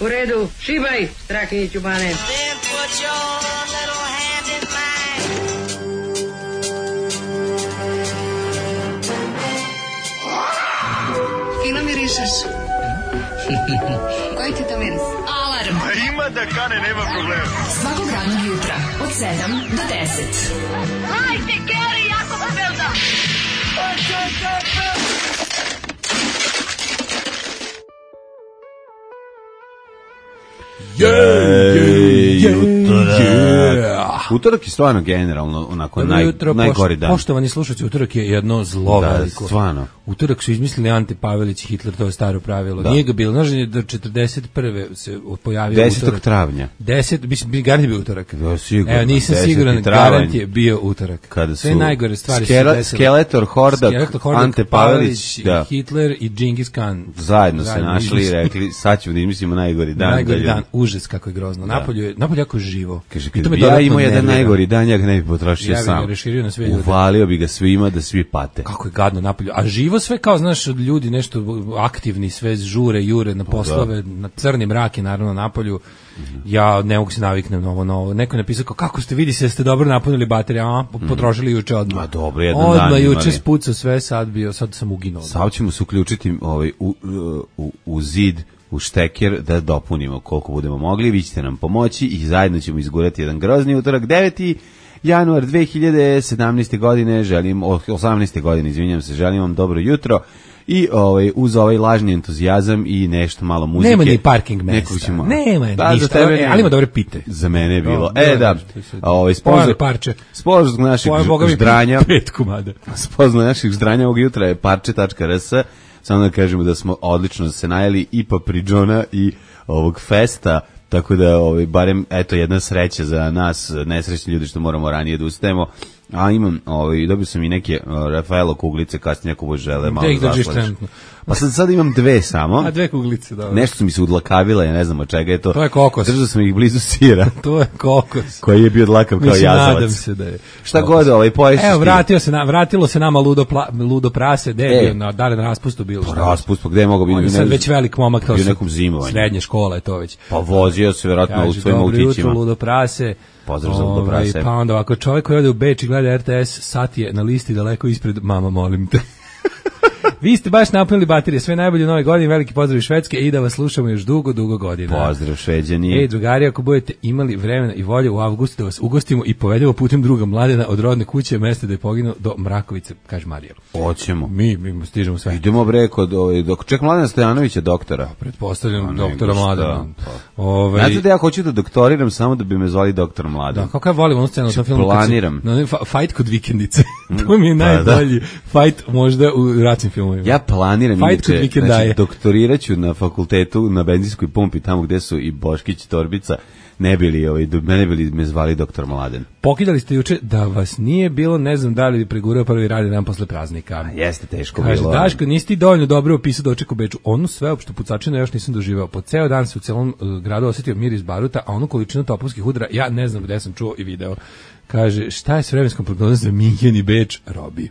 U redu, šibaj, Strahinjiću Bane. Then put your little hand in mine. Fino mirišeš. Koji ti to miris? Alarm. A ima da kane, nema problema. Svakog radnog jutra, od 7 do 10. Hajde, Geri, jako se velda. Utorak je stvarno generalno onako najgori dan. Poštovani slušatelji, utorak je jedno zlo veliko. Da, stvarno. Utorak su izmislili Ante Pavelić i Hitler, to je staro pravilo. Da. Nije ga bilo, znaš, do 41. se pojavio 10. utorak. travnja. 10, mislim, garant je bio utorak. Da, sigurno. Evo, nisam siguran, garant je bio utorak. Kada sve su najgore stvari su desile. Skeletor, Hordak, Ante Pavelić, da. Hitler i Džingis Khan. Zajedno se našli i rekli, sad ćemo da izmislimo najgori dan. Najgori dan, užas kako je grozno. Da. Napolje jako živo. Kaže, kad bi ja imao jedan najgori dan, ja ga ne bi potrošio sam. Ja bi ga reširio na sve ljude. Uvalio bi ga svima da svi pate. Kako je gadno napolju. A živo sve kao, znaš, ljudi nešto aktivni, sve žure, jure na poslove, na crni mrak je naravno napolju. Ja ne mogu se naviknem na ovo. Neko je napisao kako ste, vidi se, ste dobro napunili baterije, potrošili juče odmah. Ma dobro, jedan dan imali. Juče spucao sve, sad sam uginuo. Sad ćemo se uključiti u zid, u šteker da dopunimo koliko budemo mogli, vi ćete nam pomoći i zajedno ćemo izgurati jedan grozni utorak. 9. januar 2017. godine, 18. godine, izvinjam se, želim vam dobro jutro i uz ovaj lažni entuzijazam i nešto malo muzike. Nema ni parking mesta, nema ništa, ali ima dobre pite. Za mene je bilo. Sponzor naših ždranja, 5 komada. Sponzor naših ždranja ovog jutra je parče.rs. Samo da kažemo da smo odlično se najeli i Papridžona i ovog festa, tako da barem eto jedna sreća za nas nesrećni ljudi što moramo ranije da ustajemo. A imam, dobio sam i neke Rafaelo kuglice, kasnije ako žele malo zaslaš. Pa sad imam 2 samo. A 2 kuglice, dobro. Nešto su mi se udlakavile, ja ne znam od čega je to. To je kokos. Držao sam ih blizu sira. To je kokos. Koji je bio dlakav kao jazavac. Nadam se da je. Šta god poješćeš. Evo, vratilo se nama ludo prase, gde je bio, da li na raspustu bilo? Pa raspust, gde je mogao biti? On je sad već velik momak, kao nekom zimovanju. Srednje škola je to već. Pa vozio se vjerojatno u svojim autićima. Dobro jutro, ludo prase. Pozdrav za ludo prase. Pa onda ovako, čovjek koji ode u Beč i gleda RTS, sat je na listi daleko ispred, mama molim te. Vi ste baš napunili baterije, sve najbolje u Nove godine, veliki pozdrav iz Švedske i da vas slušamo još dugo godina. Pozdrav Šveđani. Drugari, ako budete imali vremena i volje u avgustu da vas ugostimo i povedemo putem druga Mladena od rodne kuće, mesta da je poginuo do Mrakovice, kaže Marija. Hoćemo. Mi stižemo sve. Idemo kod ček Mladena Stojanovića doktora. Pretpostavljam doktora Mladena. Znate da ja hoću da doktoriram samo da bi me zvali doktor Mladen. Da, kako ja volim onu scenu u tom filmu. Planiram. Fight kod vikendice. To mi je najbolji fight možda u ratnim filmovima. Ja planiram doktorirat ću na fakultetu na benzinskoj pumpi tamo gde su i Boškić i Torbica, ne bili me zvali doktor Mladen. Pokidali ste juče da vas nije bilo, ne znam da li bi pregurao prvi radni dan posle praznika. Jeste teško bilo. Kaže, Daško, nisi ti dovoljno dobro opisao doček u Beču. Onu sveopštu pucačinu još nisam doživao. Po ceo dan se u celom gradu osjetio miris baruta, a onu količinu topovskih udara ja ne znam gde sam čuo i video. Kaže, šta je s vremenskom prognozom za Minhen i Beč? Robi.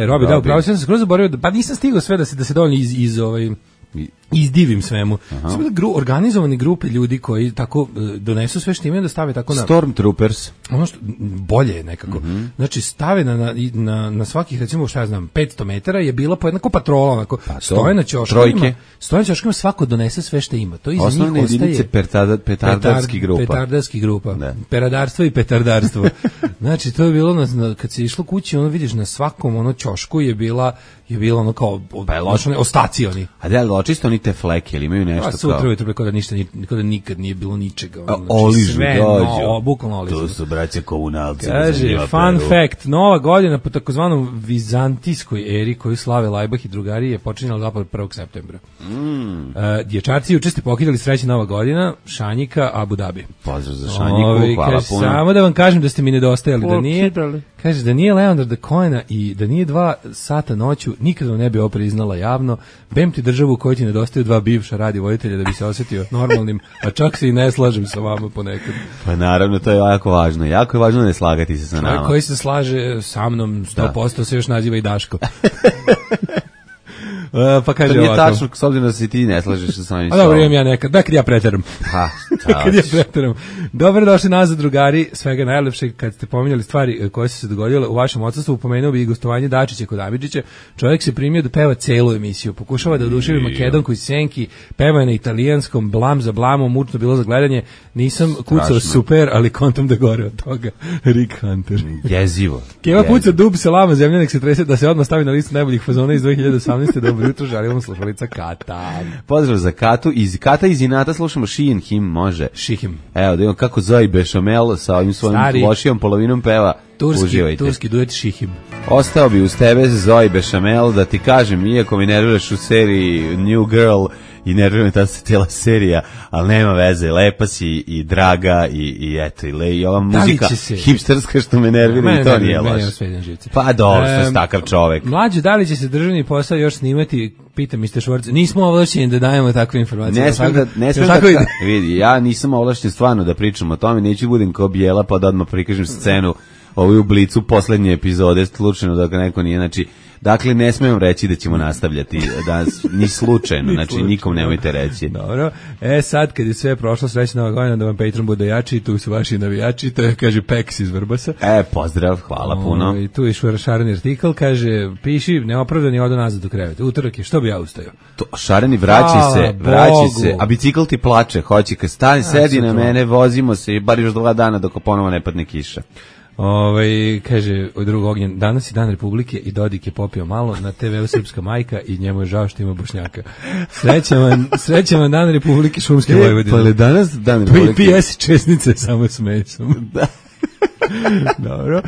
Robi, da, upravo sam se skroz zaboravio, pa nisam stigao sve da se dovoljno izdivim svemu. Samo organizovani grupe ljudi koji tako donesu sve što imaju da stave tako na... Stormtroopers. Ono što bolje je nekako. Znači, stave na svakih, recimo, šta ja znam, 500 metara je bila po jednako patrola, onako, stoje na ćoškovima, svako donese sve što ima. To iza osnovne njih jedinice petardarski grupa. Peradarstvo i petardarstvo. Znači, to je bilo, kad se išlo kući, ono vidiš, na svakom ćošku je bilo ono kao ostaci oni. A da li očisto oni te fleke ili imaju nešto kao? Sutra ujutro kao da nikad nije bilo ničega. Oližu dođu. Bukvalno oližu. To su braće komunalci. Kaže, fun fact, Nova godina po takozvanom vizantijskoj eri koju slave Lajbah i drugari je počinjala zapravo 1. septembra. Dječarci juče ste pokidali sreće Nova godina, Šanjika, Abu Dhabi. Pozdrav za Šanjiku, hvala puno. Samo da vam kažem da ste mi nedostajali, da nije... Kaže, da nije Leonarda Cohena i da nije 2 sata noću, nikad vam ne bi ovo priznala javno. Bem ti državu u kojoj ti nedostaju 2 bivša radi voditelja da bi se osjetio normalnim, a čak se i ne slažem sa vama ponekad. Pa naravno, to je jako važno. Jako je važno ne slagati se sa nama. Čovjek koji se slaže sa mnom 100% se još naziva i Daško. Pa kaže To nije ovako. tačno, s obzirom da se ti ne slažeš sa samim A dobro, sobom. imam ja nekad, kad ja preteram. Ha, Kad ja preteram. Dobro došli nazad, drugari, svega najlepšeg. Kad ste pominjali stvari koje su se dogodile u vašem odsustvu, pomenuo bi i gostovanje Dačića kod Amidžića. Čovjek se primio da peva celu emisiju. Pokušava da oduševi Makedonku iz Senki, peva je na italijanskom, blam za blamom, mučno bilo za gledanje. Nisam kucao super, ali kontam da gore od toga. Rick Hunter. Jezivo. Keva puca dub se lama, zemlja nek se trese, da se odmah stavi na listu najboljih fazona iz 2018. Dobro jutro, želim vam slušalica Kata. Pozdrav za Katu. Kata iz Inata slušamo She and Him, može. Šihim. Evo, da imam kako Zoe Bešamel sa ovim svojim Stari. lošijom polovinom peva. Uživajte. Turski duet Šihim. Ostao bi uz tebe Zoe Bešamel da ti kažem, iako mi nerviraš u seriji New Girl i nervira me ta cijela serija, ali nema veze, lepa si i draga i eto, i ova muzika hipsterska što me nervira i to nije loše. Pa dobro, što je takav čovek. Mlađe, da li će se državni posao još snimati? Pita Mr. Švorc. Nismo ovlašćeni da dajemo takve informacije. Ne smem da vidi, ja nisam ovlašćen stvarno da pričam o tome, neću budem kao Bijela pa da odmah prikažem scenu u Blicu poslednje epizode, slučajno da ga neko nije, znači, dakle, ne smijem reći da ćemo nastavljati danas, ni slučajno, znači, nikom nemojte reći. Dobro, sad kad je sve prošlo, srećna Nova godina, da vam Patreon bude jači, tu su vaši navijači, to je, kaže, Peks iz Vrbasa. Pozdrav, hvala puno. I tu je šareni artikl, kaže, piši, neopravdani, odo nazad do kreveta. Utorak je, što bi ja ustajao? Šareni, vraći se, a bicikl ti plače, hoće, kad stani, sedi na mene, vozimo se i bar još 2 dana dok ponovo ne padne kiša. Kaže drug Ognjen, danas je dan Republike i Dodik je popio malo, na TV-u Srpska majka i njemu je žao što ima Bošnjaka. Srećan vam dan Republike Šumske Vojvodine. Pa li danas dan Republike? PS česnice samo s mesom. Da. Dobro.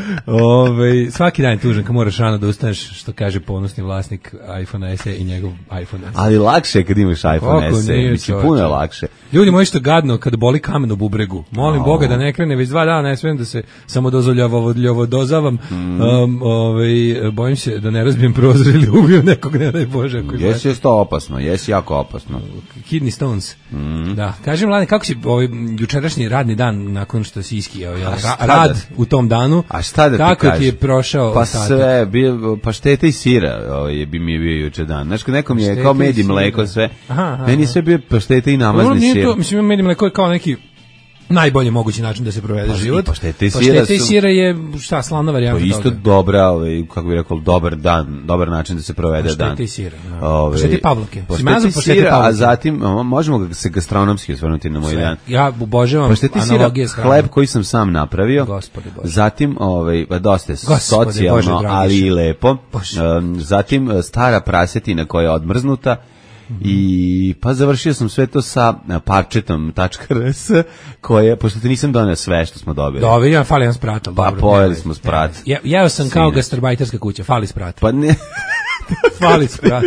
Svaki dan je tužan kad moraš rano da ustaneš, što kaže ponosni vlasnik iPhone SE i njegov iPhone SE. Ali lakše je kad imaš iPhone SE, mislim, puno je lakše. Ljudi moji, što gadno kad boli kamen u bubregu. Molim Boga da ne krene, već 2 dana ne smijem da se samo dozavam. Bojim se da ne razbijem prozor ili ubijem nekog, ne daj Bože. Jesi to opasno, jesi jako opasno. Kidney stones. Da. Kažem, Mladen, kako si jučerašnji radni dan nakon što si iskijao? Rad u tom danu. A šta da ti kako kažem? Ti je prošao pa ostatak? Sve, pašteta i sira bi mi bio juče dan. Znaš, nekom je kao med i mleko sve. Meni sve bio pašteta i namazni sir. Mislim, med i mleko je kao neki najbolji mogući način da se provede život. Pašteta i sira je šta, slavna varijanta toga. Isto dobra, kako bih rekao, dobar način da se provede dan. Pašteta i sira. Pašteta i pavlake. Pašteta i sira, a zatim možemo se gastronomski osvrnuti na moj dan. Ja obožavam analogije s hranom. Hleb koji sam sam napravio. Gospode Bože. Zatim, dosta socijalno, ali i lepo. Zatim, stara prasetina koja je odmrznuta. I pa završio sam sve to sa parčetom.rs koje, pošto ti nisam donio sve što smo dobili. Dobili, ja fali jedan sprat. Pa pojeli smo sprat. Jeo sam kao gastarbajterska kuća, fali sprat. Pa ne... Fali sprat.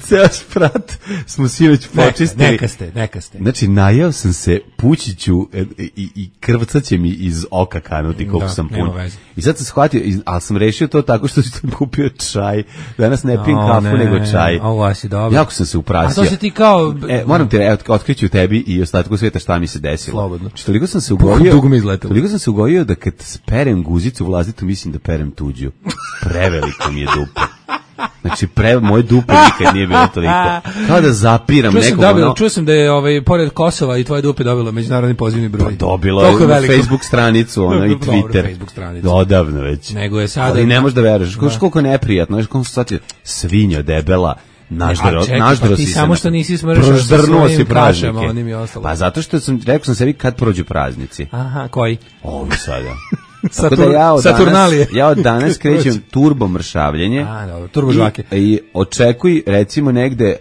Ceo sprat smo si već počistili. Neka ste. Znači, najeo sam se, pućiću i krvcaće mi iz oka kanuti koliko sam pun. I sad sam shvatio, ali sam rešio to tako što sam kupio čaj. Danas ne pijem kafu, nego čaj. Ovo si dobro. Jako sam se uprasio. A to se ti kao... Moram ti otkriću tebi i ostatku svijeta šta mi se desilo. Slobodno. Toliko sam se ugojio da kad perem guzicu vlastitu, mislim da perem tuđu. Preveliko mi je dupe. Znači, moje dupe nikad nije bilo toliko. Kao da zapiram nekog. Čuo sam da je pored Kosova i tvoje dupe dobilo međunarodni pozivni broj. Pa dobilo je na Facebook stranicu, i Twitter. Odavno već. Nego je sada... Ali ne možeš da veruješ. Koliko je neprijatno. Svinjo debela. Pa ti samo što nisi smršao sa svojim kašama, onim i ostalo. Pa zato što rekao sam sebi kad prođu praznici. Aha, koji? Ovi sada. Saturnalije. Ja od danas krećem turbo mršavljenje. Turbo žvake. I očekuj, recimo, negde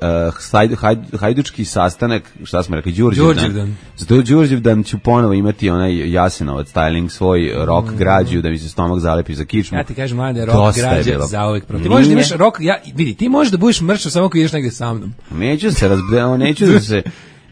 hajdučki sastanak, šta smo rekli, Đurđevdan. Zato Đurđevdan ću ponovo imati onaj Jasenovac styling, svoj rock građu, da mi se stomak zalepi za kičmu. Ja ti kažem, Mlade, rock građa zauvek protiv. Ti možeš da imaš rock, vidi, ti možeš da budeš mršav samo ako ideš negde sa mnom. Neću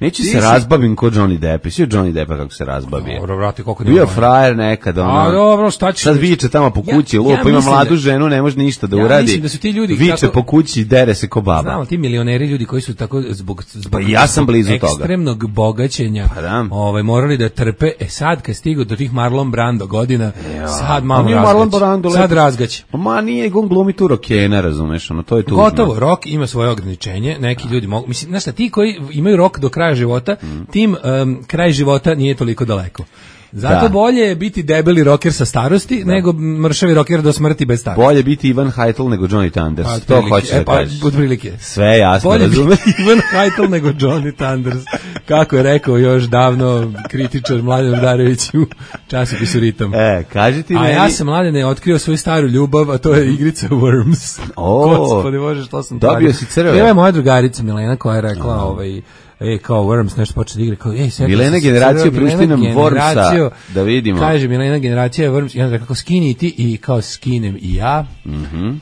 Neću se razbavim ko Johnny Depp. Svi Johnny Deppa kako se razbavio. Dobro, vrati, koliko Bio frajer nekad, ono. A dobro, šta ćeš? Sad viče tamo po kući, lupa, ima mislim mladu ženu, ne može ništa da ja uradi. mislim da su ti ljudi viče tako- po kući, dere se ko baba. Znamo, ti milioneri ljudi koji su tako zbog Pa ja sam blizu toga. ekstremnog bogaćenja Pa da. morali da trpe. Sad kad stigu do tih Marlon Brando godina, sad A malo nije Marlon Brando razgać. Sad lepo. razgać. Ma nije, on glumi tu rokena, razumeš, ono, to je tužno. Gotovo, rok ima svoje ograničenje, neki ljudi mogu, mislim, znaš šta, ti koji imaju rok do kraja života, tim kraj života nije toliko daleko. Zato Da. bolje je biti debeli roker sa starosti, nego mršavi roker do smrti bez starosti. Bolje biti Ivan Heitel nego Johnny Thunders. Pa, To otprilike. hoćeš da kažeš. Otprilike. Sve jasno, Bolje razumeš? biti Ivan Heitel nego Johnny Thunders. Kako je rekao još davno kritičar Mladen Udarević u časopisu Ritam. Kaži ti A meni... ja sam, Mladene, otkrio svoju staru ljubav, a to je igrica Worms. Gospodи Bože, što sam Dobio radio. si crve. Bila je moja drugarica Milena koja je rekla, kao Worms nešto počne da igra, kao, seti Milena se generacija, crve, prišti nam Milena Wormsa, generaciju, da vidimo. Kaže, Milena generacija je Worms, i onda rekao, skini ti, i kao skinem i ja,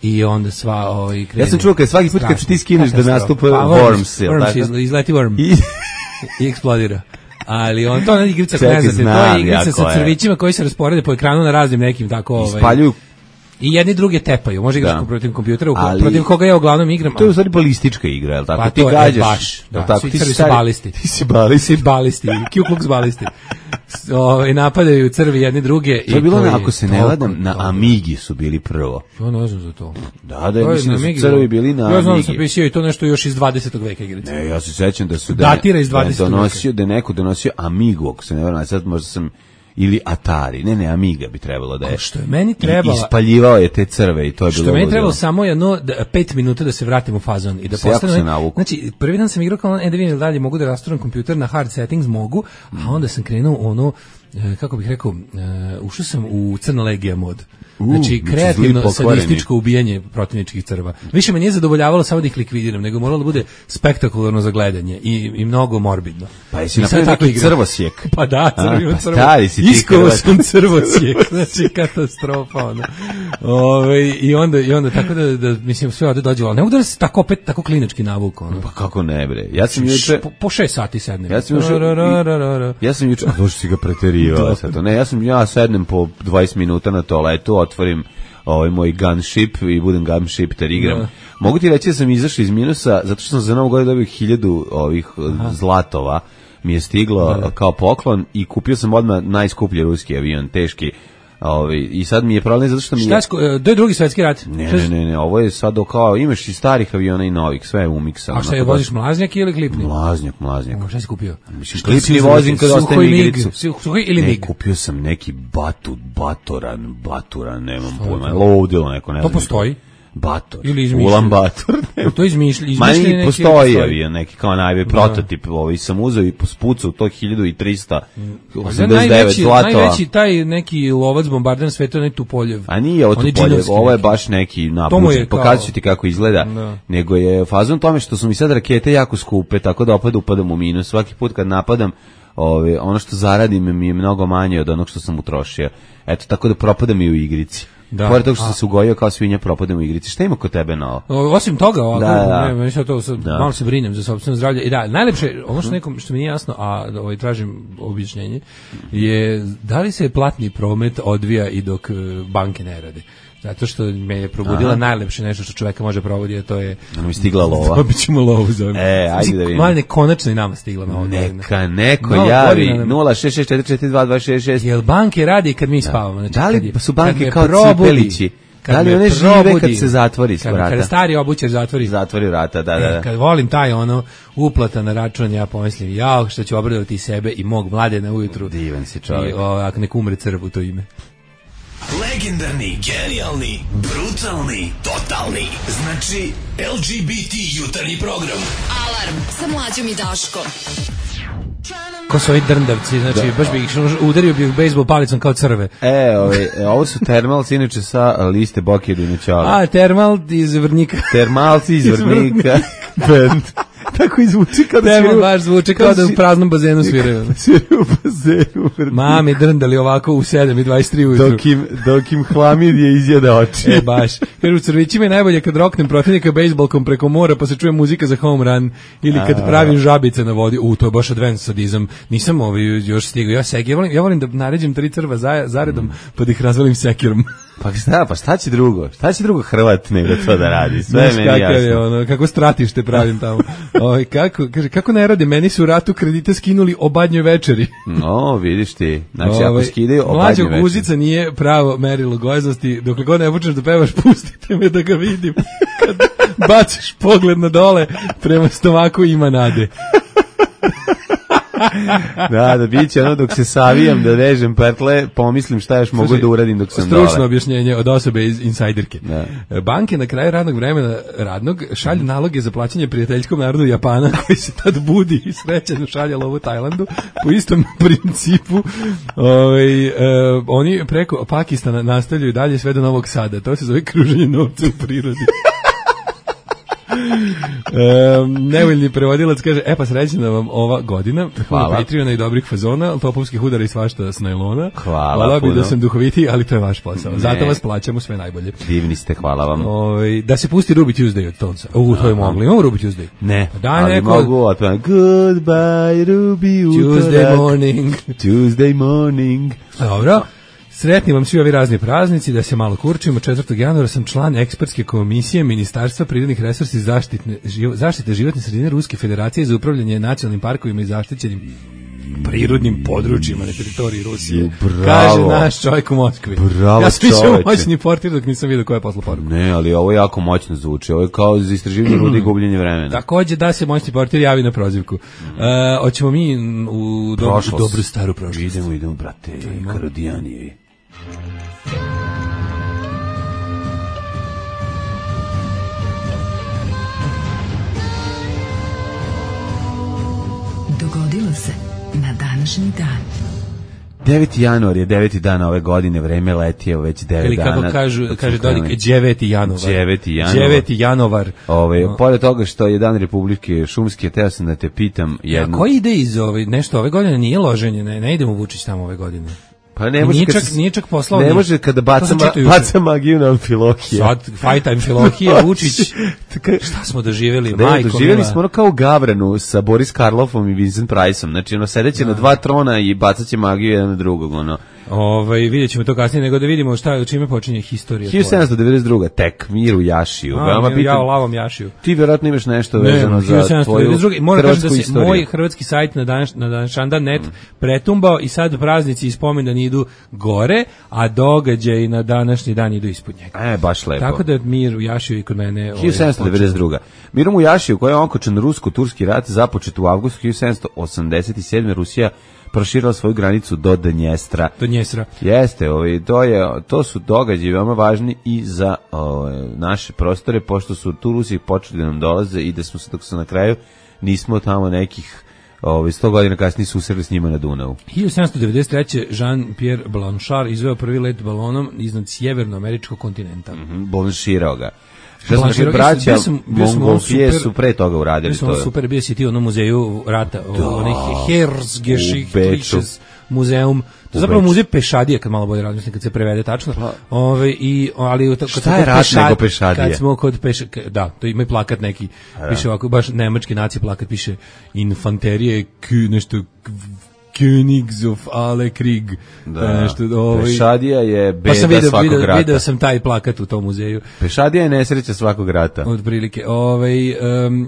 i onda sva krene. Ja sam čuo kad svaki put kad ti skineš da nastupa Worms, jel tako? Izleti Worm i eksplodira. Ali on to je igrica, Čekaj, ne znate, to znam je igrica ja sa koja je. crvićima koji se rasporede po ekranu na raznim nekim tako Ispaljuju. i jedni druge tepaju. Može igraš Da. protiv kompjutera, Ali- protiv koga ja uglavnom igram. To je u stvari balistička igra, jel tako? Pa Ti to je gađaš. baš, da, jel tako? svi Ti crvi su stari- balisti. Ti si balisti. Svi balisti, Ku Klux balisti. Napadaju crvi jedni druge. To je bilo, ako se ne toliko ladam, na dobro. Amigi su bili prvo. Ja ne znam za to. Da, To je mislim na da su Amigi, crvi bili na Ja znam da sam Amigi. pisao i to nešto još iz 20. veka igrice. Ne, ja se sećam da su Datira iz da je 20. donosio, da je neko donosio Amigu, ako se ne varam, sad možda sam ili Atari, ne, Amiga bi trebalo da je. Što je meni I trebala... ispaljivao je te crve i to je bilo Što meni ludilo. trebalo samo 5 minuta da se vratim u fazon i da Se jako se postanem. navuku. Znači, prvi dan sam igrao kao da vidim dalje mogu da rasturam kompjuter na hard settings, mogu, a onda sam krenuo kako bih rekao, ušao sam u Crna legija mod. Znači, znači kreativno, zli pokvareni. sadističko ubijanje protivničkih crva. Više me nije zadovoljavalo samo da ih likvidiram, nego moralo da bude spektakularno za gledanje i mnogo morbidno. Pa jesi I sad napravio tako neki igram. crvosjek? Pa da, crvio pa crvo. stari si ti Iskovao Hrvat. sam crvosjek, znači katastrofa. Ono. I onda tako da mislim sve ovde dođe, ali ne mogu da se tako opet tako klinički navuku. Ono. Pa kako ne bre? Ja sam juče... Po 6 sati sednem. Ja sam juče, a došli si ga preterivao sad to. Ne, ja sednem po 20 minuta na toaletu, otvorim moj gunship i budem gunshipter, igram. Da. Mogu ti reći da sam izašao iz minusa zato što sam za Novu godinu dobio 1000 ovih zlatova mi je stiglo kao poklon i kupio sam odmah najskuplji ruski avion, teški. I sad mi je problem zato što mi je... To je drugi svetski rat. Ne, ovo je sad kao, imaš i starih aviona i novih, sve je umiksano. A šta je, voziš mlaznjak ili klipni? Mlaznjak. Šta si kupio? Mislim, klipni vozim kad ostajem igricu. Suhoj ili mig? Kupio sam neki baturan, nemam pojma, lovdilo neko, ne To znam. postoji? Bator. Ili izmišljeno? Ulan Bator. To izmišljeno neki... Postoji avion, neki kao najbolji prototip, sam uzeo i spucao to 1389 zlatova. Najveći taj neki lovac bombarder sveta, onaj Tupoljev. A nije ovo Tupoljev, ovo je baš neki napuđen, pokazat ću ti kako izgleda, nego je fazon tome što su mi sad rakete jako skupe, tako da opet upadam u minus. Svaki put kad napadam, ono što zaradim mi je mnogo manje od onog što sam utrošio. Eto, tako da propadam i u igrici. Pored toga što sam se ugojio kao svinja, propadam u igrici. Šta ima kod tebe na ovo? Osim toga, Da. malo se brinem za sopstveno zdravlje. I da, najlepše, ono što mi nije jasno, a tražim objašnjenje, je da li se platni promet odvija i dok banke ne rade. Zato što me je probudila najlepše nešto što čoveka može provoditi, a to je... Ono mi stigla lova. Dobit ćemo lovu za ovim. Ajde da vidimo. Mladine, konačno i nama stigla na ovo. Neka neko javi 066442266. Jel banke radi kad mi spavamo? Znači, da li su banke kao cipelići? Da li me one žive probudi, kad se zatvori vrata? Kada stari obućar zatvori vrata, da. Kad volim taj uplata na račun, ja pomislim, što ću obradovati sebe i mog Mladena ujutru. Divan si čovjek. I ako nek umre crv u to ime. Legendarni, genijalni, brutalni, totalni. Znači, LGBT jutarnji program. Alarm sa Mlađom i Daškom. Ko su ovi drndavci, znači baš bi ih udario bi ih bejsbol palicom kao crve. Ovo su Termalci, inače sa liste Boki Dinoćala. A, Termal iz Vrnika. Termalci iz Vrnika. Band. Tako izvuči kada Tema baš zvuči kao da u praznom bazenu sviraju. Sviraju u bazenu. Mami drndali ovako u 7:23 ujutru. Dok im hlamidije izjeda oči. Baš. Jer u Crvićima je najbolje kad roknem protivnika bejsbolkom preko mora pa se čuje muzika za home run ili kad pravim žabice na vodi. To je baš advanced sadizam. Nisam još stigao. Ja volim da naređem 3 crva zaredom pa da ih razvalim sekirom. Pa šta će drugo? Šta će drugo Hrvat nego to da radi? Sve je meni jasno. Kako stratište pravim tamo. Kako ne rade? Meni su u ratu kredite skinuli o badnjoj večeri. No, vidiš ti. Znači, ako skidaju o badnjoj večeri. Mlađa guzica nije pravo merilo gojaznosti. Dokle god ne počneš da pevaš, pustite me da ga vidim. Kad baciš pogled na dole, prema stomaku ima nade. Da bit će ono dok se savijam da vežem pertle, pomislim šta još mogu da uradim dok sam dole. Stručno objašnjenje od osobe iz insajderke. Banke na kraju radnog vremena šalju naloge za plaćanje prijateljskom narodu Japana koji se tad budi i srećeno šalje lovu Tajlandu po istom principu. Oni preko Pakistana nastavljaju dalje sve do Novog Sada. To se zove kruženje novca u prirodi. Nevoljni prevodilac kaže, pa srećna vam ova godina, puno Patreona i dobrih fazona, topovskih udara i svašta s najlona. Hvala bi da sam duhovitiji, ali to je vaš posao. Zato vas plaćamo sve najbolje. Divni ste, hvala vam. Da se pusti Ruby Tuesday od Tonsa. To je mogli. Imamo Ruby Tuesday? Ne, ali mogu Goodbye Ruby Tuesday morning. Dobro. Sretni vam svi ovi razni praznici, da se malo kurčimo. 4. januara sam član ekspertske komisije Ministarstva prirodnih resursa i zaštite životne sredine Ruske federacije za upravljanje nacionalnim parkovima i zaštićenim prirodnim područjima na teritoriji Rusije. Bravo. Kaže naš čovjek u Moskvi. Bravo, ja sam mislio moćni portir dok nisam vidio ko je poslao poruku. Ne, ali ovo jako moćno zvuči. Ovo je kao za istraživanje rude i gubljenje vremena. Takođe da se moćni portir javi na prozivku. Hoćemo mi u dobru staru prošlost. Idemo, brate, Karodijanije. Dogodilo se na današnji dan. 9. januar je 9. dan ove godine, vreme leti, evo već 9 dana. Ili kako kaže Dodik, 9. januar. 9. januar. Pored toga što je dan Republike Šumske, teo sam da te pitam jednu... A koji ide iz nešto ove godine nije loženje, ne idemo Vučić tamo ove godine. Pa ne može nije čak poslao. Ne može kada baca magiju na Amfilohija. Sad fight Amfilohija, Vučić. Šta smo doživjeli, majko? Doživjeli smo ono kao u Gavranu sa Boris Karloffom i Vincent Priceom. Znači ono sedeće na 2 trona i bacaće magiju jedan na drugog, ono. Vidjet ćemo to kasnije, nego da vidimo čime počinje historija. 1792. tek mir u Jašiju. Ja u lavom Jašiju. Ti vjerojatno imaš nešto vezano za tvoju hrvatsku istoriju. Moj hrvatski sajt na današnji.net pretumbao i sad praznici i spomendani idu gore, a događaji na današnji dan idu ispod njega. Baš lepo. Tako da mir u Jašiju i kod mene... 1792. Mirom u Jašiju, koji je onkočen rusko-turski rat, započet u avgustu 1787. Rusija proširila svoju granicu do Dnjestra. Jeste, to su događaji veoma važni i za naše prostore, pošto su tu Rusi počeli da nam dolaze i da smo se, dok se na kraju nismo tamo nekih 100 godina kasnije susreli s njima na Dunavu. 1793. Jean-Pierre Blanchard izveo prvi let balonom iznad sjevernoameričkog kontinenta. Blanchirao ga. Što smo naši braća Mongolfije su pre toga uradili to. Super, bio si ti u muzeju rata, onaj Herzgeschichtliches muzeum. To je zapravo muzej pešadije, kad malo bolje razmislim, kad se prevede tačno. Šta je rat nego pešadije? Kad smo kod da, to ima i plakat neki, piše ovako, baš nemački naci plakat, piše infanterije, nešto... Königs of alle Krieg. Pešadija je beda svakog rata. Video sam taj plakat u tom muzeju. Pešadija je nesreća svakog rata. Od prilike.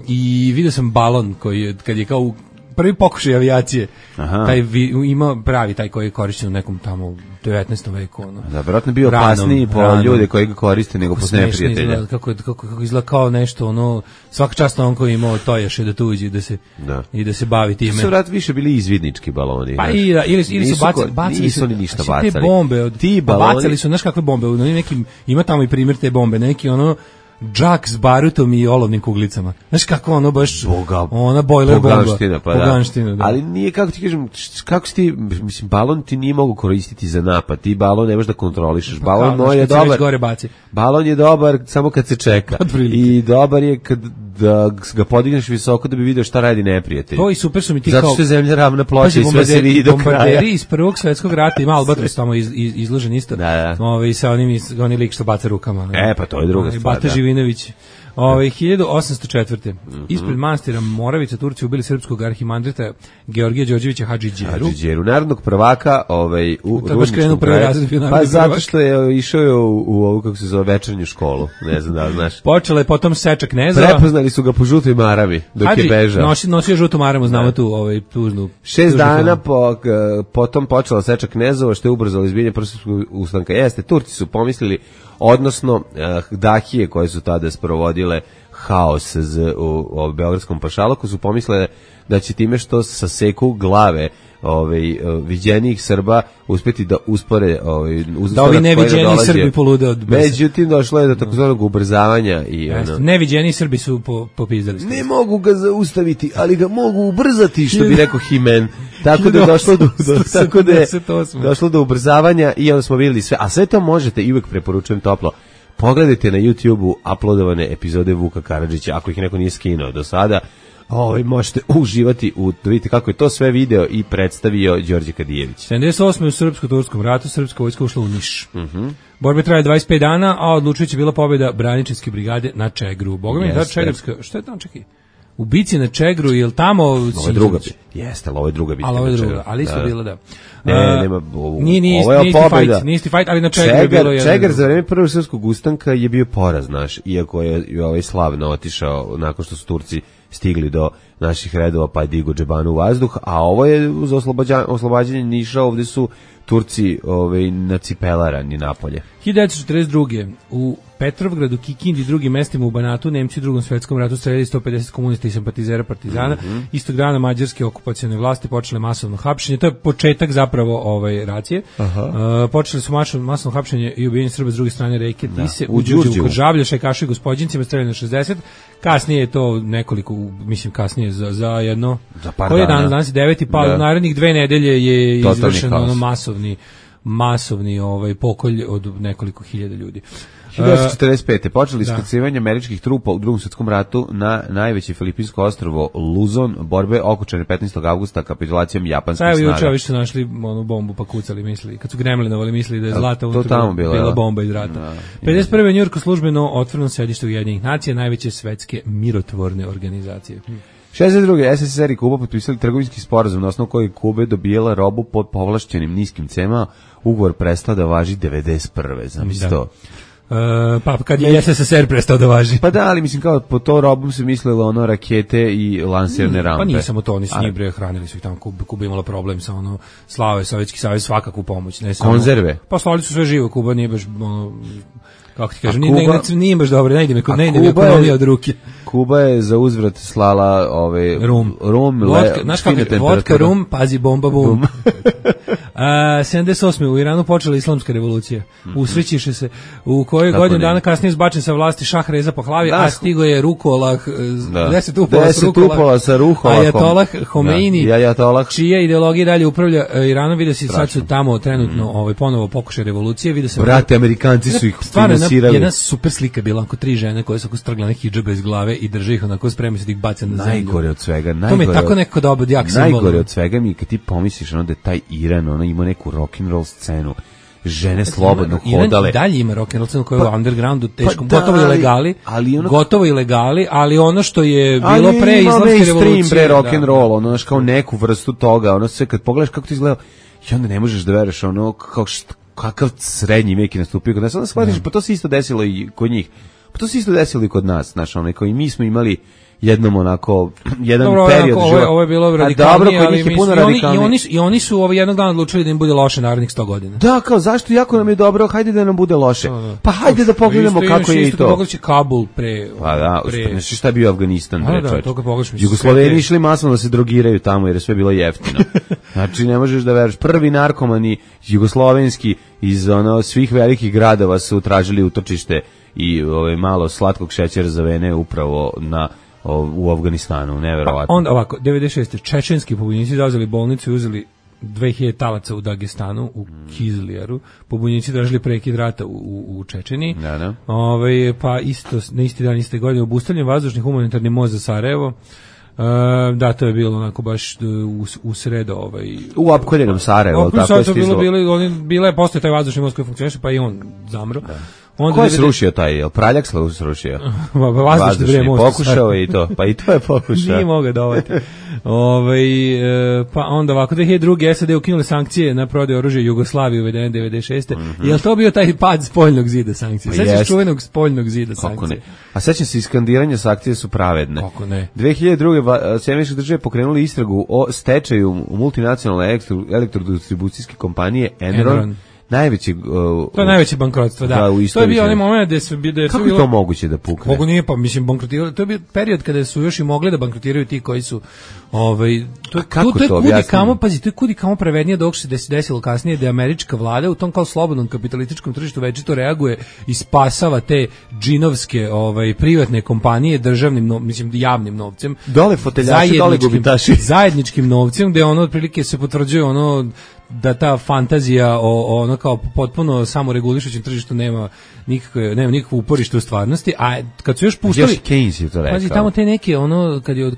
I video sam balon koji kad je kao prvi pokušaj avijacije. Taj ima pravi taj koji je korišćen u nekom tamo 19. veku. Da, vjerojatno bio opasniji po ljude koji ga koriste nego po neprijatelja. Kako izgleda kao nešto, svaka čast on koji imao tojaše da tuđi i da se bavi time. Su vrat više bili izvidnički baloni. Pa ili su bacali. Nisu ni ništa bacali. Te bombe, bacali su, znaš kakve bombe, ima tamo i primjer te bombe, neki džak s barutom i olovnim kuglicama. Znaš kako baš ona bojler bomba. Poganština, da. Ali nije, kako ti kažem, kako si ti, mislim, balon ti nije mogu koristiti za napad. Ti balon ne možeš da kontrolišeš. Balon je dobar. Balon je dobar samo kad se čeka. I dobar je kad da ga podigneš visoko da bi video šta radi neprijatelj. To i super su mi ti zato kao... što je zemlja ravna ploča i sve se vidi do kraja. Bombarderi iz Prvog svjetskog rata, ima Albatros tamo izložen isto. Da. I sa oni lik što baca rukama. Pa to je druga stvar. Bata Živinović. 1804. Ispred manastira Moravica Turci ubili srpskog arhimandrita Georgija Đorđevića Hadžidžeru. Narodnog prvaka u Rudničkom kraju. Pa zato što je išao u ovu, kako se zove, večernju školu. Ne znam da li znaš. Počela je potom seča knezova. Prepoznali su ga po žutoj marami dok je bežao. Nosio žutu maramu, znamo tu tužnu. 6 dana potom počela seča knezova, što je ubrzalo izbijanje prvoslvenskog ustanka. Jeste, Turci su pomislili, odnosno dahije koje su tada sprovodile haos u beogradskom pašaluku su pomislile da će time što saseku glave viđenijih Srba uspeti da uspore da ovi neviđeni Srbi polude od besa. Međutim, došlo je do takozvanog ubrzavanja i neviđeni Srbi su popizdali. Ne mogu ga zaustaviti, ali ga mogu ubrzati, što bi rekao Himen. Tako da je došlo do ubrzavanja i onda smo vidjeli sve. A sve to možete, i uvek preporučujem toplo, pogledajte na YouTube-u uploadovane epizode Vuka Karadžića, ako ih neko nije skinuo do sada. Možete uživati da vidite kako je to sve video i predstavio Đorđe Kadijević. 78. u Srpsko-turskom ratu srpska vojska ušla u Niš. Borbe traje 25 dana, a odlučujuća bila pobjeda Braničevske brigade na Čegru. Boga mi da Čegrevska, šta je tamo, čekaj? U bici na Čegru, je li tamo... Ovo je druga bitka. Jeste, ali ovo je druga bitka. Ali su bila, da. Nema, ovo je pobjeda. Nije isti fight, ali na Čegru je bilo... Čegar za vreme Prvog svjetskog ustanka je bio poraz naš, iako je ovaj slavno otišao nakon što su Turci stigli do naših redova, pa je digo džebanu u vazduh, a ovo je za oslobađanje Niša, ovdje su Turci nacipelarani napolje. 1942. u Petrovgradu, Kikindi i drugim mestima u Banatu Nemci u Drugom svjetskom ratu streljali 150 komunista i simpatizera partizana. Istog dana mađarske okupacione vlasti počele masovno hapšenje. To je početak zapravo racije. Počeli su masovno hapšenje i ubijanje Srba s druge strane reke Tise, u Đurđevu, kod Žablja, Šajkašu i Gospođincima, streljano 60. Kasnije je to nekoliko, mislim kasnije za jedno... Za par koji je danas je 9. pa narednih 2 nedelje je izvršeno masovni pokolj od nekoliko hiljada ljudi. 1945. počeli iskrcavanje američkih trupa u Drugom svjetskom ratu na najveće filipinsko ostrvo Luzon, borbe okončane 15. avgusta kapitulacijom japanskih snaga. Evo juče ovi su našli bombu pa kucali, misli, kad su gremlinovali, mislili da je zlata bila bomba iz rata. 51. u Njujorku službeno otvoreno sedište Ujedinjenih nacija, najveće svetske mirotvorne organizacije. 62. SSSR i Kuba potpisali trgovinski sporazum na osnovu kojeg Kuba dobijala robu pod povlašćenim niskim cenama. Ugovor prestao da važi 91. Zamisli to. Pa kad je SSSR prestao da važi. Pa da, ali mislim kao po to robom se mislilo rakete i lansirne rampe. Pa nije samo to, oni su njih hranili su ih tamo, Kuba imala problem sa slave, Sovjetski savez svakakvu pomoć. Ne samo, konzerve? Pa slali su sve živo, Kuba nije baš kako ti kažem, nije baš dobro, ne ide mi ekonomija od ruke. Kuba je za uzvrat slala rum, znaš kako je, vodka, rum, pazi, bomba, bum. 78. u Iranu počela islamska revolucija. Usrećiše se, u kojoj godinu dana kasnije zbačen sa vlasti Šah Reza Pahlavi, a stigo je Rukolah, 10 upola sa Rukolahom, Ajatolah Homeini, čija ideologija dalje upravlja Iranom. Vidio si, sad su tamo trenutno ponovo pokušaj revolucije. Brate, Amerikanci su ih finansirali. Jedna super slika bila, onako 3 žene koje su strgla hidžabe iz glave i drže ih onako, spremni se da ih baca na zemlju. Najgore od svega. To mi je tako neko dobar jak simbol. Najgore od svega mi kad ti pomisliš da je taj Iran, ima neku rock'n'roll scenu, žene slobodno hodale. Iran dalje ima rock'n'roll scenu koja je u undergroundu teškom, gotovo ilegali, ali ono što je bilo pre islamske revolucije. Rock'n'roll, kao neku vrstu toga, sve kad pogledaš kako to izgleda, i onda ne možeš da veruješ, kakav srednji vek je nastupio kod nas, onda shvatiš, pa to se isto desilo i kod njih, pa to se isto desilo i kod nas, znaš, i mi smo imali jedan period života. Ovo je bilo radikalnije, ali i oni su jednog dana odlučili da im bude loše narednih 100 godina. Da, kao zašto, jako nam je dobro, hajde da nam bude loše. Pa hajde da pogledamo kako je i to. Pogledaš Kabul pre... Pa da, znači šta je bio Afganistan, Jugosloveni išli masno da se drogiraju tamo jer je sve bilo jeftino. Znači ne možeš da veruješ, prvi narkomani jugoslovenski iz svih velikih gradova su tražili utočište i malo slatkog šećera za vene upravo u Afganistanu, neverovatno. Onda ovako, 96. čečenski pobunjenici zauzeli bolnicu i uzeli 2000 talaca u Dagestanu, u Kizljaru, pobunjenici tražili prekid rata u Čečeniji. Da. Pa isto, na isti dan, iste godine, obustavljen vazdušni humanitarni most za Sarajevo. Da, to je bilo onako baš u sredo u opkoljenom Sarajevo, tako je stizlo. Bila je postoje taj vazdušni most koji funkcioniše, pa i on zamro. Ko je srušio taj, je li Praljak srušio? Vazdušni most. Pokušao i to, pa i to je pokušao. Nije mogao dovati. Pa onda ovako, 2002. SAD ukinuli sankcije na prodaju oružja Jugoslavije uvedene 96. Je li to bio taj pad spoljnog zida sankcije? Sećaš čuvenog spoljnog zida sankcije? Kako ne? A sećam se, iskandiranja sankcije su pravedne. Kako ne? 2002. Sjedinjene države pokrenuli istragu o stečaju multinacionalne elektrodistribucijske kompanije Enron. Najveći to je najveće bankrotstvo, da. To je bio onaj moment gde su kako je to moguće da pukne? Mogu nije, pa mislim bankrotirali. To je bio period kada su još i mogli da bankrotiraju ti koji su to je kudi kamo, pazi, to je kudi kamo pravednije dok se desilo kasnije da je američka vlada u tom kao slobodnom kapitalističkom tržištu večito reaguje i spasava te džinovske privatne kompanije državnim, javnim novcem. Dole foteljaši, dole gubitaši. Zajedničkim novcem, gde ono otprilike se potvrđuje da ta fantazija o ono kao potpuno samoregulišućem tržištu nema nikakvo uporište u stvarnosti, a kad su još pustili još Keynes je to rekao. Pazi, tamo te neke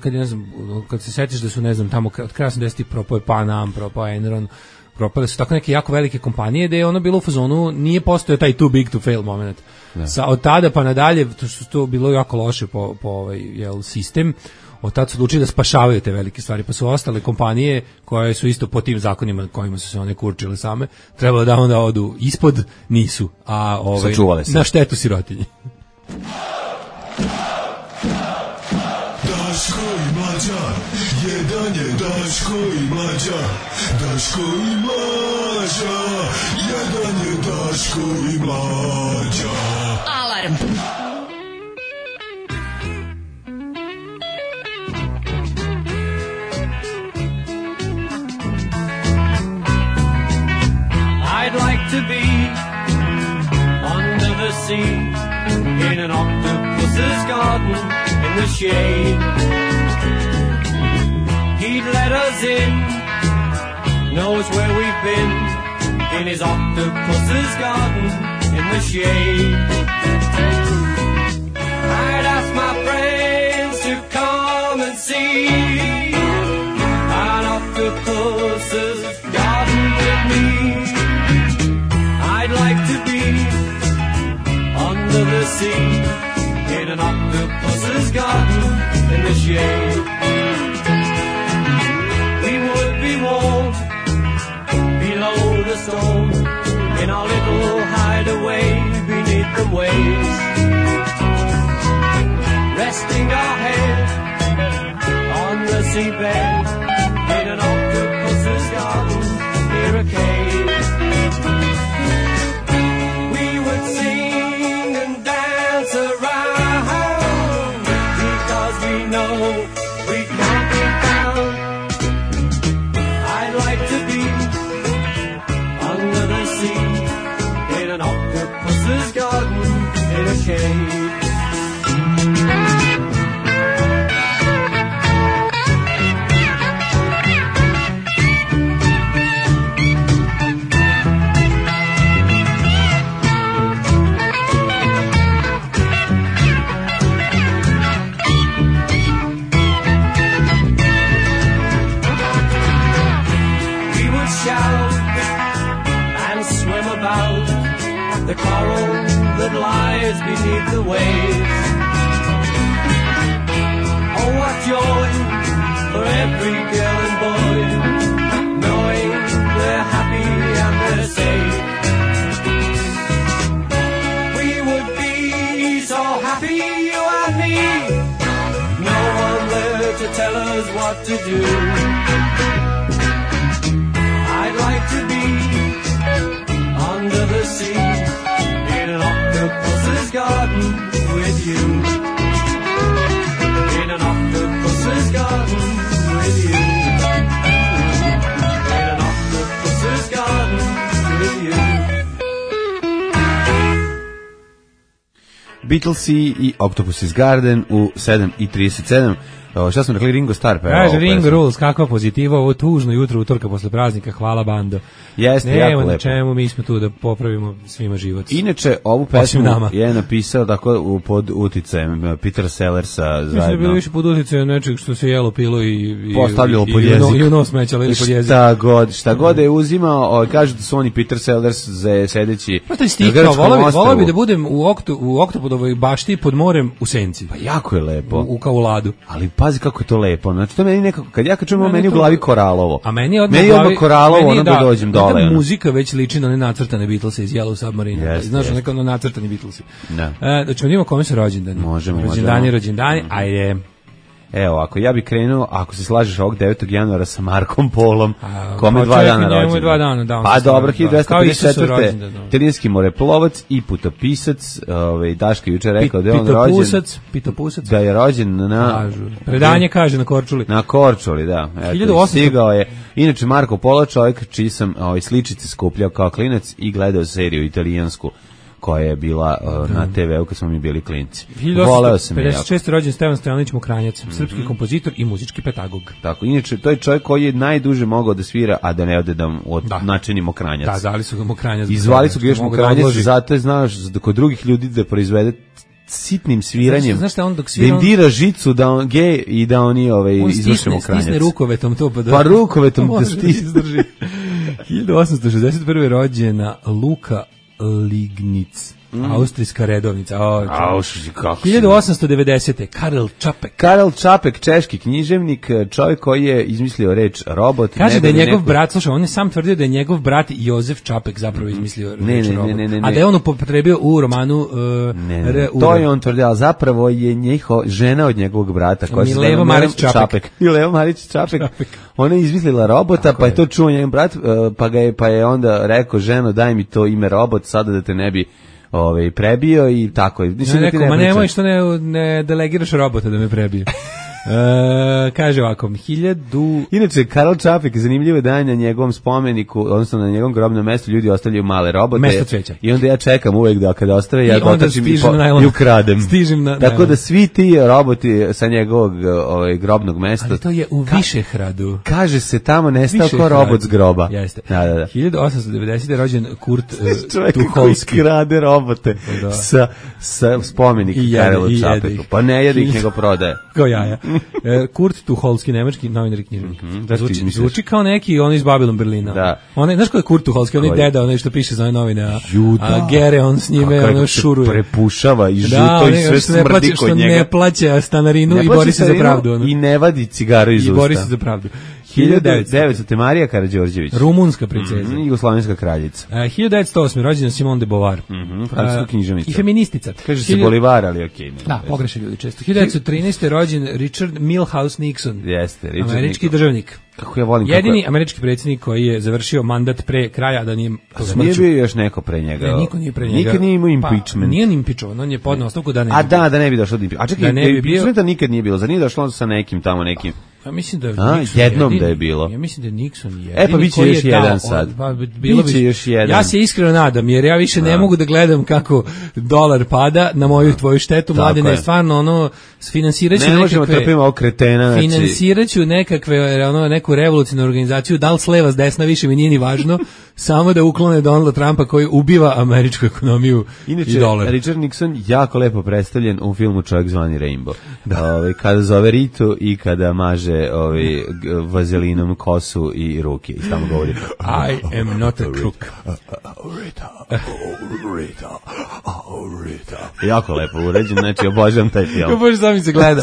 kad ne znam, kad se setiš da su ne znam tamo od kraja 80-ih propao je Pan Am, propao Enron, propale su tako neke jako velike kompanije da je ono bilo u fazonu, nije postojao taj too big to fail moment. Od tada pa nadalje to bilo jako loše po sistem. Od tada su odlučili da spašavaju te velike stvari, pa su ostale kompanije koje su isto po tim zakonima kojima su se one kurčile same, trebalo da onda odu ispod, nisu, a na štetu sirotinje. Daško i Mlađa, jedan je Daško i Mlađa, Daško i Mlađa, jedan je Daško i Mlađa. Alarm. I'd like to be under the sea in an octopus's garden in the shade. He'd let us in, knows where we've been in his octopus's garden in the shade. I'd ask my friends to come and see an octopus's garden with me. I'd like to be under the sea in an octopus's garden in the shade. We would be warm below the storm in our little hideaway beneath the waves, resting our head on the seabed in an octopus's garden near a cave. The coral that lies beneath the waves. Oh, what joy for every girl and boy, knowing they're happy and they're safe. We would be so happy, you and me, no one there to tell us what to do. I'd like to be under the sea in an octopus's garden with you. In an octopus's garden with you. In an octopus's garden with you. Beatlesi i Octopus's Garden u 7:37. Šta smo rekli, Ringo Starr pevao. Kaže Ringo Rules, kakva pozitiva, ovo tužno jutro utorka posle praznika, hvala bando. Jeste, jako lepo. Na čemu, mi smo tu da popravimo svima život. Inače, ovu pesmu je napisao tako pod uticajem Peter Sellersa zajedno. Mislim da bilo više pod uticajem nečeg što se jelo, pilo i postavljalo pod jezik. I u nos mećalo ili pod jezik. Šta god je uzimao, kaže da su oni Peter Sellers sedeći na grčkom ostrvu. Volao bi da budem u Oktopodovoj bašti pod morem u senci. Pa jako je lepo. U Kauladu. Ali pazi kako je to lepo. Znači to meni nekako, kad ja čujem meni u glavi Koralovo. A meni odmah Koralovo, ono da dođem dole. Da muzika već liči na one nacrtane Beatlese iz Yellow Submarine. Znaš, neko na nacrtani Beatlesi. Da ćemo vidimo kome su rođendani. Možemo. Rođendani, ajde. Evo, ako ja bih krenuo, ako se slažeš ovog 9. januara sa Markom Polom, kome 2 dana rođendan. Pa dobro, 1254. Italijanski moreplovac i putopisac, Daška juče rekao da je on rođen. Pitopusac. Da je rođen na... Predanje kaže na Korčuli. Na Korčuli, da. 1800. Stigao je. Inače, Marko Polo, čovjek čiji sam sličice skupljao kao klinac i gledao seriju italijansku koja je bila na TV-u kad smo mi bili klinci. Voleo sam je. 56. rođen Stevan Stojanović Mokranjac, srpski kompozitor i muzički pedagog. Tako, inače, to je čovjek koji je najduže mogao da svira, a da ne ode da načini Mokranjac. Da, zvali su ga Mokranjac. I zvali su ga još Mokranjac, zato je znaš da kod drugih ljudi da proizvede sitnim sviranjem, znaš šta on dok svira, da im dira žicu da on gej i da oni izvrše Mokranjac. Stisne rukovetom to pa rukovetom da izdrži. 1861. rođena Luka Lignic, austrijska redovnica. 1890. Karel Čapek, češki književnik, čovjek koji je izmislio reč robot. Kaže da je njegov brat, slušaj, on je sam tvrdio da je njegov brat Jozef Čapek zapravo izmislio reč robot. A da je on upotrebio u romanu to je on tvrdio, ali zapravo je žena od njegovog brata Mileva Marić Čapek. Mileva Marić Čapek. Ona je izmislila robota, pa je to čuo njegov brat, pa je onda rekao, ženo, daj mi to ime robot, sada da te ne bi prebio i tako. Ma nemoj što ne delegiraš robota da me prebije. Kaže ovako, 1000... Inače, Karel Čapek, zanimljivo da je na njegovom spomeniku, odnosno na njegovom grobnom mestu, ljudi ostavljaju male robote. Mesto cveća. I onda ja čekam uvek da kada ostave, ja dotačim i ukradem. Tako da svi ti roboti sa njegovog grobnog mesta... Ali to je u Višehradu. Kaže se tamo nestao ko robot z groba. Jeste. Da. 1890. je rođen Kurt Tuholski. Čovjek koji krade robote sa spomenika Karelu Čapeku. Pa ne jede ih, nego prodaje. Kao jaja. Kurt Tuholski, nemački novinar i književnik. Zvuči kao neki, on iz Babylon Berlina. Da. Znaš ko je Kurt Tuholski? On je deda, onaj što piše za ove novine, a Gere, on s njime ono šuruje. Prepušava i žuto i sve smrdi kod njega. Što ne plaća stanarinu i bori se za pravdu. I ne vadi cigaru iz usta. I bori se za pravdu. 1900. Marija Karađorđević. Rumunska princeza. Jugoslovenska kraljica. 1908. rođena Simone de Beauvoir. Francuska književnica. I feministica. Kaže se Bolivar, ali okej. Da, pogreše ljudi često. 1913. rođen Richard Milhouse Nixon. Jeste, Richard američki državnik. Kako ja volim jedini američki predsjednik koji je završio mandat pre kraja, da nije smrću. Nije bio još neko pre njega. Ne, niko nije pre njega. Nikad nije imao impeachment. Nije impeachovan, on je podneo ostavku da ne. Da ne bi došlo do impeachmenta. A čekaj, impeachmenta nikad nije bilo. Za nije došlo sa nekim tamo nekim. Ja mislim da je jednom jedini, da je bilo. Ja mislim da je Nixon jedini. Pa biće još jedan sad. Biće još jedan. Ja se iskreno nadam, jer ja više ne mogu da gledam kako dolar pada na moju tvoju štetu. Mladine, stvarno finansiraću nekakve... Ne možemo trpimo ovog kretena. Finansiraću neku revolucionarnu organizaciju, da li s leva s desna, više mi nije ni važno, samo da uklone Donalda Trumpa koji ubiva američku ekonomiju i dolar. Inače, Richard Nixon jako lepo predstavljen u filmu Čovjek zvani Rainbow. Kada zove Ritu i kada maže vazelinom kosu i ruke i tamo govori I am not a crook. Rita. Jako lepo uređen, znači obožavam taj film. Ja bože, sam mi se gleda.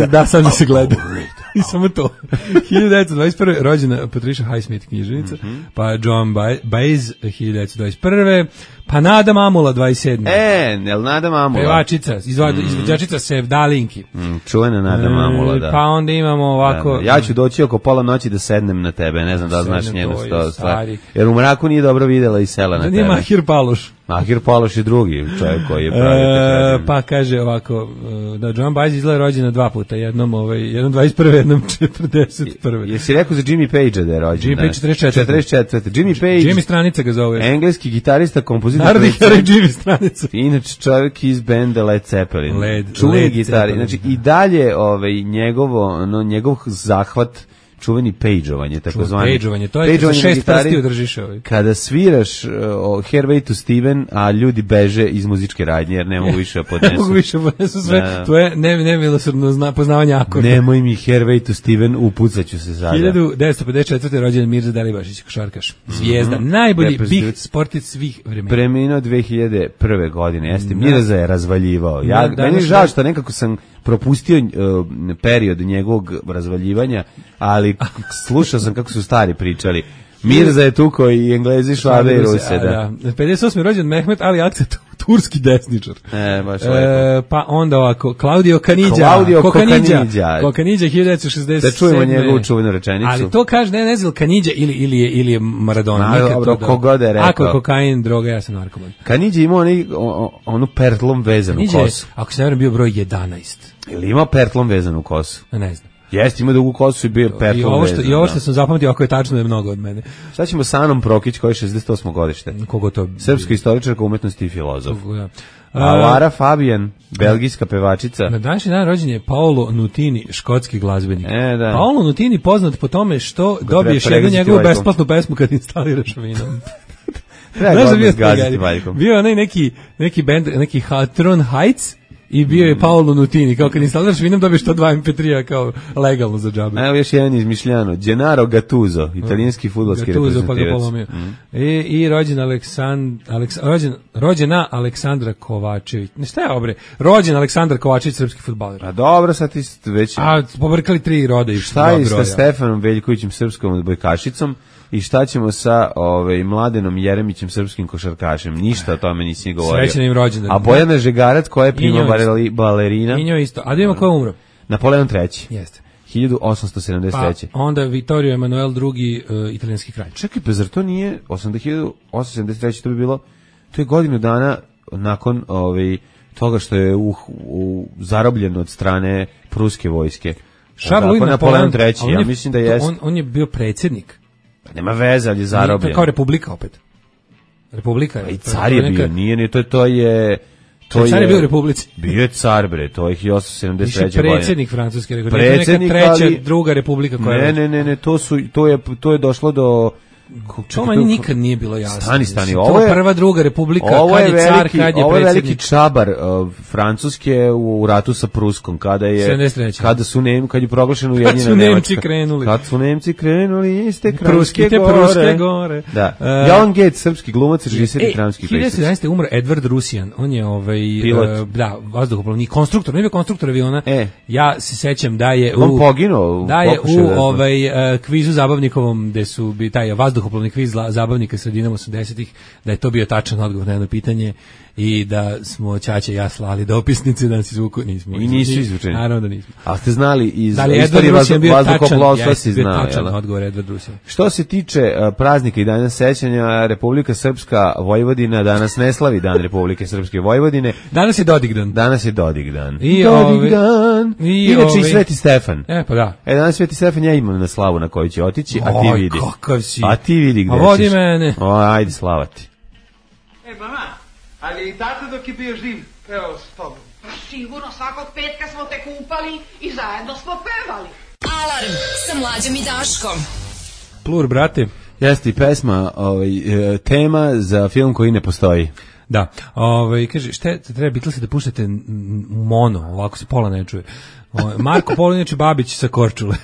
Da, sam mi se gleda. I samo to. 1921. rođena Patricia Highsmith, književnica, pa Joan Baez 1921. Pa Nada Mamula 27. Jel Nada Mamula? Pevačica, izvođačica Sevdalinki. Čuvena Nada Mamula, da. Pa onda imamo ovako... Ja ću doći oko pola noći da sednem na tebe, ne znam da znaš njenu stvar. Jer u mraku nije dobro videla i sela na tebe. Nije Mahir Paloš. Mahir Paloš je drugi čovjek koji je pravi. Pa kaže ovako, da Joan Baez izgleda rođena 2 puta, jednom 21. jednom 41. Jesi rekao za Jimmy Page da je rođen? Jimmy Page 44. Jimmy Page. Jimmy Stranica ga zove. Engleski gitarista, kompozitor muzika. Narodni heroj Jimmy Stranica. Inače čovjek iz benda Led Zeppelin. Čuveni Led gitari. Zeppelin. Znači i dalje njegov zahvat čuveni pejđovanje, takozvani. Pejđovanje, to je za 6 prsti udržiš ovaj. Kada sviraš Hervey to Steven, a ljudi beže iz muzičke radnje, jer ne mogu više da podnesu. Ne mogu više da podnesu sve, to je nemilosrdno poznavanje akorda. Nemoj mi Hervey to Steven, upucaću se sada. 1954. rođen Mirza Delibašić, košarkaš. Zvijezda, najbolji big sportic svih vremena. Preminuo 2001. godine, jeste, Mirza je razvaljivao. Meni je žao što nekako sam propustio period njegovog razvaljivanja, ali slušao sam kako su stari pričali. Mirza je tuko i Englezi, Švabe i Ruse, da. 58. rođen Mehmet Ali Akset, turski desničar. Baš lepo. Pa onda ovako, Claudio Caniggia. Kokanidja, 1967. Da čujemo njegovu čuvenu rečenicu. Ali to kaže, ne znam, Caniggia ili je Maradona. Dobro, kogod je rekao. Ako je kokain, droga, ja sam narkoman. Caniggia imao onu pertlom vezanu kosu. Ako se ne vjerujem, bio broj 11. Ili imao pertlom vezanu kosu? Ne znam. Jeste, ima dugu kosu i bio pertlom vezan. I ovo što sam zapamtio, ako je tačno, je mnogo od mene. Šta ćemo sa Anom Prokić, koji je 68. godište? Kogo to? Srpska istoričarka umetnosti i filozof. Lara Fabian, belgijska pevačica. Na današnji dan rođen je Paolo Nutini, škotski glazbenik. Da. Paolo Nutini poznat po tome što dobiješ jednu njegovu besplatnu pesmu kad instaliraš Vinom. Treba ga zgaziti valjkom. Bio onaj neki band, neki Hatron Heights, i bio je Paolo Nutini, kao kad instaliraš Vinom dobiješ to 2 MP3-a kao legalno za džabe. Evo još jedan izmišljano, Gennaro Gattuso, italijanski fudbalski reprezentativac. Pa ga polomio. I rođena Aleksandra Kovačević. Ne, šta je obre? Rođen Aleksandar Kovačević, srpski fudbaler. A dobro, sad ti već... pobrkali 3 roda i šta je sa Stefanom Veljkovićem, srpskom odbojkašicom? I šta ćemo sa Mladenom Jeremićem, srpskim košarkašem? Ništa o tome nisi govorio. Srećan im rođendan. A Bojana Žegarac, koja je prima balerina. I njoj isto. A da vidimo ko je umro? Napoleon III. Jeste. 1873. Pa onda Vittorio Emanuel II, italijanski kralj. Čekaj, pa zar to nije 1873. To bi bilo, to je godinu dana nakon toga što je zarobljen od strane pruske vojske. Napoleon III. Ja mislim da jeste. On je bio predsjednik. Nema veze, ali je zarobljen. To je kao republika opet. Republika je. I car je bio, nije, to je... Car je bio u republici. Bio je car, bre, to je 1873. godine. Predsjednik francuske republike. Predsjednik, treća, druga republika koja je... Ne, to je došlo do... To meni nikad nije bilo jasno. Stani, ovo je prva, druga republika, kad je car, kad je predsjednik. Ovo je veliki čabar Francuske u ratu sa Pruskom, kad je proglašen Ujedinjena Nemačka. Kad su Nemci krenuli, iste Pruske gore. Da. Joan Gates, srpski glumac, režiser i dramski pisac. 1911. umro Edward Rusian, on je pilot. Vazduhoplovni konstruktor, nije bio konstruktor aviona. Ja se sećam da je on poginuo. Da je u kvizu zabavnikovom, gde su taj vazduhoplovni kviz zabavnika sredinom 80-ih, da je to bio tačan odgovor na jedno pitanje i da smo Ćaća i ja slali dopisnice da nas izvuku, nismo. I nisu izvučeni. Naravno da nismo. A ste znali iz istorije vazduhoplovstva si znao. Tačan odgovor Edward Rusian. Što se tiče praznika i dana sećanja, Republika Srpska Vojvodina danas ne slavi dan Republike Srpske Vojvodine. Danas je Dodigdan. Dodigdan. Inače i Sveti Stefan. Pa da. Danas Sveti Stefan ja imam na slavu na koju će otići, a ti vidi. Kakav si. A ti vidi gde ćeš. Vodi mene. Ajde, slava ti. Mama, ali i tata dok je bio živ, pevao s tobom. Pa sigurno, svakog petka smo te kupali i zajedno smo pevali. Alarm sa Mlađom i Daškom. Plur, brate. Jeste i pesma, tema za film koji ne postoji. Da, kaže, šta treba Beatlesi da puštate mono, ovako se pola ne čuje. Marko Polo, inače Babić sa Korčule.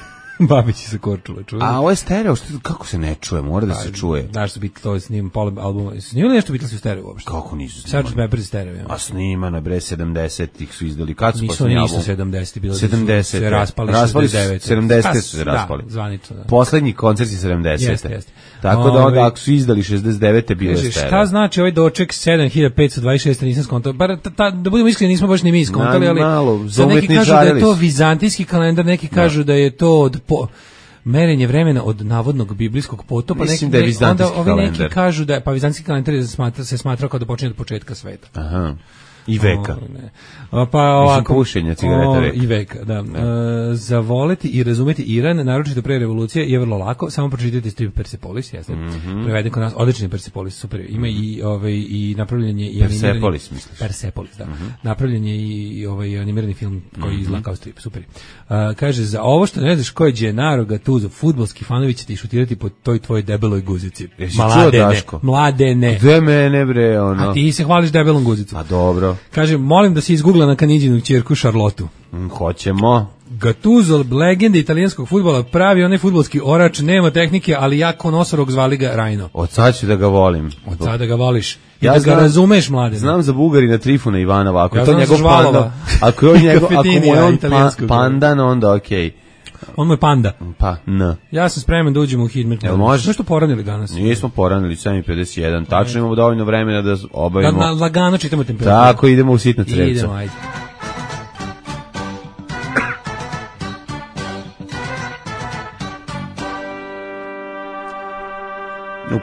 Babići sa Korčula, čuje. A ovo je stereo, kako se ne čuje, mora da se čuje. Znaš su Beatles, snimam pola albuma. Snimali nešto Beatlesi u stereo uopšte? Kako nisu snimali? Sgt. Pepper stereo. Ja. A snimana, bre, 70-ih su izdali. Kad su posljednji album? Nisu 70-ih, bilo 70 se raspali 70 su se raspali. Zvanično, da. Poslednji koncert je 70. Jeste. Tako da onda, ako su izdali 69. bilo je stereo. Šta znači ovaj doček 7526, nisam skontao. Da budemo iskreni, nismo baš ni mi skontali, ali neki kažu da je to vizantijski kalendar, neki kažu da je to od merenje vremena od navodnog biblijskog potopa. Mislim da je vizantijski kalendar. Neki kažu da je, pa vizantijski kalendar se smatra kao da počinje od početka sveta. Aha. I veka. Pa ovako, pušenja cigareta veka. I veka, da. Zavoleti i razumeti Iran, naročito pre revolucije, je vrlo lako. Samo pročitajte strip Persepolis, jeste. Preveden kod nas, odlični Persepolis, super. Ima i napravljen je i Persepolis, misliš? Persepolis, da. Napravljen je i animirani film koji izgleda kao strip, super. Kaže, za ovo što ne znaš ko je Gennaro Gattuso, fudbalski fanovi će ti šutirati po toj tvojoj debeloj guzici. Mladene. Gde mene, bre, ono? A ti se hvališ debelom guzicom. A dobro. Kaže, molim da se izgoogla na Kanidžinu ćerku Šarlotu. Hoćemo. Gattuso, legenda italijanskog fudbala, pravi onaj fudbalski orač, nema tehnike, ali jako nosorog, zvali ga Rajno. Od sad ću da ga volim. Od sada da ga voliš. I ja da ga razumeš, Mladene. Znam za Bugarina Trifuna Ivanova, ako ja je to njegov pandan, ako mu je on pandan, onda okej. On mu je panda. Pa, n. Ja sam spreman da uđemo u Hidmet. Jel može? Nešto poranili danas? Nismo poranili, 7:51. Tačno imamo dovoljno vremena da obavimo. Da lagano čitamo temperaturu. Tako, idemo u sitna crevca. Idemo, ajde.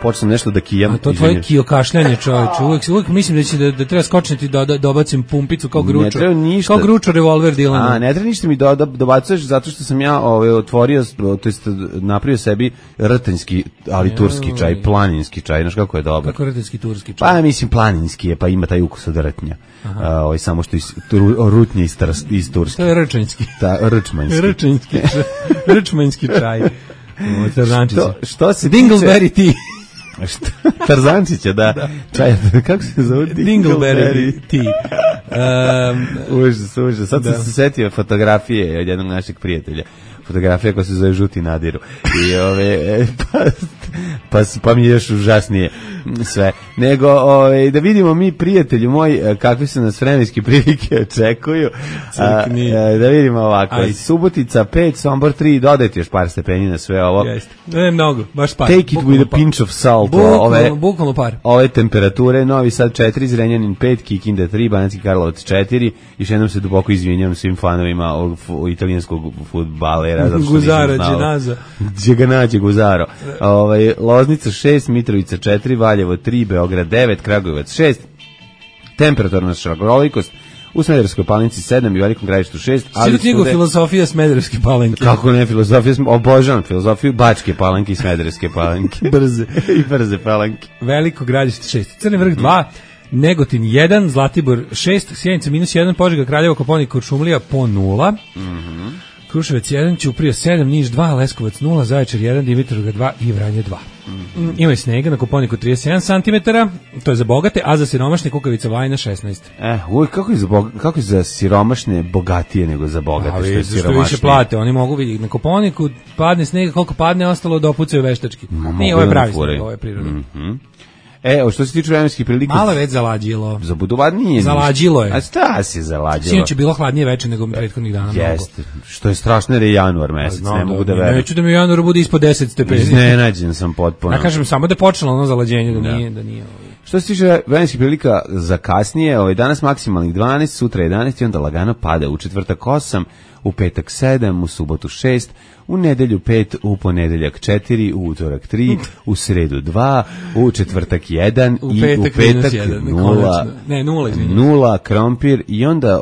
Počnem nešto da kijam. A to tvoje kijokašljanje, čoveče. Uvijek mislim da treba skočiti da dobacim pumpicu kao gručo. Ne treba ništa. Kao gručo revolver Dilana. Ne treba ništa mi dobacuješ zato što sam ja otvorio, to jest napravio sebi rtanjski, ali turski čaj, planinski čaj. Znaš kako je dobar? Kako rtanjski turski čaj? Pa mislim planinski je, pa ima taj ukus od rtnja. Samo što rutnje iz Turske. To je rčanjski. Rčmanjski. Rčmanjski čaj. Što se Dingleberry tea. Tarzančića, da. Čaj, kako se zove? Dingleberry tea. Užas. Sad sam se setio fotografije od jednog našeg prijatelja. Fotografija koja se zove Žuti Nadiru. I pa mi je još užasnije sve. Nego, da vidimo mi, prijatelju moj, kakve su nas vremenske prilike očekuju. Da vidimo ovako. Subotica 5, Sombor 3, dodajte još par stepeni na sve ovo. Jeste. Ne mnogo, baš par. Take it with a pinch of salt. Bukvalno par. Ove temperature, Novi Sad 4, Zrenjanin 5, Kikinda 3, Banatski Karlovac 4. Još jednom se duboko izvinjam svim fanovima ovog italijanskog fudbalera. Guzara, Dženaza. Gdje ga nađe Guzaro. Loznica 6, Mitrovica 4, Valjevo 3, Beograd 9, Kragujevac 6, temperaturna šarolikost u Smederevskoj Palanci 7 i Velikom Gradištu 6. Svi knjigu Filozofija Smederevske Palanke. Kako ne filozofija, obožavam filozofiju Bačke Palanke i Smederevske Palanke. Brze Palanke. Veliko Gradište 6, Crni Vrh 2, Negotin 1, Zlatibor 6, Sjenica -1, Požega, Kraljevo, Koponik, Kuršumlija po 0. Kruševac 1, Ćuprija 7, Niš 2, Leskovac 0, Zaječar 1, Dimitrovgrad 2 i Vranje 2. Ima i snega na Koponiku 37 cm, to je za bogate, a za siromašne Kukavica Vajna 16. Kako je za siromašne bogatije nego za bogate? Što je siromašnije? Više plate, oni mogu vidjeti. Na Koponiku padne snega, koliko padne, ostalo da opucaju veštački. Nije, ovo je pravi sneg, ovo je prirodno. Što se tiče vremenskih prilika... Malo već zalađilo. Za Budovar nije. Zalađilo je. A šta si zalađilo? Sinoć je bilo hladnije veče nego prethodnih dana. Jeste. Što je strašno jer je januar mesec, ne mogu da verujem. Neću da mi u januaru bude ispod 10 stepeni. Iznenađen sam potpuno. Ja kažem samo da je počelo ono zalađenje, da nije. Što se tiče vremenskih prilika za kasnije, danas maksimalnih 12, sutra 11 i onda lagano pada u četvrtak 8, u petak 7, u subotu 6, u nedelju 5, u ponedeljak 4, u utorak 3, u sredu 2, u četvrtak 1 i u petak 0. Ne, 0, izvinite. 0, krompir i onda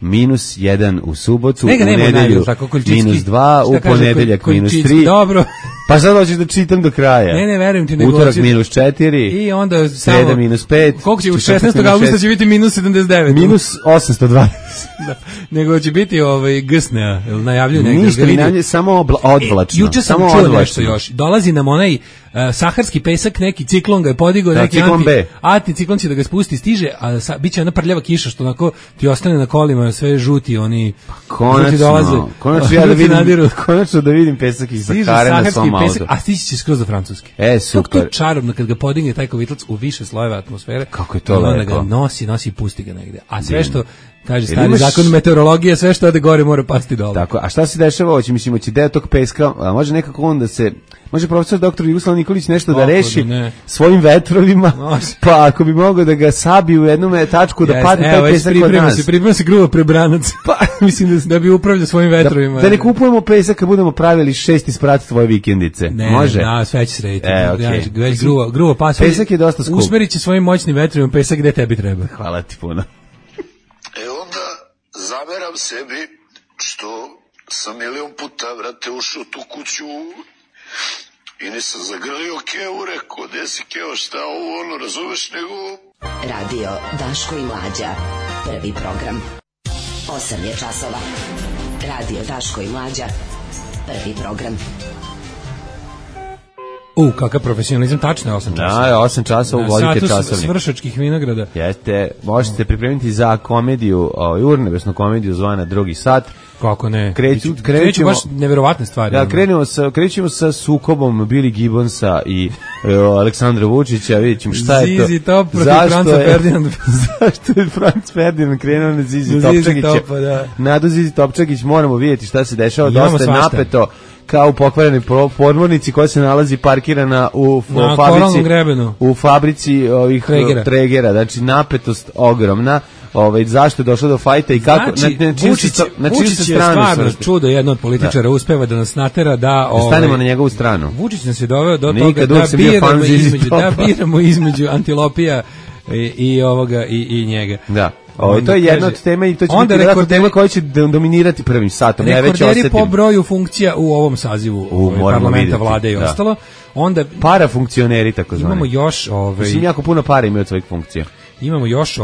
-1 u subotu, u nedelju -2, u ponedeljak -3. Dobro. Pa sad hoćeš da čitam do kraja. Ne, verujem ti. Utorak -4. I onda sreda -5. Koliko će u 16. augusta će biti -79. -820. Nego će biti gsnea, najavljuju negdje. Ništa, samo odvlačno. Juče sam čuo nešto još. Dolazi nam onaj saharski pesak, neki ciklon ga je podigao, neki anticiklon će da ga spusti, stiže, a bit će ona prljava kiša što onako ti ostane na kolima sve žuti, oni žuti dolaze. Konačno da vidim pesak iz Sahare na svom autu. A stići će skroz do Francuske. Super. Kako to čarobno kad ga podigne taj kovitlac u više slojeva atmosfere. Kako je to lepo. Onda ga nosi i pusti ga negde. A sve što kaže stari zakon meteorologije, sve što ode gore mora pasti dole. Tako, a šta se dešava? Hoće deo tog peska, a može nekako onda se, može profesor doktor Jugoslav Nikolić nešto da reši svojim vetrovima, pa ako bi mogao da ga sabi u jednu tačku da padne taj pesak kod nas. Priprema se gruva prebranac, pa mislim da bi upravljao svojim vetrovima. Da ne kupujemo pesak kad budemo pravili 6 sprat tvoje vikendice. Može? Ne, sve će se rediti. Već gruva pasa. Pesak je dosta skup. Usmerit će svojim moćnim vetrovima pesak gde tebi treba. Hvala ti puno. sebi što sam milion puta, vrate, ušao tu kuću i nisam zagrlio Kevu, rekao, gde si Keo, šta ovo, ono, razumeš, nego... Radio Daško i Mlađa, prvi program. 8 je časova. Radio Daško i Mlađa, prvi program. Kakav profesionalizam, tačno je 8 časova. Da, 8 časova uvodite časovnik. Satu svršačkih vinograda. Jeste, možete pripremiti za komediju, urnebesnu komediju zvana Drugi sat. Kako ne? Krećemo baš neverovatne stvari. Da, krećemo sa sukobom Billy Gibbonsa i Aleksandra Vučića, vidjet ćemo šta je to. Zizi Top protiv Franca Ferdinanda. Zašto je Franc Ferdinand krenuo na Zizi Topčagića? Da. Nadu Zizi Topčagić, moramo vidjeti šta se dešava, dosta je napeto. Kao u pokvarenoj podmornici koja se nalazi parkirana u fabrici ovih Tregera. Znači napetost ogromna. Zašto je došlo do fajta i kako Vučić je stvarno čudo, jedno od političara uspeva da nas natera da stanemo na njegovu stranu. Vučić nas je doveo do toga da biramo između Antilopija i njega. Da. To je jedna od tema i to će biti tema koja će dominirati prvim satom. Rekorderi po broju funkcija u ovom sazivu parlamenta, vlade i ostalo. Onda parafunkcioneri tako zvani. Imamo još mislim jako puno para imaju od svojih funkcija. Imamo još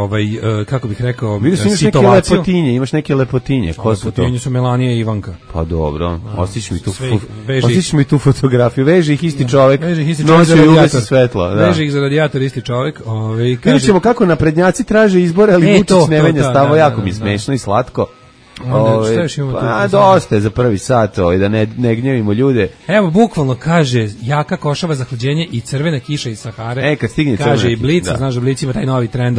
kako bih rekao, situaciju. Imaš neke lepotinje. Ko su to? Lepotinje su Melanija i Ivanka. Pa dobro, ostić mi tu fotografiju. Veže ih isti čovjek. Nosi ugasi svetlo. Veže ih za radijator isti čovjek. Vidjet ćemo kako naprednjaci traže izbore, ali Vučić ne venja stavo. Jako mi smešno i slatko. Dosta je za prvi sat, da ne gnjevimo ljude. Evo, bukvalno kaže jaka košava zahlađenje i crvena kiša iz Sahare. Kad stigne kaže i Blic, znaš da Blic ima taj novi trend,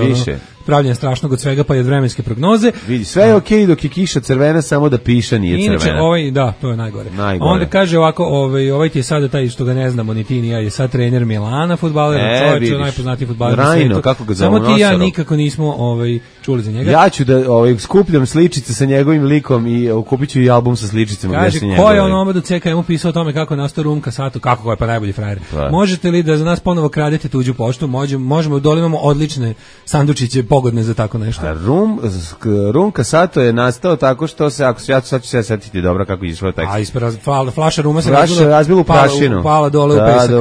pravljenje strašnog od svega, pa i od vremenske prognoze. Vidi, sve je okej dok je kiša crvena, samo da piša nije crvena. Inače, to je najgore. Onda kaže ovako, ovaj ti je sada taj što ga ne znamo, ni ti ni ja, je sad trener Milana, fudbaler, čovječ, najpoznatiji fudbaler na svijetu. Samo ti ja nikako nismo čuli za njega. Ja ću da skupljam sličice sa njegovim likom i kupit ću i album sa sličicama. Kaže, ko je on omadu CKM pisao o tome kako nastao Rum Kasatu, kako je pa najbolji frajer. Možete li da za nas ponovo kradete tuđu poštu? Možemo, dole imamo odlične sandučiće pogodne za tako nešto. Rum Kasato je nastao tako što se, sad ću se setiti dobro kako je išlo tekst. Flaša Ruma se razbila u prašinu. Pala dole u pesak.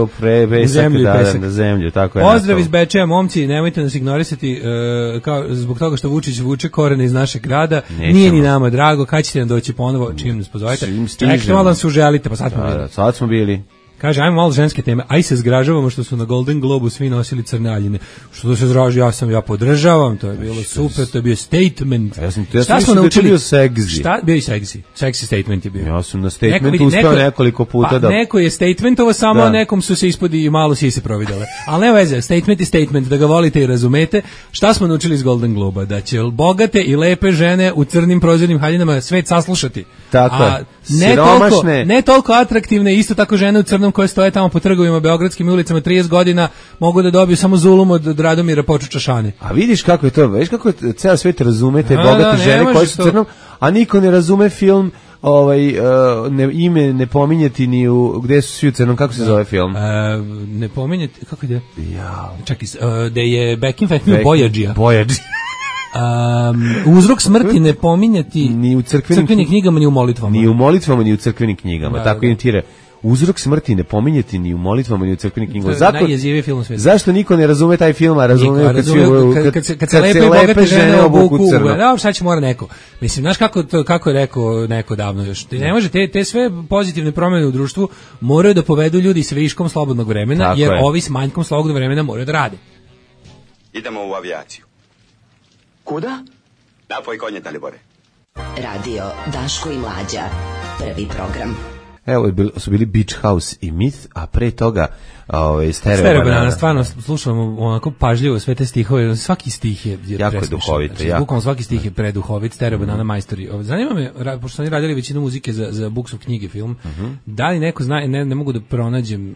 U zemlju, tako je. Pozdrav iz Bečeja, momci, nemojte nas ignorisati zbog toga što Vučić vuče korene iz našeg grada. Nije ni nama drago, kad ćete nam doći ponovo, čim nas pozovete. Čekajte malo da se uželite, pa sad smo bili. Kaže, ajmo malo ženske teme, aj se zgražavamo što su na Golden Globu svi nosili crne aljine. Što se zraži, ja podržavam, to je bilo super, to je bio statement. Šta smo naučili? Bio seksi. Šta? Bio i seksi. Seksi statement je bio. Ja sam na statementu uspeo nekoliko puta da... Neko je statementovo, samo nekom su se ispodi i malo sise providele. Ali ne veze, statement je statement, da ga volite i razumete. Šta smo naučili iz Golden Globa? Da će bogate i lepe žene u crnim prozirnim haljinama svet saslušati. Tako je. Ne toliko atraktivne, isto tako žene u crnom koje stoje tamo po trgovima, beogradskim ulicama 30 godina, mogu da dobiju samo zulum od Radomira Počučašane. A vidiš kako je to, vidiš kako je ceo svet razume te bogate žene koje su crnom, a niko ne razume film ime ne pominjati ni u gde su svi u crnom, kako se zove film? Ne pominjati, kako ide? Čekaj, da je Back in Fact Boyadžija. Uzrok smrti ne pominjati ni u crkvenim knjigama, ni u molitvama. Ni u molitvama, ni u crkvenim knjigama. Tako imitira. Uzrok smrti ne pominjati ni u molitvama, ni u crkvenim knjigama. Najjeziviji film u svijetu. Zašto niko ne razume taj film, a razume kad se lepe i bogate žene obuku crno? Da, sad će mora neko. Mislim, znaš kako je rekao neko davno još. Ne može, te sve pozitivne promjene u društvu moraju da povedu ljudi s viškom slobodnog vremena, tako jer ovi s manjkom slobodnog vremena moraju da rade. Idemo u avijaciju. Kuda? Napoj konje, Dalibore. Radio Daško i Mlađa, prvi program. Evo su bili Beach House i Myth, a pre toga Stereo Banana. Stvarno slušamo onako pažljivo sve te stihove, svaki stih je jako duhovit. Znači, bukvalno svaki stih je preduhovit. Stereo Banana majstori. Zanima me, pošto su oni radili većinu muzike za Buksov knjige film, da li neko zna, ne mogu da pronađem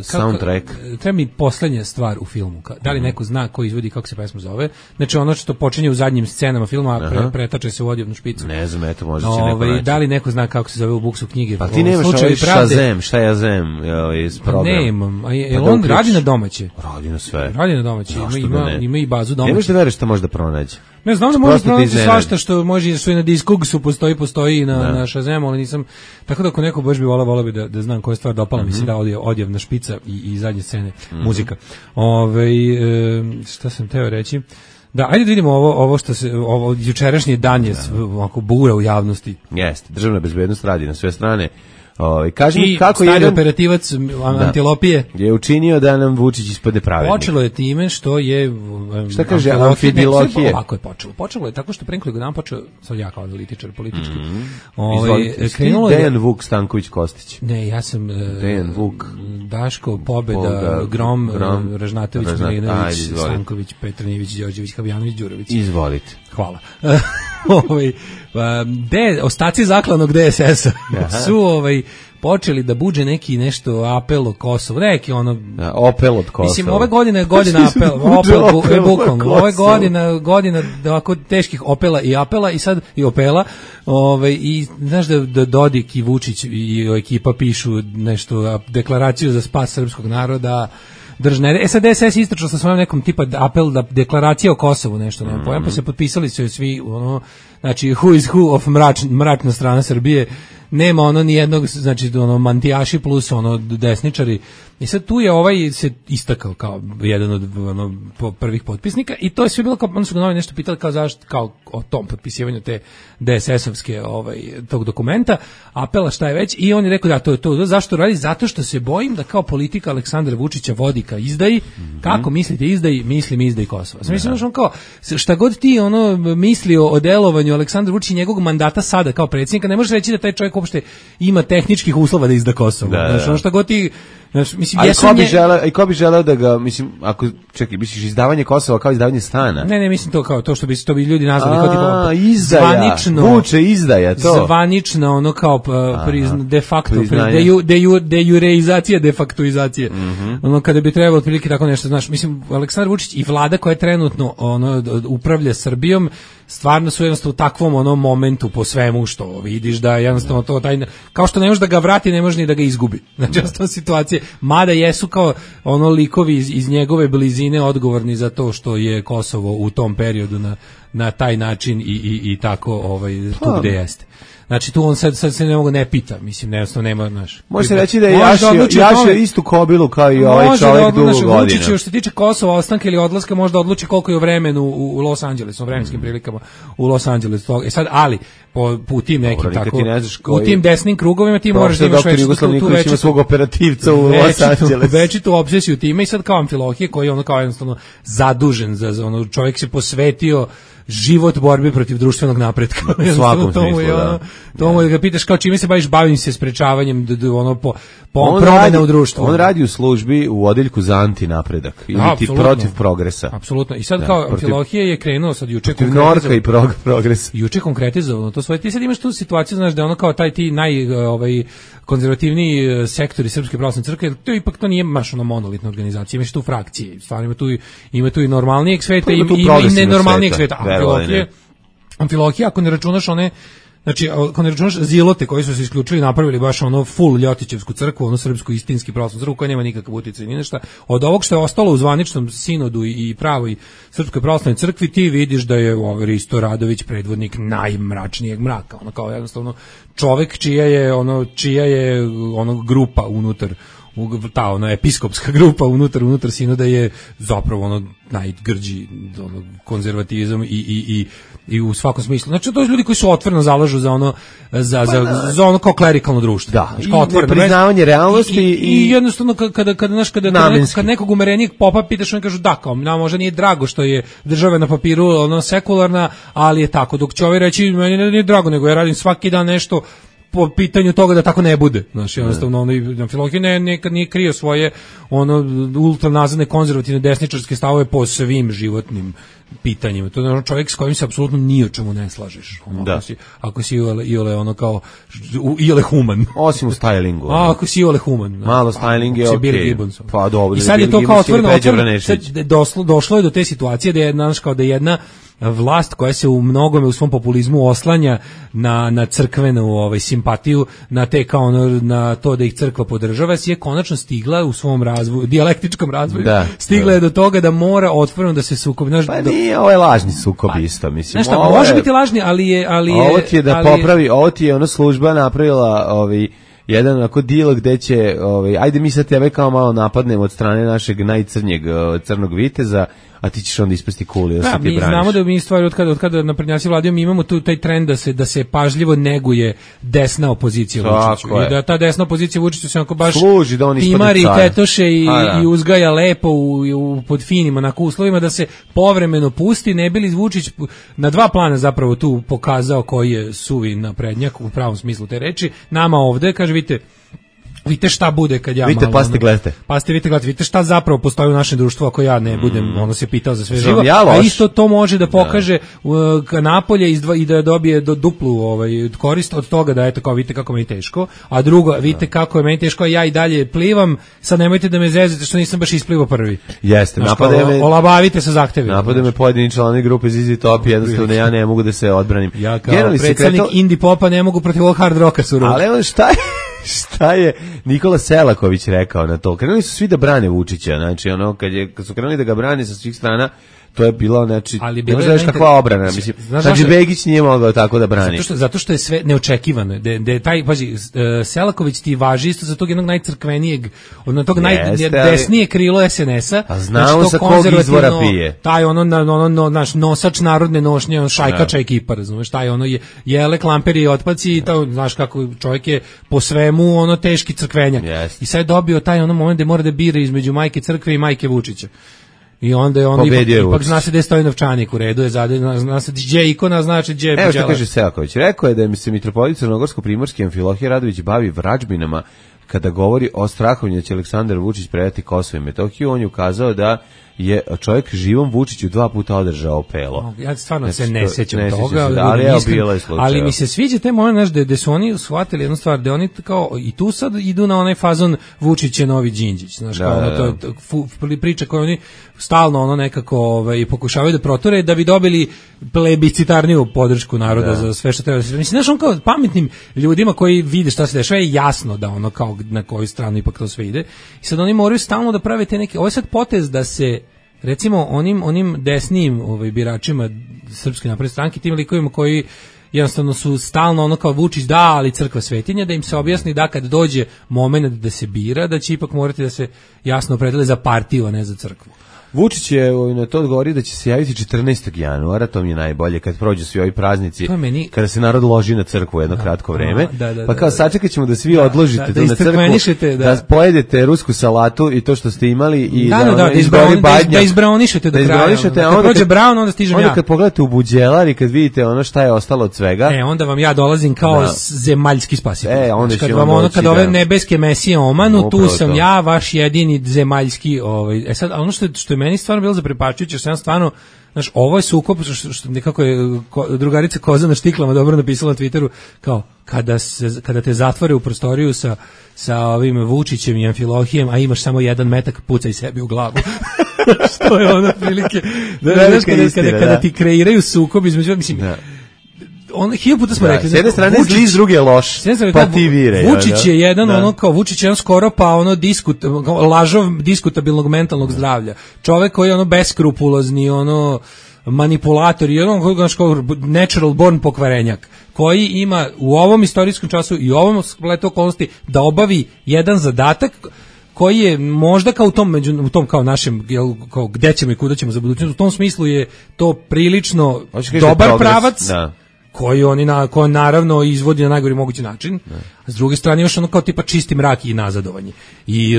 soundtrack. Treba mi poslednja stvar u filmu. Da li neko zna ko izvodi, kako se pesma zove? Znači ono što počinje u zadnjim scenama filma, pretače se u odjevnu špicu. Ne znam, eto možda će neko naći. Da li neko zna kako se zove u Buksov knjige knjige. Pa ti nemaš ovaj Shazam, šta ja zem iz programa. Nemam, on radi na domaće. Radi na sve. Radi na domaće, ima i bazu domaće. Nemaš da veriš šta može da pronađe. Ne znam da može pronaći svašta što može, što i na Discogsu postoji i na Shazamu, ali nisam, tako da ako neko baš bi volao bi da znam koja stvar dopala mi se da odjevna špica i zadnje scene, muzika. Šta sam teo reći? Da, ajde da vidimo ovo što se, ovo jučerašnji dan je ovako bura u javnosti. Jeste, državna bezbednost radi na sve strane. Kaži mi kako stari operativac Antilopije je učinio da nam Vučić ispadne pravednik. Počelo je time što je šta kaže amfibilohije. Ovako je počelo je tako što pre nekoliko dana počeo, sad ja kao analitičar politički. Krenulo je Dejan Vuk Stanković Kostić. Ne, ja sam Dejan Vuk Daško, Pobeda, Grom, Ražnatović, Milinović, Stanković, Petranijević, Đorđević, Habjanović, Đurović. Izvolite. Hvala. Ostaci zaklanog DSS-a su počeli da buđe nešto apel o Kosovu, neki ono opel od Kosova. Mislim, ove godine je godina opel bukvalno. Ove godina ovako teških opela i apela i sad i opela. I znaš da Dodik i Vučić i ekipa pišu nešto, deklaraciju za spas srpskog naroda. Sad DSS istračao sa svojom nekom tipa apel da deklaracija o Kosovu nešto, nema pojam, pa se potpisali su svi, znači who is who of mračna strana Srbije, nema ni jednog, znači mantijaši plus desničari. I sad tu je se istakao kao jedan od prvih potpisnika i to je sve bilo kao, onda su ga novi nešto pitali kao zašto, kao o tom potpisivanju te DSS-ovske tog dokumenta, apela šta je već, i on je rekao da to je to, zašto radi? Zato što se bojim da kao politika Aleksandra Vučića vodi ka izdaji, kako mislite izdaji, mislim izdaji Kosova. Mislim da on kao, šta god ti mislio o delovanju Aleksandra Vučića i njegovog mandata sada kao predsjednika, ne možeš reći da taj čovjek uopšte ima tehničkih uslova da izda Kosovo. Znači, šta god ti, mislim, ko bi želeo da ga, mislim, ako, čekaj, misliš izdavanje Kosova kao izdavanje stana? Ne, mislim to kao to što bi ljudi nazvali kao tipa izdaja, Vuče izdaja, to. Zvanično, kao de facto, dejureizacija, defaktuizacije. Kada bi trebalo otprilike tako nešto, znaš, mislim, Aleksandar Vučić i vlada koja trenutno upravlja Srbijom, stvarno su jednostavno u takvom momentu po svemu što vidiš da jednostavno to kao što ne možeš da ga vrati, ne možeš ni da ga izgubi. Znači, jednostavno situacije, mada jesu kao likovi iz njegove blizine odgovorni za to što je Kosovo u tom periodu na taj način i tako tu gde jeste. Znači tu on sad se ne mogu ne pita, mislim, jednostavno nema, znaš. Može se reći da je jašio istu kobilu kao i ovaj čovjek dugo godina. Vučić, što se tiče Kosova, ostanka ili odlaska, možda odluči koliko je u vremenu u Los Angelesu, u vremenskim prilikama u Los Angelesu. Sad, ali, po tim nekim tako, u tim desnim krugovima ti moraš da imaš većitu svog operativca u Los Angelesu. Većitu obsesiju time i sad kao Amfilohije koji je kao jednostavno zadužen za čovjek se posvetio život borbi protiv društvenog napretka. U svakom smislu, da. To mu ga pitaš kao čime se baviš, bavim se sprečavanjem promjena u društvu. On radi u službi u odeljku za antinapredak ili ti protiv progresa. Apsolutno. I sad kao Amfilohije je krenuo sad juče protiv Norka i progresa. Juče konkretizovano to svoje. Ti sad imaš tu situaciju, znaš, da ono kao ti konzervativniji sektori Srpske pravoslavne crkve, to nije baš monolitna organizacija, imaš tu frakcije, stvarno ima tu i normalnijeg sveta i nenormalnijeg sveta. Amfilohije, ako ne računaš znači, ako ne računaš zilote koji su se isključili, napravili baš full Ljotićevsku crkvu, srpsku istinski pravoslavnu crkvu koja nema nikakav utjecaj ni nešto. Od ovog što je ostalo u zvaničnom sinodu i pravoj Srpskoj pravoslavnoj crkvi, ti vidiš da je Risto Radović predvodnik najmračnijeg mraka. Kao jednostavno čovek čija je grupa unutar episkopska grupa unutar sinoda je zapravo najgrđi konzervatizam i u svakom smislu. Znači to su ljudi koji su otvoreno zalažu za ono kao klerikalno društvo. Da, i priznavanje realnosti i jednostavno kada nekog umerenijeg popa pitaš, on kažu da, kao nam možda nije drago što je država na papiru sekularna, ali je tako. Dok će ovi reći, meni nije drago, nego ja radim svaki dan nešto po pitanju toga da tako ne bude. Znači, jednostavno, Amfilohije nekad nije krio svoje ultranazadne konzervativne desničarske stavove po svim životnim pitanjima. To je čovjek s kojim se apsolutno ni o čemu ne slažeš. Ako si iole human. Osim u stylingu. Ako si iole human. Malo styling je okej. Pa dobro. I sad je to kao otvoreno. Došlo je do te situacije da je jedna vlast koja se u mnogome u svom populizmu oslanja na crkvenu simpatiju, na te kao na to da ih crkva podržava, je konačno stigla u svom razvoju, dijalektičkom razvoju, stigla je do toga da mora otvoreno da se sukobi. Pa nije, ovo je lažni sukob isto, mislim. Znaš šta, može biti lažni, ali je... Ovo ti je da popravi, ovo ti je ona služba napravila jedan onako deal gde će, ajde mi sad tebe kao malo napadnemo od strane našeg najcrnjeg crnog viteza, a ti ćeš onda ispasti kuli da se ti braniš. Mi znamo da mi stvari od kada naprednjaci vladaju, mi imamo tu taj trend da se pažljivo neguje desna opozicija Vučiću. I da ta desna opozicija Vučiću se onako baš služi da on timari, tetoše i uzgaja lepo pod finim onako uslovima, da se povremeno pusti, ne bi li Vučić na dva plana zapravo tu pokazao koji je suvi naprednjak u pravom smislu te reči. Nama ovde, kaže, vidite šta bude kad ja vidite, malo... Vidite, vidite šta zapravo postoji u našem društvu ako ja ne budem, ono se pitao za sve živo, a isto to može da pokaže napolje i da dobije duplu korist od toga da eto kao vidite kako meni teško, a drugo, vidite kako je meni teško, a ja i dalje plivam, sad nemojte da me zezete što nisam baš isplivao prvi. Jeste, olabavite sa zahtevima. Napade me pojedini članovi grupe ZZ Top, jednostavno ja ne mogu da se odbranim. Ja kao predstavnik indie popa ne mogu protiv ovog hard rocka surovo. Ali on šta je Nikola Selaković rekao na to? Krenuli su svi da brane Vučića, znači ono kad su krenuli da ga brane sa svih strana, to je bilo, znači, ne možeš da kakva obrana, mislim, znači Begić nije mogao tako da brani. Zato što je sve neočekivano, da taj, pazi, Selaković ti važi isto za tog jednog najcrkvenijeg, od tog najdesnije krilo SNS-a, a znamo sa kog izvora pije. Taj naš nosač narodne nošnje, šajkača ekipa, razumeš, taj jele, klamperi i otpaci, i to, znaš kako čovjek je po svemu teški crkvenjak. I sad je dobio taj moment gde mora da bira između majke crkve i majke Vučića. I onda je on ipak zna se da je stoji novčanik u redu, zna se gdje ikona, znači gdje je buđela. Evo što kaže Selaković, rekao je da je se mitropolit Crnogorsko-Primorski Amfilohije Radović bavi vrađbinama kada govori o strahovanju da će Aleksandar Vučić predati Kosovo i Metohiju. On je ukazao da je čovjek živom Vučiću 2 puta održao pelo. Ja stvarno se ne sećam toga, ali mi se sviđa te moment, gde su oni shvatili jednu stvar, da oni kao i tu sad idu na onaj fazon Vučić je novi Đinđić, znaš, kao priča koju oni stalno nekako pokušavaju da proture da bi dobili plebiscitarniju podršku naroda za sve što treba. Mislim, znaš, on kao pametnim ljudima koji vide šta se dešava je jasno da kao na koju stranu ipak to sve ide. I sad oni moraju stalno da prave te neke, ovo je sad potez da se recimo onim desnijim biračima Srpske napredne stranke, tim likovima koji jednostavno su stalno kao Vučić da, ali crkva svetinja, da im se objasni da kad dođe moment da se bira, da će ipak morati da se jasno opredele za partiju, a ne za crkvu. Vučić je na to odgovorio da će se javiti 14. januara, to mi je najbolje, kad prođu svi ovi praznici, kada se narod loži na crkvu jedno kratko vreme, pa kao sačekat ćemo da svi odložite tu na crkvu, da pojedete rusku salatu i to što ste imali i da izbraonišete do kraja. Kad prođe Braun, onda stižem ja. Onda kad pogledate u buđelar i kad vidite ono šta je ostalo od svega, onda vam ja dolazim kao zemaljski spasitelj. Kad vam kad ove nebeske mesije omanu, tu sam ja, vaš jedini zemaljski. Sad, ono što je meni stvarno bilo zaprepašćujuće, što sam stvarno, znaš, ovo je sukob, što nekako je drugarica Koza na štiklama dobro napisala na Twitteru, kao, kada te zatvore u prostoriju sa ovim Vučićem i Amfilohijem, a imaš samo jedan metak, pucaj sebi u glavu. Što je ono prilike, kada ti kreiraju sukob između, mislim, hiljadu puta smo rekli. S jedne strane zli, s druge loš. Pa ti vire. Vučić je jedan Vučić je jedan skoro pa lažov diskutabilnog mentalnog zdravlja. Čovek koji je beskrupulozni, manipulator i natural born pokvarenjak, koji ima u ovom istorijskom času i u ovom spletu okolnosti da obavi jedan zadatak koji je možda kao u tom kao našem, kao gde ćemo i kuda ćemo za budućnost, u tom smislu je to prilično dobar pravac. Koji koji naravno izvodi na najgori mogući način, a s druge strane još kao tipa čisti mrak i nazadovanje. I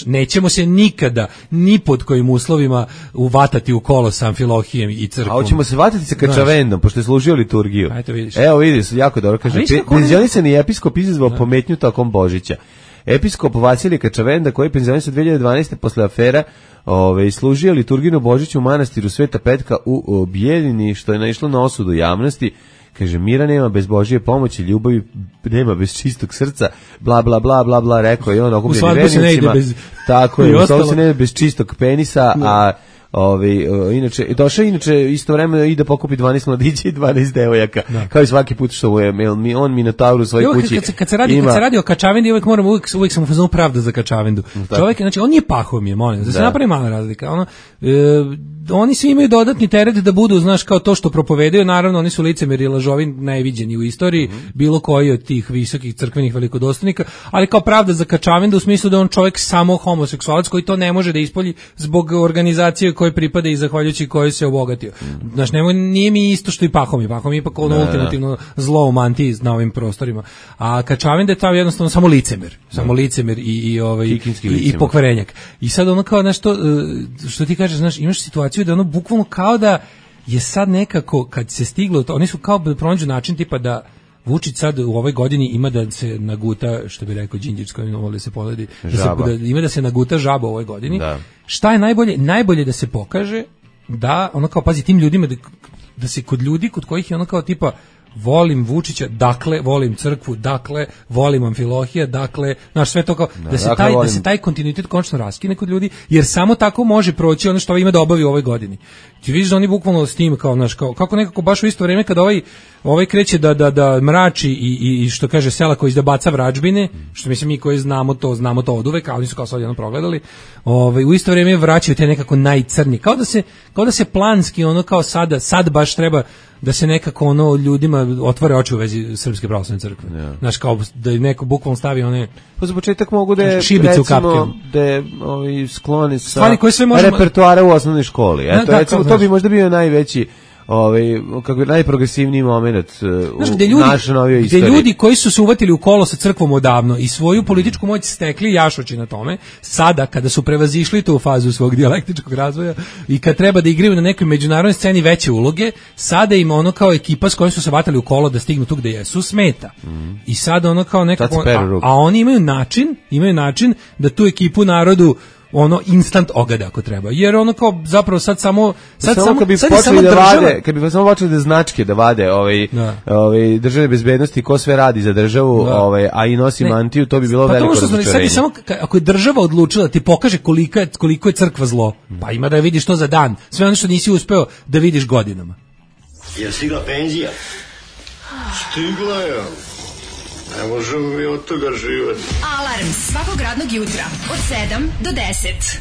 nećemo se nikada, ni pod kojim uslovima uvatati u kolo sa Amfilohijem i crkvom. A hoćemo se vatati sa Kačavendom, pošto je služio liturgiju. Evo vidiš, jako dobro kaže. Penzionisani episkop izazvao pometnju tokom Božića. Episkop Vasilij Kačavenda, koji je penzionisan 2012. posle afera, služio liturgiju Božića u manastiru Sveta Petka u Bijeljini, što je naišlo na osudu javnosti. Kaže, mira nema bez Božje pomoći, ljubavi nema bez čistog srca, bla bla bla bla bla, rekao je on okupljenim vernicima. Tako je, u svadbu se ne ide bez čistog penisa, a Inače, došao inače istovremeno i da pokupi 12 mladića i 12 devojaka. Kao i svaki put što je on Minotaur u svojoj kući. Kad se radi o Kačavendi, uvijek sam u fazonu pravda za Kačavendu. Čovjek, znači on nije Pahomije, molim, da se napravi mala razlika. Oni svi imaju dodatni teret da budu, znaš, kao to što propovedaju, naravno oni su licemeri i lažovi najviđeni u istoriji, bilo koji od tih visokih crkvenih velikodostojnika, ali kao pravda za Kačavendu u smislu da on čovjek samo homoseksualac koji to ne može da ispolji zbog organizacije koje pripada i zahvaljujući kojoj se obogatio. Znaš, nije mi isto što i Pahomije. Pahomije ipak ono ultimativno zlo u mantiji na ovim prostorima. A Kačavenda je tamo jednostavno samo licemer i pokvarenjak. I sad ono kao nešto što ti kažeš, znaš, imaš situaciju da ono bukvalno kao da je sad nekako kad se stiglo to, oni su kao da pronađu način tipa da Vučić sad u ovoj godini ima da se naguta, što bi rekao Đinđić koji voli se poledi, ima da se naguta žaba u ovoj godini. Da. Šta je najbolje? Najbolje da se pokaže da ono kao pazi tim ljudima da se kod ljudi kod kojih je ono kao tipa volim Vučića, dakle volim crkvu, dakle volim Amfilohija, dakle, znaš, sve to kao da se taj kontinuitet konačno raskine kod ljudi, jer samo tako može proći ono što ima da obavi u ovoj godini. Ti vidiš da oni bukvalno s tim kao, znaš, kako nekako baš u isto vrijeme kad ovaj kreće da mrači i što kaže Selaković da baca vrađbine, što mislim mi koji znamo to oduvek, a oni su kao sad jedno progledali, u isto vrijeme vraćaju te nekako najcrnji, kao da se planski ono kao sad baš treba da se nekako ono ljudima otvore oči u vezi Srpske pravoslavne crkve. Yeah. Znaš, kao da neko bukvalno stavi one... Pa za početak mogu da je, recimo, da je skloni sa repertoara u osnovnoj školi. Eto, recimo, to bi možda bio najveći kako je najprogresivniji moment u našoj novijoj istoriji. Gde ljudi koji su se uvatili u kolo sa crkvom odavno i svoju političku moć stekli jašući na tome, sada kada su prevazišli tu fazu svog dijalektičkog razvoja i kad treba da igraju na nekoj međunarodnoj sceni veće uloge, sada ima ono kao ekipa s kojom su se vatali u kolo da stignu tu gde jesu, smeta. I sada ono kao nekako, a oni imaju način da tu ekipu narodu ono instant ogada ako treba. Jer ono kao zapravo sad kad bi samo počeli da značke da vade državne bezbednosti ko sve radi za državu, a i nosi mantiju, to bi bilo veliko razočarenje. Samo ako je država odlučila ti pokaže koliko je crkva zlo, pa ima da vidiš to za dan. Sve ono što nisi uspeo da vidiš godinama. Je stigla penzija? Stigla je. Ne možemo mi od toga živati. Alarm svakog radnog jutra od 7 do 10.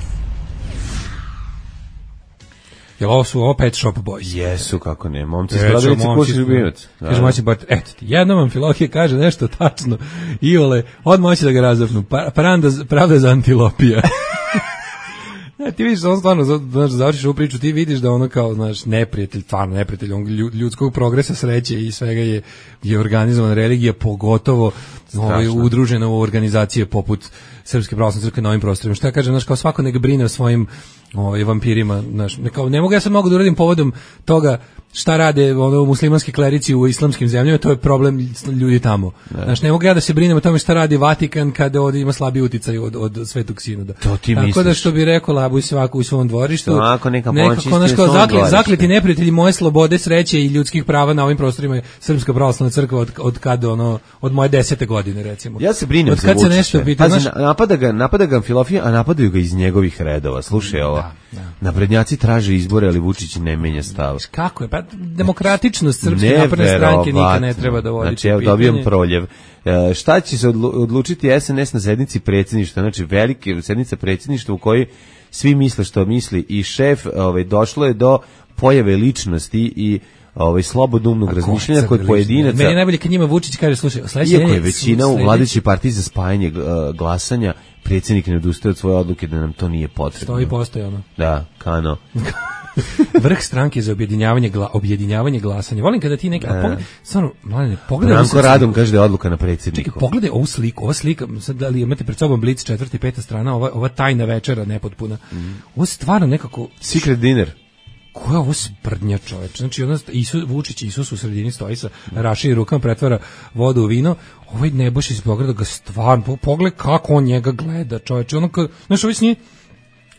Jel ovo su Pet Shop Boys? Jesu, kako ne. Momci iz Brodelice, ko si ljubinac? Kaže moći Bart, eto ti, jednom Amfilohije kaže nešto tačno. Iole, odmah hoće da ga razapnu. Pravda za antilopija. Ti vidiš, on stvarno, znaš, završiš ovu priču, ti vidiš da ono kao, znaš, neprijatelj, ljudskog progresa, sreće i svega je organizovana religija, pogotovo udružena u organizacije poput Srpske pravoslavne crkve na ovim prostorima. Šta ja kažem, znaš, kao svako nek brine o svojim vampirima, znaš, ne mogu ja sad mogu da uradim povodom toga šta rade muslimanski klerici u islamskim zemljama, to je problem ljudi tamo. Znaš, ne mogu ja da se brinem o tome šta radi Vatikan kada ovdje ima slabi uticaj od Svetog Sinoda. To ti misliš. Tako da što bi rekao Labuj svako u svom dvorištu, nekako zakleti neprijatelji moje slobode, sreće i ljudskih prava na ovim prostorima je Srpska pravoslavna crkva od kada od moje 10. godine recimo. Ja se brinem za Vučića. Napada ga Amfilohije, a napadaju ga iz njegovih redova. Slušaj ovo. Naprednjaci traže izbore, ali Vučić ne menja stav. Kako je? Pa demokratičnost Srpske napredne stranke nikad ne treba da vodi. Znači, evo, dobijam proljev. Šta će se odlučiti SNS na sednici predsjedništva? Znači, velike sednica predsjedništva u kojoj svi misle što misli i šef, došlo je do pojave ličnosti i slobodumnog razmišljanja kod pojedinaca. Meni je najbolje kad njima Vučić kaže, slušaj, iako je većina u vladajućoj partiji za spajanje glasanja, predsjednik ne odustaje od svoje odluke da nam to nije potrebno. Stoji postoji ono. Da, kano. Vrh stranke za objedinjavanje glasanja. Volim kada ti neki pogledaj. Branko Radom kaže da je odluka na predsjedniku. Čekaj, pogledaj ovu sliku. Ova slika, sad da li imate pred sobom Blic 4. i 5. strana, ova tajna večera nepotpuna. Ovo stvarno nekako secret dinner. Koja je ovo sprdnja, čoveč? Znači, Vučić Isus u sredini stoji sa raširim rukama, pretvara vodu u vino. Ovaj Nebojša iz Beograda ga stvarno, pogled kako on njega gleda, čoveč. Znaš, ovaj s njim,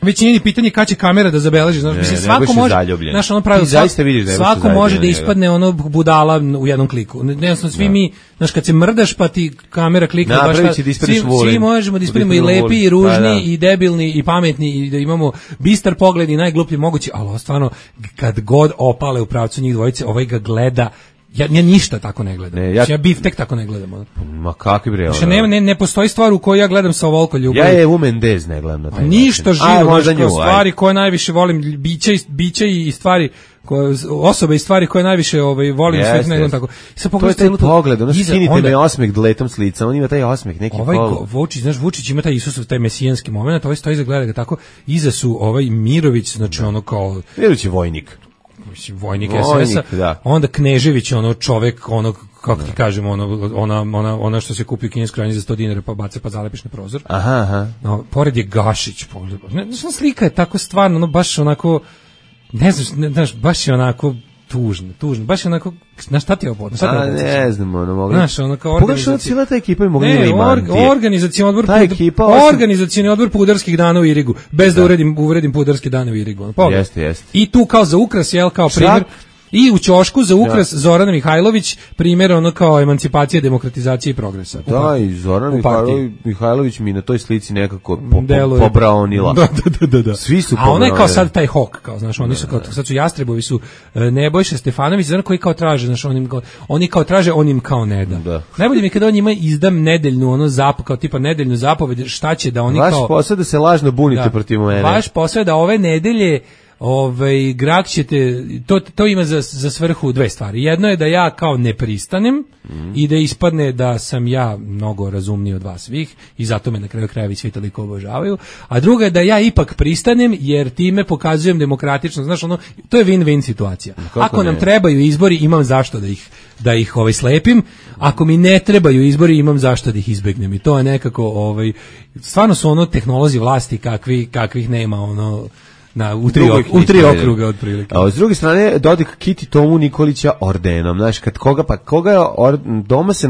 Već nije ni pitanje kad će kamera da zabeleži, znaš, mislim svako može, znaš, ono pravilo, zaista vidiš da je svako može da ispadne ono budala u jednom kliku. Ne znam, svi mi, znaš, kad se mrdaš pa ti kamera klikne baš šta, svi možemo da ispadnemo i lepi i ružni i debilni i pametni i da imamo bistar pogled i najgluplji mogući, ali stvarno kad god opale u pravcu njih dvojice, ovaj ga gleda. Ja ništa tako ne gledam. Ja biftek tako ne gledam. Ma kakvi bre. Znači ne postoji stvar u kojoj ja gledam sa ovoliko ljubavi. Ja je Mendez ne gledam na taj. Ništa živo, stvari koje najviše volim, bića i stvari osobe i stvari koje najviše volim u svetu, ne gledam tako. Sad pogledaj pogled, ono skinite me osmeh dletom s lica, on ima taj osmeh, neki pol. Vučić ima taj Isusov, taj mesijanski moment, ovaj stoji za gleda ga tako, iza su Mirović, znači ono kao... Mirović je vojnik. Vojnik SS-a, onda Knežević, ono čovek, ono, kako ti kažemo, ona što se kupi u kineskoj krajini za 100 dinara pa baca pa zalepiš na prozor. Aha. No, pored je Gašić, pogled. Slika je tako stvarno, ono, baš onako, ne znaš, baš je onako tužno, baš je onako, na šta ti je ovo? Ne znam, ono mogli. Znaš, ono kao organizacija. Cijela ta ekipa je mogla ili mantije. Organizacioni odbor pudarskih dana u Irigu, bez da uvredim pudarske dane u Irigu. Jeste. I tu kao za ukras, jel, kao primjer, i u ćošku za ukras Zorana Mihajlović, primjer ono kao emancipacije, demokratizacije i progresa. Da, i Zorana Mihajlović mi na toj slici nekako pobraonila. Da. Svi su a ona je kao sad taj hok, kao, znaš, oni su kao, sad su Jastrebovi su Nebojša Stefanović, znaš, koji kao traže, znaš, oni kao traže, on im kao ne da. Najbolje mi kada on njima izdam nedeljnu, ono kao tipa nedeljnu zapoved, šta će da oni kao... Vaš posao da se lažno bunite protiv mene. Vaš posao je da ove nedelje Grag ćete, to ima za svrhu dve stvari. Jedno je da ja kao ne pristanem i da ispadne da sam ja mnogo razumniji od vas svih i zato me na kraju krajeva svi toliko obožavaju. A druga je da ja ipak pristanem jer time pokazujem demokratično. Znaš, ono, to je win-win situacija. Ako nam trebaju izbori, imam zašto da ih slepim. Ako mi ne trebaju izbori, imam zašto da ih izbegnem. I to je nekako, stvarno su ono tehnolozi vlasti kakvih nema, ono... u tri okruga otprilike. A s druge strane Dodik kiti Tomu Nikolića ordenom, znaš, koga doma se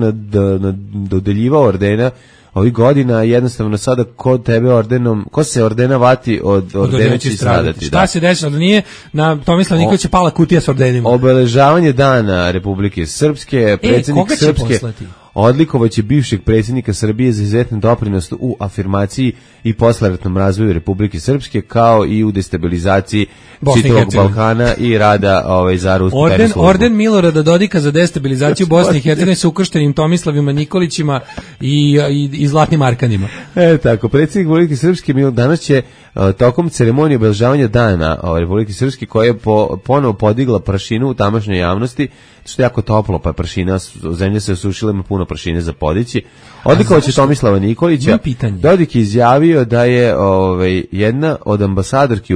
dodeljivao ordena ovih godina, jednostavno sada kod tebe ordenom, ko se ordena vati od ordena će stradati. Šta se desilo da nije na Tomislav Nikolića pala kutija s ordenima? Obeležavanje dana Republike Srpske, predsjednik Srpske odlikovaće bivšeg predsjednika Srbije za izuzetan doprinos u afirmaciji i posleratnom razvoju Republike Srpske, kao i u destabilizaciji čitavog Balkana i rada za rusku tajnu službu. Orden Milorada Dodika za destabilizaciju Bosne i Hercegovine sa ukrštenim Tomislavima Nikolićima i zlatnim arkanima. Tako, predsjednik Republike Srpske danas će tokom ceremonije obeležavanja dana Republike Srpske, koja je ponovo podigla prašinu u tamošnjoj javnosti, što je jako toplo, pa prašina, zemlja se osušila, ima puno prašine za podići. Odlikovaće Tomislava Nikolića. Dodik je izjavio da je jedna od ambasadorki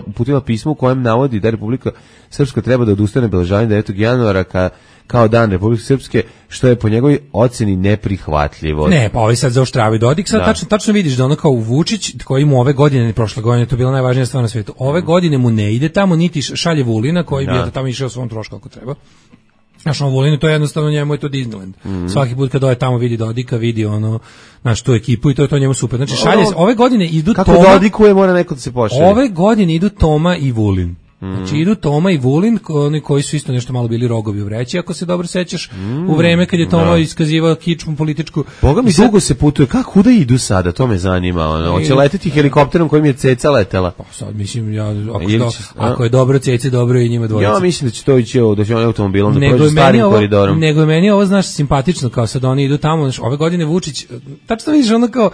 uputila pismo u kojem navodi da Republika Srpska treba da odustane obeležavanja 9. januara kao dan Republike Srpske, što je po njegovoj oceni neprihvatljivo. Ne, pa sad zaoštravaju Dodik, sad tačno vidiš da ono kao Vučić, koji mu ove godine, prošle godine, to je bila najvažnija stvar na svijetu, ove godine mu ne ide tamo, niti šalje Vulina, koji bi tamo išao svom trošku ako treba. Znaš, Vulinu, to je jednostavno, njemu je to Disneyland. Svaki put kad tamo vidi Dodika, vidi tu ekipu i to je to njemu super. Znači, šalje se, ove godine idu Toma... Kako Dodikuje, mora neko da se pošalje. Ove godine idu Toma i Vulin. Znači idu Toma i Vulin, oni koji su isto nešto malo bili rogovi u vreći, ako se dobro sećaš, u vreme kad je Toma iskazivao kičmu političku. Boga mi dugo se putuje, kuda idu sada, to me zanima, hoće leteti helikopterom kojim je Ceca letela? Pa sad mislim, ako je dobro Ceci, dobro je i njima dvojica. Ja mislim da će to ići da će on automobilom da prođe starim koridorom. Nego je meni ovo, znaš, simpatično, kao sad oni idu tamo, znaš, ove godine Vučić, tačno vidiš ono kao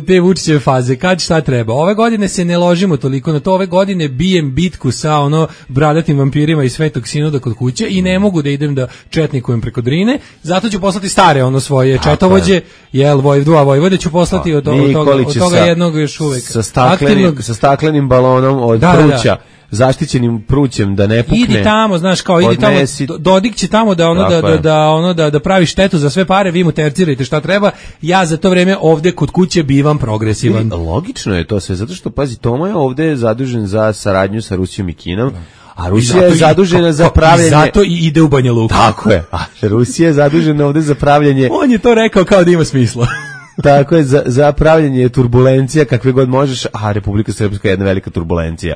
te Vučićeve faze, kad šta treba. Ove godine se ne ložimo toliko na to, ove godine bijem bitku sa bradatim vampirima iz Svetog Sinoda kod kuće i ne mogu da idem da četnikujem preko Drine, zato ću poslati stare svoje četovođe, dva vojvode ću poslati od toga jednog još uvek sa staklenim balonom od pruća, zaštićenim prućem da ne pukne. Idi tamo, znaš, kao idi tamo, Dodik će tamo da pravi štetu za sve pare, vi mu tercirajte šta treba, ja za to vreme ovde kod kuće bivam progresivan. Logično je to sve, zato što, pazi, Toma je ovde zadužen za saradnju sa Rusijom i Kinom, a Rusija je zadužena za pravljanje... Zato i ide u Banja Luku. Tako je, a Rusija je zadužena ovde za pravljanje... On je to rekao kao da ima smisla. Tako je, za pravljenje turbulencija kakve god možeš, a Republika Srpska je jedna velika turbulencija.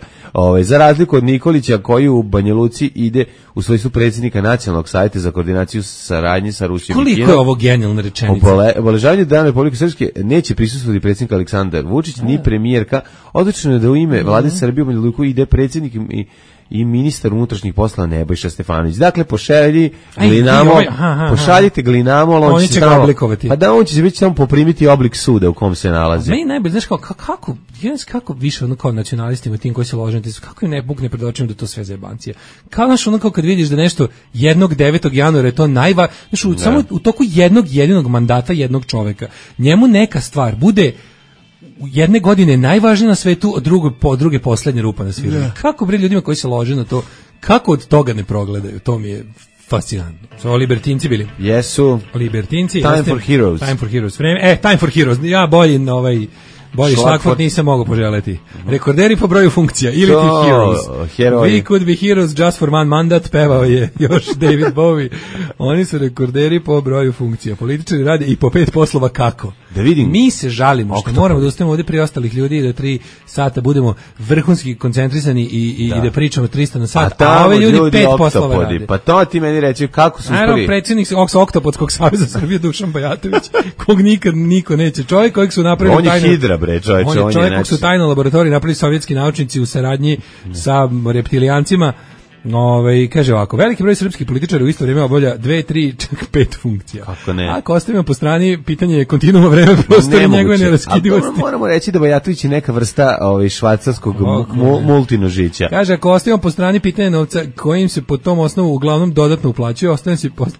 Za razliku od Nikolića koji u Banja Luci ide u svojstvu predsjednika Nacionalnog savjeta za koordinaciju saradnje sa Rusijom i Kinom. Koliko je ovo genijalna rečenica? Obeležavanju Dana Republike Srpske neće prisustvovati predsjednik Aleksandar Vučić ni premijerka. Odlično je da u ime vlade Srbije u Banja Luku ide predsjednik i ministar unutrašnjih poslova Nebojša Stefanović. Dakle, pošaljite Glinamol, on će ga oblikovati. Pa da, on će već samo poprimiti oblik suda u kom se nalazi. Meni najbolje, znaš kako više kao nacionalistima, tim koji se lože, kako im ne bukne pred očima da to sve zajebancije. Kao znaš, kao kad vidiš da nešto 9. januara je to samo u toku jednog jedinog mandata jednog čoveka, njemu neka stvar bude jedne godine najvažnija na svetu, a druge poslednja rupa na svirali. Kako bre ljudima koji se lože na to, kako od toga ne progledaju, to mi je fascinantno. Su libertinci bili? Jesu. Libertinci. Time for Heroes. Time for Heroes. Time for Heroes. Ja bolji šlagvort nisam mogao poželeti. Rekorderi po broju funkcija, ili ti Heroes. We could be heroes just for one mandat, pevao je još David Bowie. Oni su rekorderi po broju funkcija. Političari rade i po 5 poslova kako. Da vidim. Mi se žalimo što moramo da ostavimo ovdje prije ostalih ljudi da 3 sata budemo vrhunski koncentrisani i da pričamo 300 na sat, a ove ljudi 5 poslova rade. Pa to ti meni reći kako su uspeli. Naravno, predsjednik Oktopodskog saveza Srbije Dušan Bajatović, kog nikad niko neće. Čovjek kojeg su napravili on je hidra, bre, čovječe. On je čovjek kog su tajno laboratoriji napravili sovjetski naučnici u saradnji sa reptilijancima. Kaže ovako, veliki broj srpskih političara u isto vrijeme obavlja 2, 3, čak 5 funkcija. Kako ne? Ako ostavimo po strani pitanje je kontinuuma vreme prostora i njegove neraskidivosti. Moramo reći da Bajatović je neka vrsta švajcarskog multinožića. Kaže, ako ostavimo po strani pitanje novca kojim se po tom osnovu uglavnom dodatno uplaćuje,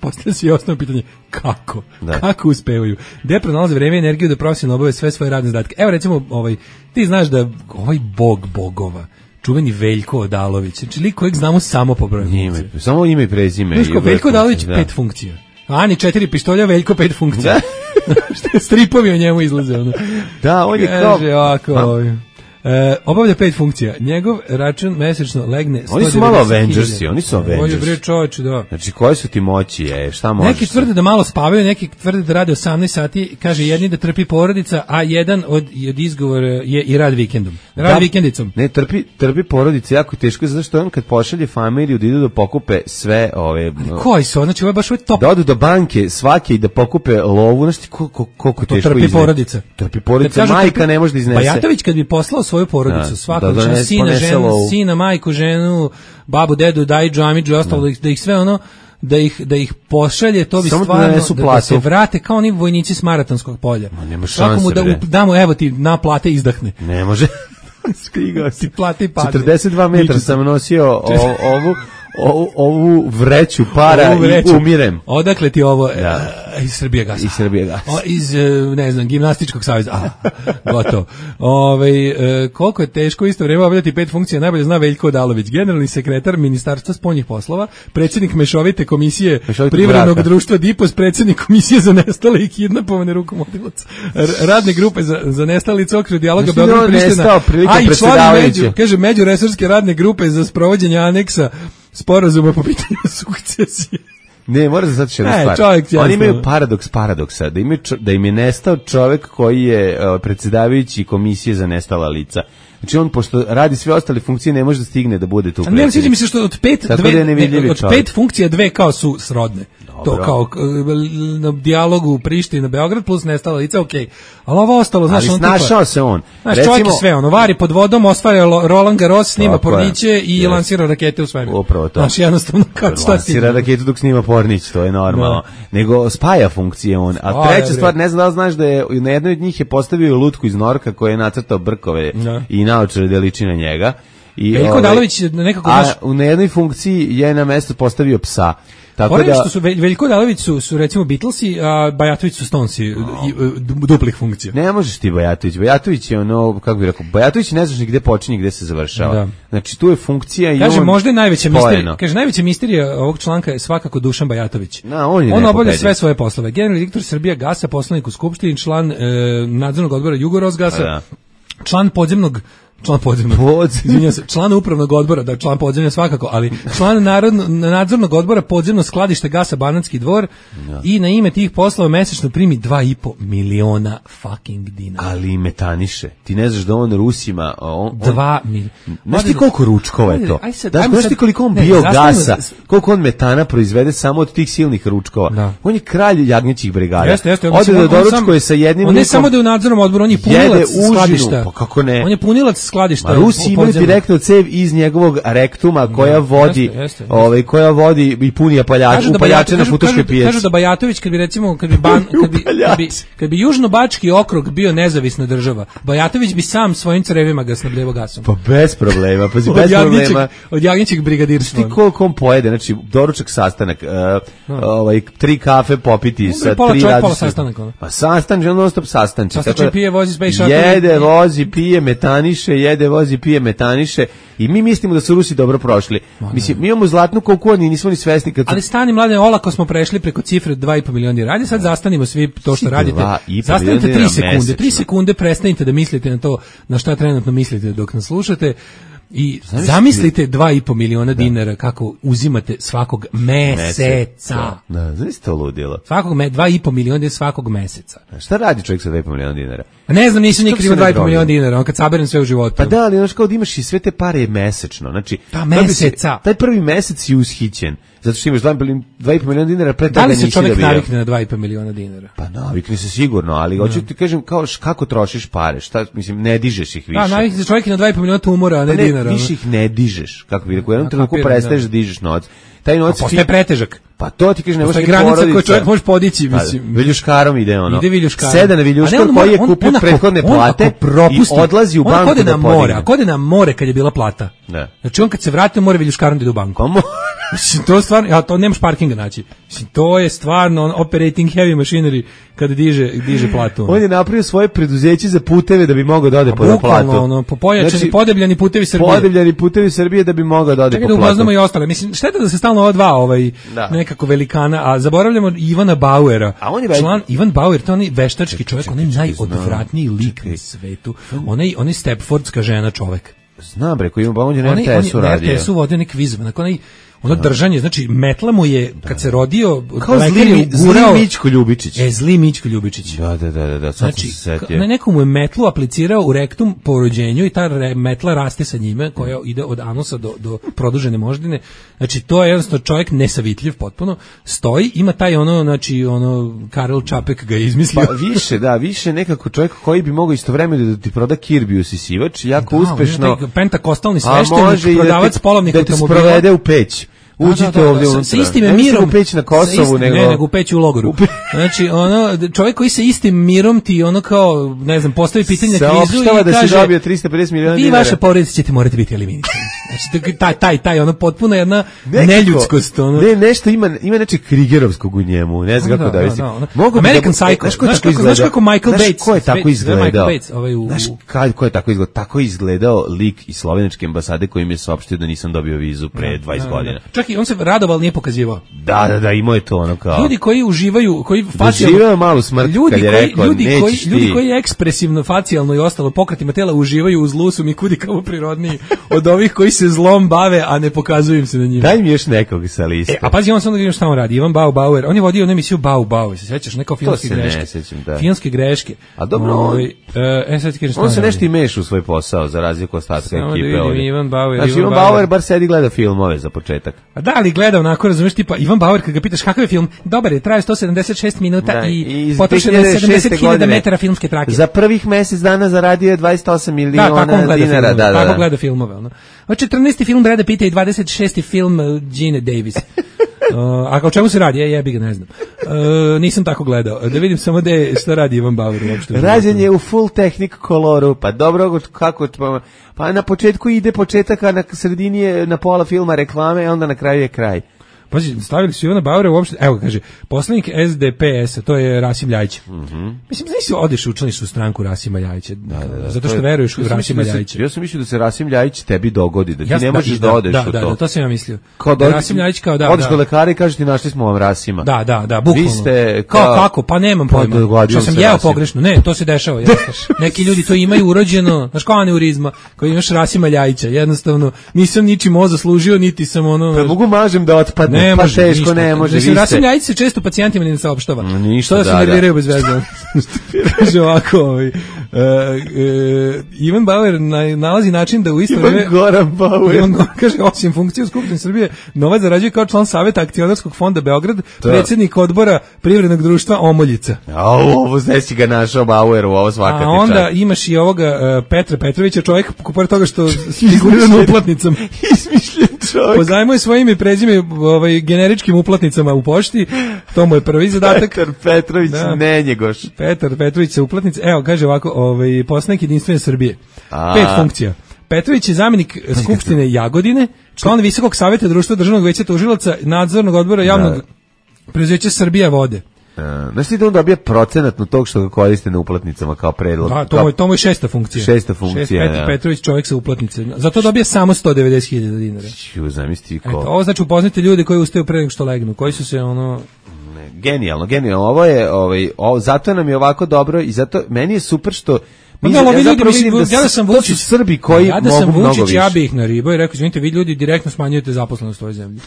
postavlja se i osnovno pitanje kako? Da. Kako uspevaju? Gde pronalaze vreme i energiju da profesionalno obave sve svoje radne zadatke? Evo recimo, ti znaš da bog bogova, čuveni Veljko Odalović, znači lik kojeg znamo samo po broju funkcija. Samo ime i prezime. Veljko Odalović 5 funkcija. Ani 4 pištolja, Veljko 5 funkcija. Što stripovi o njemu izlaze. Da, on je kao... Kaže ovako... obavlja 5 funkcija. Njegov račun mesečno legne 190.000. Oni su malo Avengersi, oni su Avengersi. On je bre čovječ, da. Znači, koje su ti moći, šta možeš? Neki tvrde da malo spavaju, neki tvrde da rade 18 sati, kaže jedni da trpi porodica, a jedan od izgovora je i rad vikendom. Rad vikendicom. Ne, trpi porodica jako teško, zato što on kad pošalje familiju da idu da pokupe sve ove... Koji su? Znači, ovo je baš top. Da odu do banke svake i da pokupe lovu, znači koliko teško trpi porodica. Trpi porodica, majka ne može da iznese. Bajatović kad bi poslao svoju porodicu, svakog sina, majku, ženu, babu, dedu, dajđu, amidžu i ostalo, da ih sve da ih pošalje, to bi samo stvarno da se vrate kao oni vojnici s Maratonskog polja. Nema šanse, da damo, evo ti na plate izdahne. Ne može. Skrigao ti plate i padne. 42 metra sam nosio ovu vreću para i umirem. Odakle ti ovo? Iz Srbije gasa. Iz, ne znam, gimnastičkog saveza. Gotovo. Koliko je teško isto vrijeme obavljati 5 funkcija, najbolje zna Veljko Odalović, generalni sekretar Ministarstva spoljnih poslova, predsjednik mešovite komisije privrednog društva DIPOS, predsjednik komisije za nestale i kidnapovane rukomodilaca, radne grupe za nestalice okretu dijaloga Beograd Priština, a i član međuresorske radne grupe za sprovođenje aneksa sporazuma po pitanju sukcesije. Ne, mora se sad jedna stvar. Oni imaju paradoksa, da im je nestao čovjek koji je predsjedavajući komisije za nestala lica. Znači on, pošto radi sve ostale funkcije, ne može da stigne da bude tu predsjednik. Ne, sviđa mi se što od 5 funkcija 2 kao su srodne. To kao na dijalogu u Prištini na Beograd plus nestala lica, okej. Ali ovo ostalo, znaš, on snašao se on. Znaš, čovjek je sve, vari pod vodom, osvaja Roland Garros, snima porniće i lansira rakete u svemir. Upravo to. Znaš, jednostavno, kad šta ti... Lansira raketu dok snima pornić, to je normalno. Nego spaja funkcije on. A treća stvar, ne znam da li znaš da je na jednoj od njih je postavio lutku iz norka koja je nacrtao brkove i naočare da liči na njega. Veljko Odalović nekako... A na jednoj funkciji je na mesto postavio psa. Tako da što su Veljko Odalović su recimo Beatlesi, a Bajatović su Stonesi, duplih funkcija. Ne možeš ti Bajatović je ono, kako bih rekao, Bajatović ne znaš ni gde počinje, gde se završava. Da. Znači tu je funkcija i kaže, možda je najveća misterija ovog članka je svakako Dušan Bajatović. On obavlja sve svoje poslove. Generalni direktor Srbija Gasa, poslanik u Skupštini, član nadzornog odbora Jugorosgasa, član podzemnog član podzemnog. Izvinjavam se, član upravnog odbora, da član podzemlja svakako, ali član nadzornog odbora podzemno skladište gasa Banatski dvor i na ime tih poslova mesečno primi 2,5 miliona fucking dinara. Ali metaniše. Ti ne znaš da on Rusima... 2 miliona. Znaš ti koliko ručkova je to? Znaš ti koliko on biogasa, koliko on metana proizvede samo od tih silnih ručkova? Da. On je kralj jagnjećih brigada. Jeste. Ode da doručkuje sa jednim... On ne samo da je u nadzornom odboru, on je punilac skladišta. Pa kako ne? On je punilac skladišta. Ma Rusi imaju direktno cev iz njegovog rektuma koja vodi, koja vodi i puni upaljače na futoške pijaci. Kažu da Bajatović kad bi recimo kad bi Južnobački okrug bio nezavisna država, Bajatović bi sam svojim crevima ga snabdevao gasom. Pa bez problema, pa bez problema. Od jagnjećeg brigadirstva. Ti koliko on pojede, znači doručak, sastanak, 3 kafe popiti sa 3 pola sastanak. Pa sastanak, on non stop sastanči. Sastačan pije, vozi space shuttle. Jede, vozi, pije, metaniše i mi mislimo da su Rusi dobro prošli. Mislim, mi imamo zlatnu koku, ni nismo ni svesni kad... Ali stani, mlade, olako smo prešli preko cifre 2,5 miliona dinara. Ajde sad zastanimo svi to što radite. Zastanite 3 sekunde. 3 sekunde prestanite da mislite na to na šta trenutno mislite dok nas slušate. I zamislite 2,5 miliona dinara kako uzimate svakog meseca. Da, znaš to ludilo. 2,5 miliona svakog meseca. Šta radi čovjek sa 2,5 miliona dinara? Ne znam, nisam nikad imao 2,5 miliona dinara, on kad saberem sve u životu. Pa da, ali znaš kao da imaš i sve te pare mesečno. Znači, meseca. Taj prvi mesec je ushićen. Zato što imaš 2,5 miliona dinara, pre toga nisi dobio. Da li se čovjek navikne na 2,5 miliona dinara? Pa navikne se sigurno, ali hoću ti kažem kako trošiš pare, šta, mislim, ne dižeš ih više. Da, navikne se čovjek na 2,5 miliona tumora, a ne dinara. Više ih ne dižeš, kako bi rekao, u jednom trenutku prestaješ da dižeš novac. Taj novac postaje pretežak. Pa to ti kažeš, ne možeš ni porodica. Granica koju čovjek može podići, mislim. Viljuškarom ide ono. Ide Viljuškarom. Seda na Viljuškor koji je kupio prethodne plate i odlazi u banku da podigne. A kode na more kad je bila plata. Ne. Znači on kad se vrati mora Viljuškarom da ide u banku. Mislim, to je stvarno, to nemaš parkinga naći. Mislim, to je stvarno operating heavy machinery kada diže platu. On je napravio svoje preduzeće za puteve da bi mogao da ode po platu. Pojačani, podebljani putevi Srbije. Podebljani putevi Srbije da bi mogao da ode po platu. Čekaj da upoznamo i ostale. Mislim, šteta da se stalno ova dva nekako velikana, a zaboravljamo Ivana Bauera. Član Ivan Bauer, to je onaj veštački čovjek, onaj najodvratniji lik na svetu. Onaj Stepfordska žena čovek. Znam bre, koji on je na RTS-u radio. Na RTS-u vodio nek viz, ono držanje, znači metla mu je kad se rodio kao zli Mićko Ljubičić. Zli Mićko Ljubičić. Da, znači, neko mu je metlu aplicirao u rektum po rođenju i ta metla raste sa njime koja ide od anusa do produžene moždine. Znači to je jednostavno čovjek nesavitljiv potpuno. Stoji, ima taj Karel Čapek ga je izmislio. Pa više nekako čovjek koji bi mogao istovremeno da ti proda kirbi usisivač, jako uspešno. Pentakostalni sveštenik, prodavac polovnih automobila. Da te sprovede u peć. Uđite ovdje unutra. Sa istim mirom. U peć na Kosovu, nego u peć u logoru. Znači, čovjek koji sa istim mirom ti kao, ne znam, postavi pitanje na kvizu i kaže... da si dobio 350 miliona dinara. Vi vaša porodica ćete morati biti eliminisani. Znači, taj, potpuno jedna neljudskost. Nešto ima nečeg Krigerovskog u njemu, ne znam kako da vesti. American Psycho. Znaš kako Michael Bates. Ko je tako izgledao? Znaš ko je tako izgledao? Tako je izgledao lik iz slovenačke ambasade koji mi je saopštio da nisam dobio vizu pre 20 godina. Čak i on se radoval, nije pokazivao. Da, imao je to ono kao... Ljudi koji uživaju, koji facijalno... Doživaju malu smrt kad je rekao, nećeš ti. Ljudi koji ekspresivno, facijalno i ostalo pokretima tela uživaju u zlu su mi kudi kao prirodniji od ovih koji se zlom bave, a ne pokazuju im se na njima. Daj mi još nekog sa liste. A pazi, on sam da vidim šta on radi. Ivan Bauer, on je vodio emisiju Bau, se sećaš, neka filmske greške. To se ne sećam, da. Filmske greške. A dobro, on se nešto i meša u svoj posao, za razliku ostatka ekipe ovdje. Ivan Bauer bar sedi gleda filmove za početak. A da li gleda onako, razumiješ, tipa Ivan Bauer, kad ga pitaš kakav je film, dobar je, traje 176 minuta i potrošeno je 70.000 metara filmske trake. Za prvih mjesec dana zaradio je 28 miliona dinara. Tako gleda filmove. Ono. 14. film Brada Pitta i 26. film Gene Davis. A kao čemu se radi? Jebi ga, ne znam. Nisam tako gledao. Da vidim samo šta radi Ivan Bauer. Rađen je u full technic koloru. Pa dobro, kako... Pa na početku ide početak, a na sredini je na pola filma reklame, a onda na kraju je kraj. Pazi, stavili su Ivana Bauera uopšte, evo kaže, poslanik SDPS-a, to je Rasim Ljajić. Mislim, znaš si odeš učlaniš u stranku Rasima Ljajića, zato što veruješ u Rasima Ljajića. Ja sam mislio da se Rasim Ljajić tebi dogodi, da ti ne možeš da odeš u to. Da, to sam ja mislio. Kao Rasim Ljajić kao da. Odeš kod lekara i kažeš ti našli smo vam Rasima. Da, bukvalno. Vi ste kako? Pa nemam pojma. Što sam jeo pogrešno. Ne, to se dešava. Neki ljudi to imaju urođeno, znaš kao aneurizma, koji imaš Rasima Ljajića. Jednostavno, nisam ničim ovo zaslužio, niti sam ono... Pa mogu mažem da otpadne, ne pa može, teško ništa. ne može. Mislim, Rasim Ljajić se često pacijentima ne saopštava. Ništa, da se nerviraju bez veze. Kaže ovako, Ivan Bauer nalazi način da u isto vreme... Ivan Goran Bauer. Kaže, osim funkcije u Skupštini Srbije, novac zarađuje kao član Saveta akcionarskog fonda Beograd, predsjednik odbora Privrednog društva Omoljica. Ovo znači ga našao Bauer, ovo svaka ti čast. A onda imaš i ovoga Petra Petrovića, čovjek pored toga što figurira na uplatnicama. Izmišljen čovjek. Pozajmuje svoje ime i prezime generičkim uplatnicama u pošti. To mu je prvi zadatak. Petar Petrović, ne njegoš. Petar Petrović sa uplatnice. Evo, kaže ovako, poslanik Jedinstvene Srbije. 5 funkcija. Petrović je zamjenik Skupštine Jagodine, član Visokog saveta Društva državnog veća tužilaca, nadzornog odbora javnog preduzeća Srbija vode. Znaš ti da on dobije procenatno tog što ga koriste na uplatnicama kao predlog? Da, to mu je šesta funkcija. Šesta funkcija, Petar Petrović, čovjek sa uplatnice. Zato dobije samo 190.000 dinara. Zamisli ko. Ovo znači upoznate ljude koji ustaju pre nego što legnu, koji su se Genijalno. Ovo je, zato nam je ovako dobro i zato meni je super što ja sam Vučić, Srbi koji mogu mnogo više. Ja bih ih naribao i rekao, izvinite, vi ljudi direktno smanjujete zaposlenost u ovoj zemlji.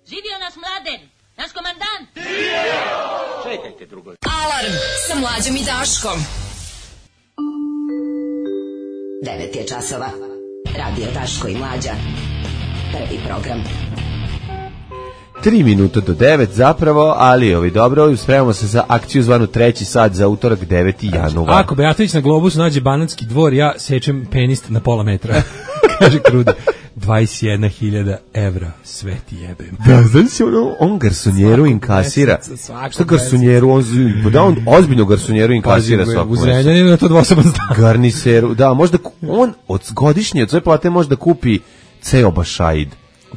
Živio nas Mladen, naš komandant! Čekajte drugo. Alarm sa Mlađom i Daškom. 9 je časova. Radio Daško i Mlađa. Prvi program. 3 minuta do 9 zapravo, ali dobro, spremamo se za akciju zvanu 3. sat za utorak 9. januar. Ako Beatović na Globusu nađe Banatski dvor, ja sečem penist na pola metra. Kaže Krude. 21.000 evra, sve ti jebem. Da, znači se on garsonjeru inkasira. Što garsonjeru? On ozbiljno garsonjeru inkasira svako meseca. U Zrenjaninu je to dvosoban stan. Garniseru, da, možda on od godišnje, od svoje plate može da kupi ceo Bašaid.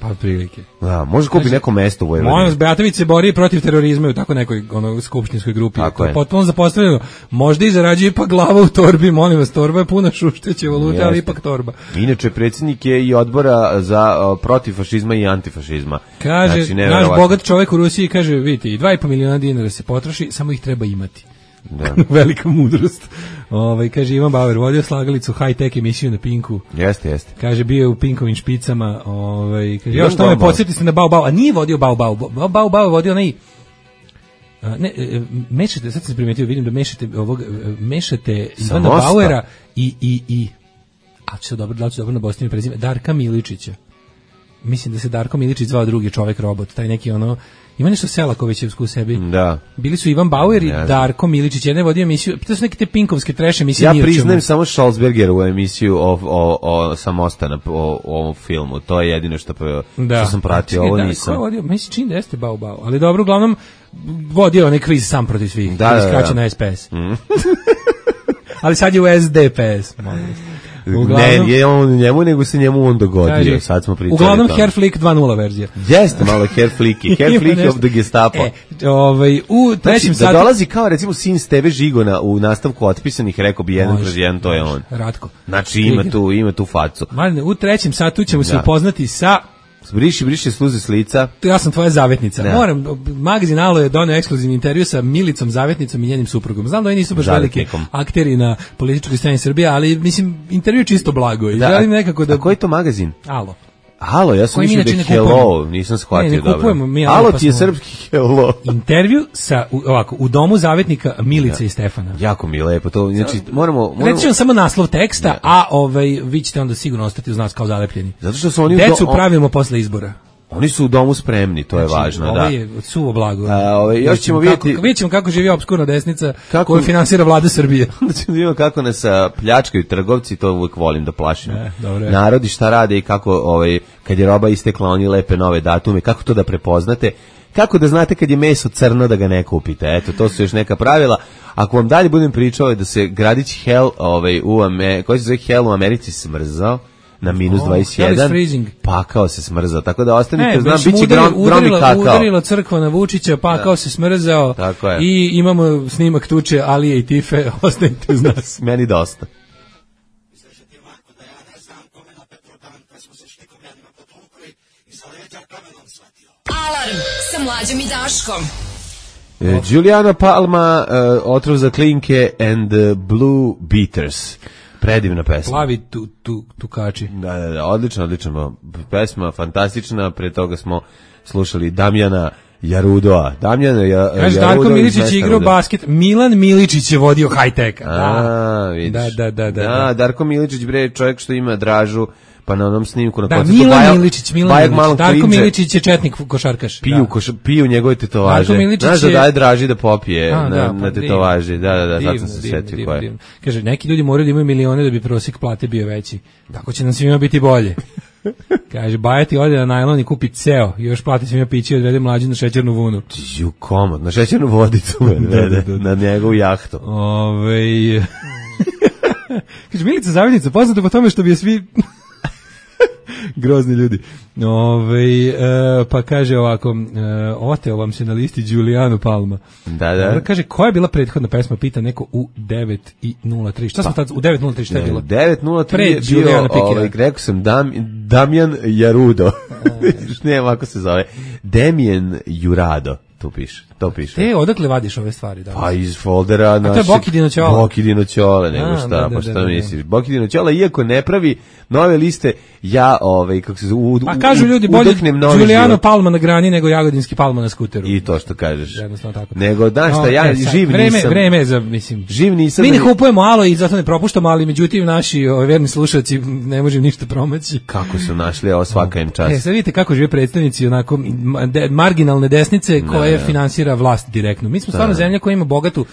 Pa otprilike. Da, može kupi neko mesto u Vojvodini. Molim vas, Beatović se bori protiv terorizma u tako nekoj skupštinskoj grupi. Tako je. Potpuno zapostavljeno. Možda i zarađuje ipak glava u torbi, molim vas, torba je puna šušteće valute, ali ipak torba. Inače, predsjednik je i odbora za protiv fašizma i antifašizma. Kaže, znači, naš bogat čovjek u Rusiji, kaže, vidite, 2,5 miliona dinara se potroši, samo ih treba imati. Da. Velika mudrost. Kaže Ivan Bauer vodio slagalicu high-tech emisiju na Pinku. Jeste. Kaže bio je u Pinkovim špicama, kaže još što me podsjetite na Bau, a nije vodio Bau je vodio onaj mešate, sad sam primetio, vidim da mešate Ivana Bauera i a će dobro na Bosni prezime Darka Miličića. Mislim da se Darko Miličić zvao drugi čovjek robot, taj neki ima nešto Selakovićevsku u sebi. Da. Bili su Ivan Bauer i Darko Miličić, jedan je vodio emisiju, to su neke te pinkovske trash emisije. Ja priznajem samo Schalzbergerovu emisiju o Samostana, o ovom filmu, to je jedino što sam pratio, ovo nisam. Ko je vodio? Mislim, čini da jeste Bau, ali dobro, uglavnom, vodio onaj kviz sam protiv svih, skraćen na SPS. Ali sad je u SDPS, molim. Ne on njemu, nego se njemu on dogodio. Sad smo pričali. Uglavnom Hair Flick 2.0 verzija. Jeste malo Hair Flicky. Hair Flick of the Gestapo. U trećem satu... Da dolazi kao recimo sin Steve Žigona u nastavku Otpisanih, rekao bi 1/1, to je on. Ratko. Znači ima tu facu. U trećem satu ćemo se upoznati sa... Briši sluze s lica. Ja sam tvoja zavetnica. Moram, magazin Alo je doneo ekskluzivni intervju sa Milicom Zavetnicom i njenim suprugom. Znam da oni nisu baš veliki akteri na političkoj sceni Srbije, ali mislim, intervju čisto blago. I želim nekako da... A koji je to magazin? Alo, ja sam mislio da je Hello, nisam shvatio dobro. Alo ti je srpski Hello. Intervju sa, u domu zavetnika Milice i Stefana. Jako mi je lepo, to, znači, moramo... Reći vam samo naslov teksta, a vi ćete onda sigurno ostati uz nas kao zalepljeni. Zato što su oni... Decu pravimo posle izbora. Oni su u domu spremni, to je važno, da. Ovo je suvo blago. Još ćemo vidjeti... Vidjet ćemo kako živi obskurna desnica koju finansira vlada Srbije. Onda ćemo vidjeti kako nas pljačkaju trgovci, to uvijek volim da plašim. Narodi šta rade i kako, kad je roba istekla, oni lepe nove datume, kako to da prepoznate, kako da znate kad je meso crno da ga ne kupite. Eto, to su još neka pravila. Ako vam dalje budem pričao da se gradić Hell, koji se zove Hell u Americi smrzao, na minus hell is 21, freezing. pakao se smrzao, tako da ostanite, Znači, biće gromi kakao. udarila crkva na Vučića, pakao se smrzao i imamo snimak tuče Alije i Tife, ostanite uz nas. Meni dosta. Alarm sa Mlađom i Daškom. Juliana Palma, Otrov za klinke and Blue Beaters. Predivna pesma. Plavi tukači. Da, odlično. Pesma fantastična, pre toga smo slušali Damjana Jarudoa. Kaže, Darko Miličić je igrao basket, Milan Miličić je vodio high-tech. Da, Darko Miličić, bre, čovjek što ima Dražu, pa na onom snimku na koncertu Milan Miličić. Darko Miličić je četnik košarkaš. Piju njegove tetovaže. Znaš da daje Draži da popije na tetovaži. Da, sad sam se setio koje. Kaže, neki ljudi moraju da imaju milione da bi prosjek plate bio veći. Tako će nam svima biti bolje. Kaže, Bajati ode na najlon i kupi ceo, još plati svima pići i odvede Mlađu na šećernu vunu. Komod, na šećernu vodicu na njegovu jahtu. Kaže, Milica Zavidnica, poznata po tome što bi je svi... grozni ljudi. Pa kaže ovako, oteo vam se na listi Giuliano Palma. Da. Kaže, koja je bila prethodna pesma, pita neko u 9:03. Šta smo tad, u 9:03 šta je bilo? 9:03 je bio, rekao sam, Damjan Jarudo. Ne, ovako se zove. Damien Jurado. To piše. Odakle vadiš ove stvari? Da? Pa iz foldera našeg. A to je Bokidino Ćola. Bokidino Ćola, nego šta, pa šta misliš? Bokidino Ćola, iako ne pravi nove liste, ja, kako se zove, a kažu ljudi, bolje Giuliano Palma na grani nego Jagodinski Palma na skuteru. I to što kažeš. Jednostavno tako. Nego, znaš šta, ja živ nisam. Vreme za, mislim. Živ nisam. Mi ne kupujemo alo i zato ne propuštamo, ali međutim naši verni slušalci ne možemo ništa promaći. Kako su našli, ovo svaka im čast. Sad vidite kako žive predstavnici onako marginalne desnice koje finansira vlast direktno. Mi smo stvarno zemlja koja ima bogatu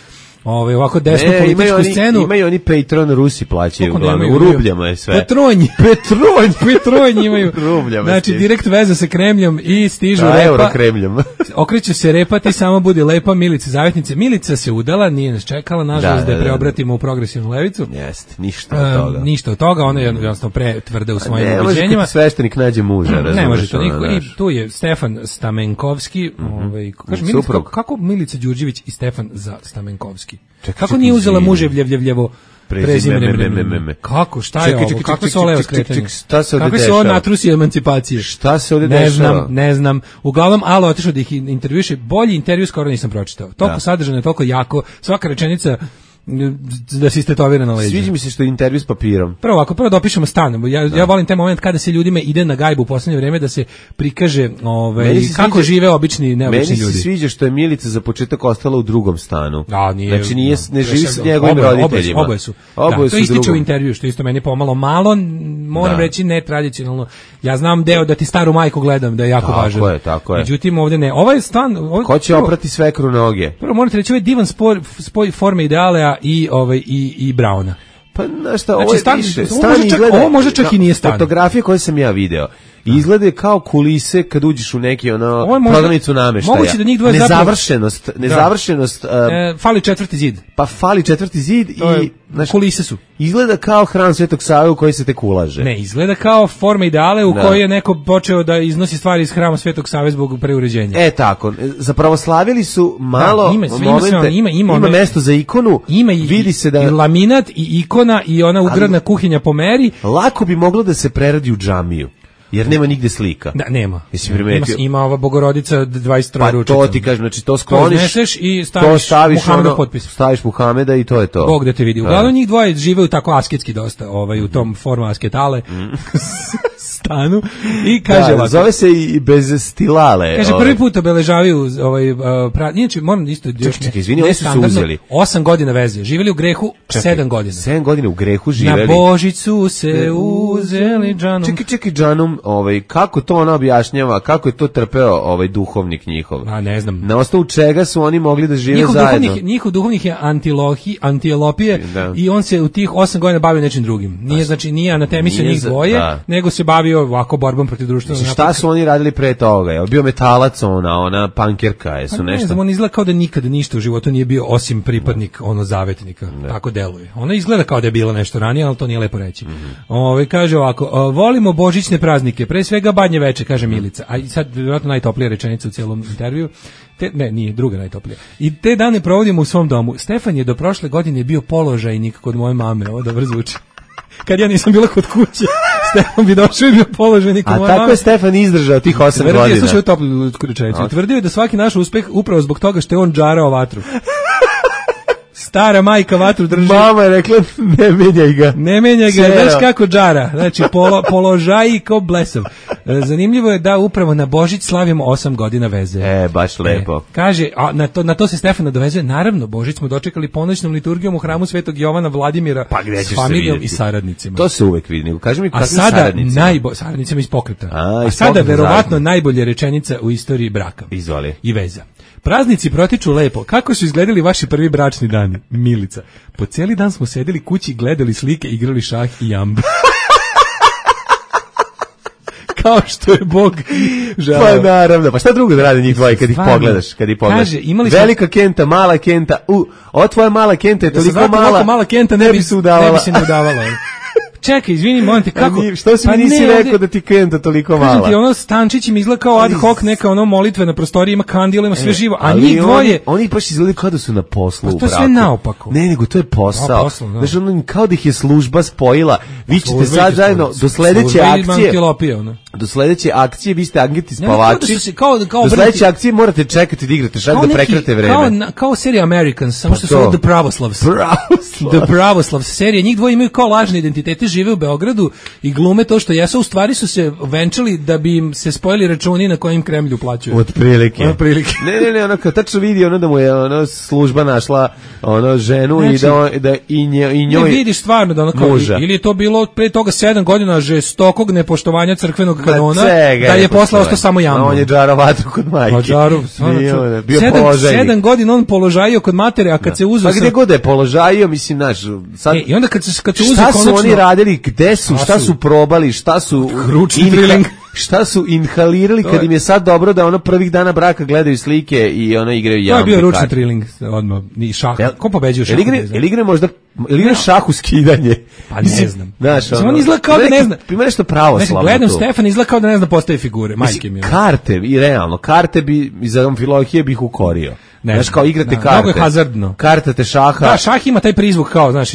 ovako desnu političku scenu. Imaju oni Patreon, Rusi plaćaju uglavnom. U rubljama je sve. Petronj imaju. Znači, direkt veza sa Kremljom i stižu repa. Euro Kremljom. Okreću se repa, ti samo budi lepa Milica Zavetnice. Milica se udala, nije nas čekala, nažalost da je preobratimo u progresivnu levicu. Jeste, ništa od toga. Ona je jednostavno pretvrda u svojim ubeđenjima. Ne može kad sveštenik nađe muža. Ne može to niko. I tu je Stefan Stamenkovski. Kaže, Milica, kako Milica Đurđević i Stefan Stamenkovski? Kako nije uzela muževljevo prezime? Kako? Šta je ovo? Kako se ovo skretanje? Kako se ovo natrusi emancipacije? Šta se ovdje dešava? Ne znam. Uglavnom, Alo otišao da ih intervjuše. Bolji intervju skoro nisam pročitao. Toliko sadržano, toliko jako. Svaka rečenica da se istetovira na leđa. Sviđa mi se što je intervju s papirom. Prvo da opišemo stan. Ja volim taj moment kada se ljudima ide na gajbu u poslednje vreme da se prikaže kako žive obični neobični ljudi. Meni se sviđa što je Milica za početak ostala u drugom stanu. Znači ne živi s njegovim roditeljima. Oboje su. To ističe u intervju, što isto meni pomalo malo, moram reći netradicionalno. Ja znam deo da ti staru majku gledam, da je jako važan. Tako je. Međutim, ovdje ne. Ovaj stan... Ko će oprati svekru noge? Prvo morate reći, ovaj divan spoj forme idealea i Brauna. Pa znaš šta, ovo je više. Ovo možda čak i nije stan. Fotografije koje sam ja video izglede kao kulise kad uđeš u neki prodavnicu nameštaja. Moguće da njih dvoje nezavršenost. Fali četvrti zid. Pa fali četvrti zid i kulise su. Izgleda kao hram Svetog Save u koji se tek ulaže. Ne, izgleda kao forma ideale u kojoj je neko počeo da iznosi stvari iz hrama Svetog Save zbog preuređenja. Tako. Zapravoslavili su malo momente. Ima mesto za ikonu. Ima vidi se da i laminat i ikona i ona ugradna kuhinja po meri. Lako bi moglo da se preradi u džamiju. Jer nema nigde slika. Da, nema. Ima ova Bogorodica 23 ručica. Pa to ti kažem, znači to skloniš, i staviš Muhamedov potpis. Staviš Muhameda i to je to. Bog da te vidi. Uglavnom njih dvoje žive tako asketski dosta, u tom forma asketale stanu i kaže ovako. Zove se i bez stilale. Kaže prvi put obeležavaju inače moram isto čekaj, izvini, oni su se uzeli 8 godina veze. Živeli u grehu 7 godina. 7 godina u grehu živeli. Na Božiću se uzeli džanom. Čekaj džanom, kako to ona objašnjava, kako je to trpeo duhovnik njihov? A ne znam. Na osnovu čega su oni mogli da žive zajedno? Njihov duhovnik je Antilopije i on se u tih 8 godina bavio nečim drugim. Nije anatemisao njih dvoje, nego se bavio bio ovako borbom protiv društvenog Šta napretka. su oni radili pre toga? Je bio metalac ona pankerka, jesu Pa ne nešto? znam, on izgleda kao da nikada ništa u životu nije bio osim pripadnik zavetnika, tako deluje. Ona izgleda kao da je bilo nešto ranije, ali to nije lepo reći. Kaže ovako, volimo božićne praznike, pre svega badnje veče, kaže Milica. A i sad vjerojatno najtoplija rečenica u cijelom intervju. Nije, druga najtoplija. I te dane provodimo u svom domu. Stefan je do prošle godine bio položajnik kod moje mame, ovo dobro zvuči. Kad ja nisam bila kod kuće, Stefan bi došao i bio položajnik kod moje mame. A tako je Stefan izdržao tih 8 godina. Slušaj, toplu rečenicu. Tvrdio je da svaki naš uspeh upravo zbog toga što je on džarao vatru. Stara majka vatru drži. Mama je rekla, ne menjaj ga. Ne menjaj ga, znaš kako džara. Znači, položaj ko blesav. Zanimljivo je da upravo na Božić slavimo 8 godina veze. Baš lepo. Kaže, a na to se Stefan nadovezuje. Naravno, Božić smo dočekali ponoćnom liturgijom u hramu Svetog Jovana Vladimira s familijom i saradnicima. To se uvek vidi. Kaži mi kakvim saradnicima. Saradnicima iz pokreta. A sada verovatno najbolja rečenica u istoriji braka. Izvoli. I veza. Praznici protiču lepo. Kako su izgledali vaši prvi bračni dani? Milica. Po cijeli dan smo sedeli kući, gledali slike, igrali šah i jambu. Kao što je Bog želeo. Pa naravno, pa šta drugo da rade njih dvoje kad ih pogledaš? Kaže, velika kenta, mala kenta, ova tvoja mala kenta je toliko mala kenta ne bi se udavala. Čekaj, izvini, molim te, kako? Što si mi nisi rekao da ti kenta toliko mala? Kažem ti, Stančić im izgleda kao ad hoc, neka molitve na prostoriji, ima kandila, ima sve živo, a njih dvoje... Oni baš izgledaju kao da su na poslu u braku. To je sve naopako. Ne, nego to je posao. Znaš, kao da ih je služba spojila. Vi ćete sad zajedno do sledeće akcije... Do sledeće akcije, vi ste agenti spavači. Do sledeće akcije morate čekati da igrate šak da prekrate vreme. Kao serija Americans, samo što su The Pravoslavs. The Pravoslavs serija. Njih dvoje imaju kao lažne identitete, žive u Beogradu i glume to što jesu, u stvari su se venčali da bi im se spojili računi na kojim Kremlju plaćaju. Otprilike. Ne, ono kao tačno vidi da mu je služba našla ženu i da i njoj ne vidiš stvarno da ili je to bilo pre toga 7 godina žestokog nepoštovanja crkvenog kanona, da je posle ostao samo jambo. On je džarao vatru kod majke. Bio položajnik. 7 godina on položajio kod matere, a kad se uzeo... Pa gde god je položajio, mislim, znaš... I onda kad se uzeo šta su oni radili, gde su, šta su probali, šta su... Šta su inhalirali kad im je sad dobro da prvih dana braka gledaju slike i igraju jambe. To je bio ručni triling odmah, ni šah. Ko pobeđuje šah? Ili igra šah u skidanje? Pa ne znam. Znaš, on izgleda kao da ne zna. Ima nešto pravoslavno. Gledam Stefan, izgleda kao da ne zna postaje figure, majke mi. Karte, i realno, karte bi iz Amfilohije bih ukorio. Znaš, kao igrate karte. Mnogo je hazardno. Kartate šaha. Da, šah ima taj prizvuk kao, znaš,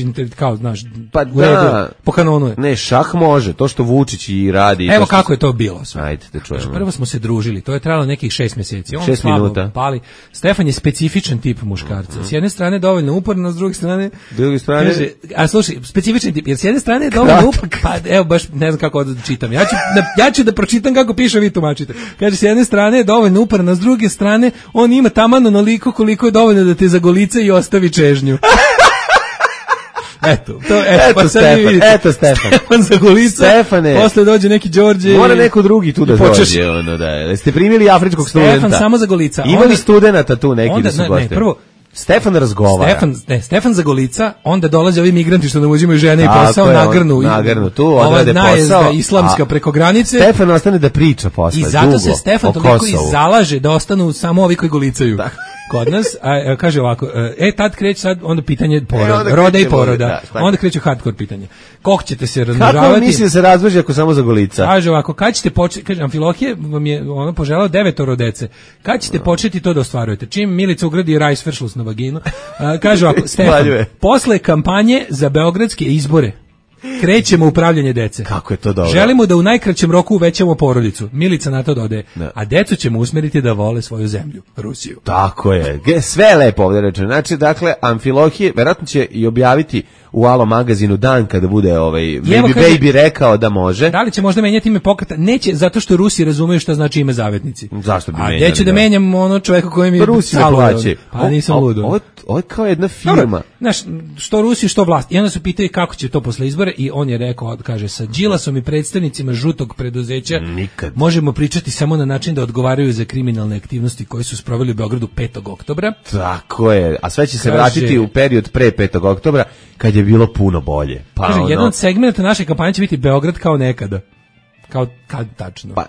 pa u redu, po kanonu je. Ne, šah može, to što Vučić i radi. Evo kako je to bilo. Ajde, da čujemo. Prvo smo se družili, to je trajalo nekih 6 mjeseci. 6 minuta. Pali. Stefan je specifičan tip muškarca. S jedne strane dovoljno uporno, s druge strane... Kaže, a slušaj, specifičan tip, jer s jedne strane je dovoljno uporno, pa evo baš ne znam kako da čitam. Ja ću da pročitam kako piše, vi tumačite. Kaže, s jedne strane je dovoljno uporno, s druge strane on ima taman onoliko koliko je dovoljno da te zagolica i ostavi čežnju. Eto Stefan Zagolica. Stefane. Posle dođe neki Đorđe. Mora neko drugi tu da dođe. Jeste primili afričkog studenta? Stefan samo Zagolica. Imali studenata tu neki da su gosti? Ne, prvo Stefan razgovara. Stefan Zagolica, onda dolaze ovi migranti što nam uzimaju žene i posao, nagrnu tu, odrade posao. Islamska preko granice. Stefan ostane da priča posle. I zato se Stefan toliko i zalaže da ostanu samo ovi koji golicaju. Kod nas, kaže ovako, tad kreće sad, onda pitanje roda i poroda, onda kreće hardcore pitanje. Kako ćete se razmnožavati? Kako misli da se razmnoži ako samo Zagolica? Kaže ovako, kad ćete početi, kaže, Amfilohije vam je poželao 9 dece, kad ćete početi to da ostvarujete? Čim Milica ugradi rajsveršlus na vaginu, kaže ovako, Stefan, posle kampanje za beogradske izbore, krećemo upravljanje dece. Kako je to dobro? Želimo da u najkraćem roku uvećamo porodicu. Milica na to dodaje. A decu ćemo usmeriti da vole svoju zemlju, Rusiju. Tako je. Sve je lepo ovdje rečeno. Znači, dakle, Amfilohije verovatno će i objaviti u Alo magazinu dan kada bude Baby rekao da može. Da li će možda menjati ime pokreta? Neće, zato što Rusi razumeju šta znači ime zavetnici. Zašto bi menjali? A gdje ću da menjam čovjeka kojem je Rusi da plaće. Pa nisam ludo. Ovo je kao jedna firma. Znaš, što Rusiju, što vlast. I onda su pitali kako će to posle izbora i on je rekao, kaže, sa Đilasom i predstavnicima žutog preduzeća nikad možemo pričati samo na način da odgovaraju za kriminalne aktivnosti koje su sproveli u Beogradu 5. oktobra. Tako je, a sve će se vratiti u period pre 5. oktobra kad je bilo puno bolje. Kaže, jedan od segmenta naše kampanje će biti Beograd kao nekada. Kao kad tačno? Pa,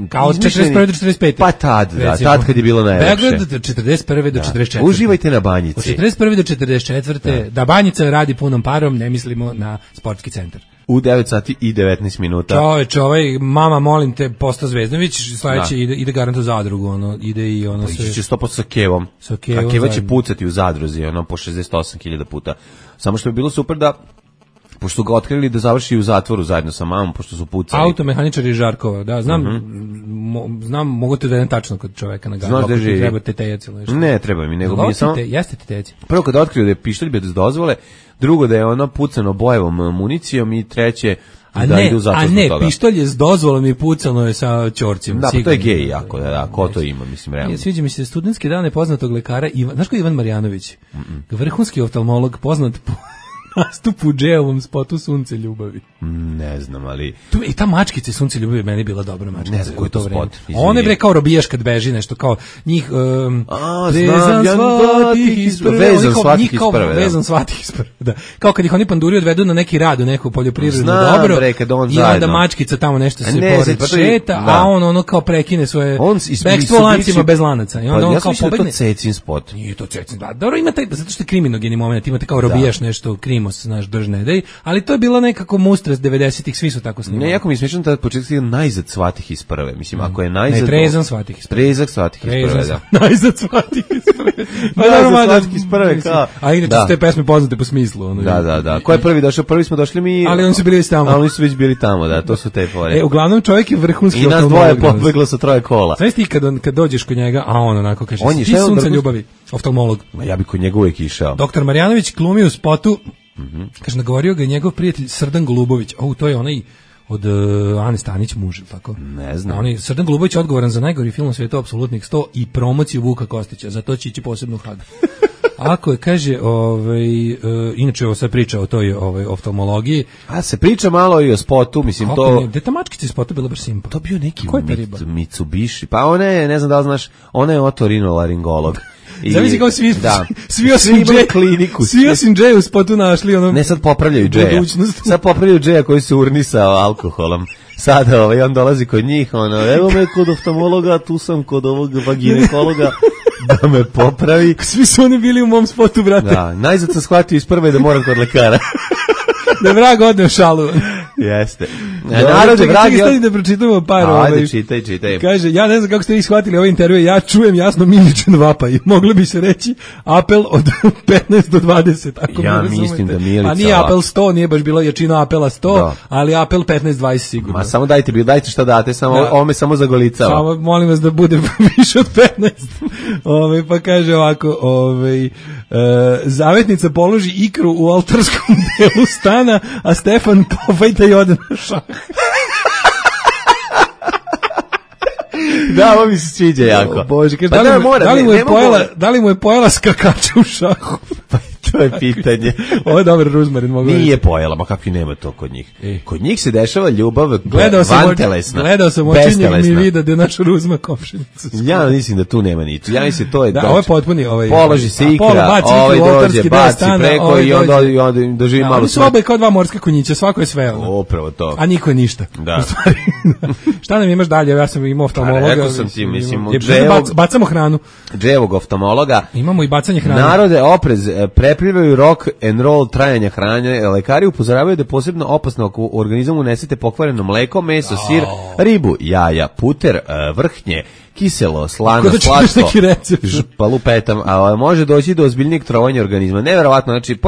kao od 41. do 45. Pa tad, da, tad kad je bilo najlepše. Beograd od 41. do 44. Uživajte na Banjici. Od 41. do 44. Da Banjica radi punom parom, ne mislimo na sportski centar. U 9 sati i 19 minuta. Čoveče, mama, molim te, Posta Zvezdanović, sledeće ide garant u Zadrugu, ide i ono sve. Iće 100% sa Kevom. Sa Kevom. A Keva će pucati u Zadruzi, po 68.000 puta. Samo što bi bilo super da, pošto su ga otkrili, da završi u zatvoru zajedno sa mamom, pošto su pucali. Automehaničari iz Žarkova, da, znam, mogu te da jedan tačno kod čoveka na gadu, ako ti treba tetejac ili nešto. Ne, treba mi, nego mi je samo... Jeste tetejac. Prvo kada otkriju da je pištolj bez dozvole, drugo da je ono pucano bojevom municijom i treće da idu zato zbog toga. Pištolj je s dozvolom i pucano je sa ćorcima. Da, pa to je gej jako, ko to ima, mislim, realno. Sviđa mi se studentski dane poznatog lekara, znaš ko je Ivan Marjanović? Vrhunski oftalmolog, poznat po nastupu u džeovom spotu Sunce ljubavi. Ne znam, ali... I ta mačkica Sunce ljubavi meni bila dobra mačkica. Ne znam koji je to spot. Ona je kao robijaš kad beži nešto, kao njih... Vezan svatih iz prve. Vezan svatih iz prve, da. Kao kad ih oni panduri odvedu na neki rad, u neku poljoprivredno dobro, i onda mačkica tamo nešto se pored šeta, a on ono kao prekine svoje bekstvo lancima bez lanaca. Ja sam mislio da je to Cecin spot. Nije to Cecin, da. Dobro, ima taj, zato što je kriminogeni moment, imate kao robijaš nešto, krimos, znaš, držne dej, ali to je bila nekako mustra 90-ih, svi su tako snimali. Ne, jako mi smiješno da početak je najzad svatih iz prve. Mislim, ako je najzad... Ne, trezan svatih iz prve. Trezak svatih iz prve, da. Najzad svatih iz prve. Najzad svatih iz prve, kao... A inače su te pesme poznate po smislu. Da. Ko je prvi došao? Prvi smo došli mi... Ali oni su bili tamo. Ali oni su već bili tamo, da, to su te fore. Uglavnom čovjek je vrhunski oftalmolog. I nas dvoje pobeglo sa 3 kola. Znaš ti kad dođeš kod njega, a on onako kaže, ti Sunce ljubavi, oftalmolog. Ja bi kod njega uvijek išao. Doktor Marjanović glumi u spotu. Kaže, nagovorio ga njegov prijatelj Srdan Golubović. To je onaj od Ane Stanić muž, tako? Ne znam. Srdan Golubović je odgovoran za najgori film u svijetu, apsolutnih 100 i promociju Vuka Kostića. Za to će ići posebnu hadu. Ako je, kaže, inače ovo sad priča o toj oftalmologiji. A se priča malo i o spotu, mislim kako to... Gde ta mačkica iz spota bila baš simpa? To bio neki Mitsubishi. Pa ona je, ne znam da li znaš, ona je otorinolaringolog. Zavisi kao svi osim kliniku. Svi osim Džeja u spotu našli ono... Ne, sad popravljaju Džeja. Sad popravljaju Džeja koji se urnisao alkoholom. Sada on dolazi kod njih, evo me kod oftalmologa, tu sam kod ovog vaginekologa da me popravi. Svi su oni bili u mom spotu, brate. Da, najzad sam shvatio iz prve da moram kod lekara. Da vrag odne u šalu. Jeste. Narode, vrag... Čekaj, da pročitamo par. Ajde, čitaj. Kaže, ja ne znam kako ste vi shvatili ovaj intervju, ja čujem jasno miličan vapaj. Moglo bi se reći apel od 15 do 20. Ako ja mislim da Milica... A nije apel 100, nije baš bilo jačina apela 100, ali apel 15-20 sigurno. Ma samo dajte šta date, ovo me samo zagolicava. Samo molim vas da bude više od 15. Pa kaže ovako, zavetnica položi ikru u oltarskom delu stana, a Stefan pofajta i ode na šah. Da, ovo mi se sviđa jako. Bože, kaže, da li mu je pojela skakača u šahu? Pa to je pitanje. Ovo je dobar ruzmarin. Nije pojela, ma kakvi nema to kod njih. Kod njih se dešava ljubav vantelesna. Gledao sam očinjeg mi vida da je naš ruzma komšinicu. Ja mislim da tu nema niču. Ja mislim to je... Da, ovo je potpuni... Položi se ikra, dođe, baci preko i onda doživi malo... Oni su oba kao dva morska konjića, svako je sve. Upravo to. A niko je ništa. Da. Šta nam imaš dalje? Ja sam imao oftalmologa. Rekao sam ti, mislim... Bacamo hranu. Džejevog oftalmologa. Imamo i bacanje hrane. Narode, oprez, preplivaju rock and roll trajanja hrane. Lekari upozoravaju da je posebno opasno ako u organizmu unesete pokvareno mleko, meso, sir, ribu, jaja, puter, vrhnje, kiselo, slano, slatko, palupetam, a može doći do ozbiljnijeg trovanja organizma. Neverovatno, znači,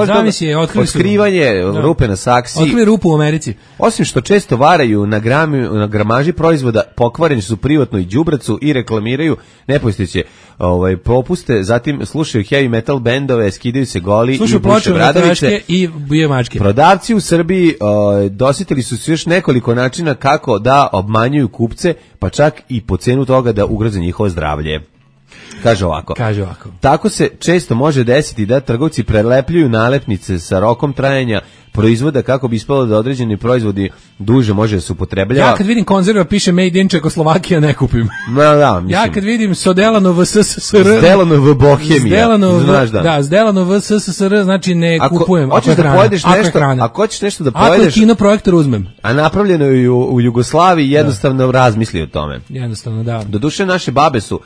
otkrivanje rupe na saksi. Otkrili rupu u Americi. Osim što često varaju na gramaži proizvoda, pokvareni su privatno i đubracu i reklamiraju nepostojeće popuste, zatim slušaju heavy metal bendove, skidaju se goli i buše bradavice. I bije mačke. Prodavci u Srbiji dosjetili su još nekoliko načina kako da obmanjuju kupce, pa čak i po cenu toga da ugroze njihovo zdravlje. Kaže ovako. Tako se često može desiti da trgovci prelepljuju nalepnice sa rokom trajanja proizvoda kako bi ispalo da određeni proizvodi duže može se upotrebljava. Ja kad vidim konzerva piše Made in Čekoslovakija ne kupim. Da, mislim. Ja kad vidim Sodelanov SSSR, Zdelanov Bohemija, znaš da. Zdelanov SSSR znači ne kupujem. Hoćeš da pojedeš nešto, ako hoćeš nešto da pojedeš. Ako je kino projektor uzmem. A napravljeno je u Jugoslaviji, jednostavno razmisli o tome. Jednostavno, da. Doduše naše babe su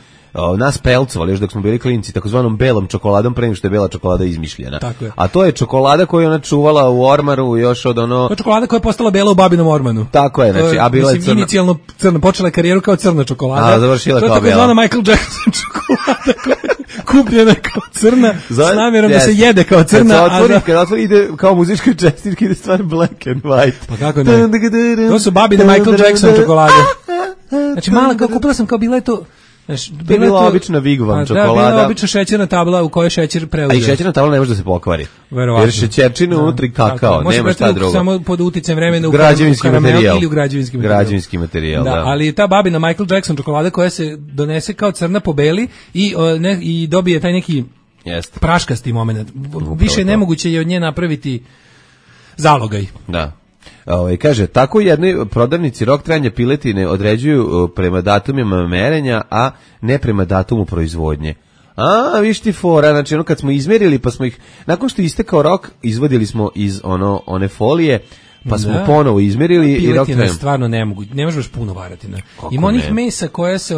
nas pelcovali još dok smo bili klinci takozvanom belom čokoladom pre nego što je bela čokolada izmišljena. A to je čokolada koju ona čuvala u ormaru još od ono... To je čokolada koja je postala bela u babinom ormanu. Tako je, znači, a bila je crna. Inicijalno crna, počela je karijeru kao crna čokolada. A završila kao bela. To je takozvana Michael Jackson čokolada koja je kupljena kao crna s namjerom da se jede kao crna. Kad otvori ide kao muzička čestitka, ide stvar black and white. Pa kako ne? To su babine Michael Jackson čokolade. Znači mala, kao kupila sam kao bila je to... To je bila obična Vigvam čokolada. Da, bila obična šećerna tabla u kojoj šećer preuzeo. A i šećerna tabla ne može da se pokvari. Verovatno. Jer šećerčina unutri kakao, nema šta drugo. Samo pod uticajem vremena u materijal ili u građevinski materijal. Građevinski materijal, da. Ali ta babina Michael Jackson čokolada koja se donese kao crna po beli i dobije taj neki praškasti moment. Više nemoguće je od nje napraviti zalogaj. Da. Kaže, tako jednoj prodavnici rok trajanja piletine određuju prema datumima merenja, a ne prema datumu proizvodnje. A, viš ti fora, znači ono kad smo izmerili pa smo ih, nakon što je istekao rok, izvodili smo iz one folije, pa smo ponovo izmerili i rok trajanja. Stvarno ne možeš baš puno varati. Ima onih mesa koja se,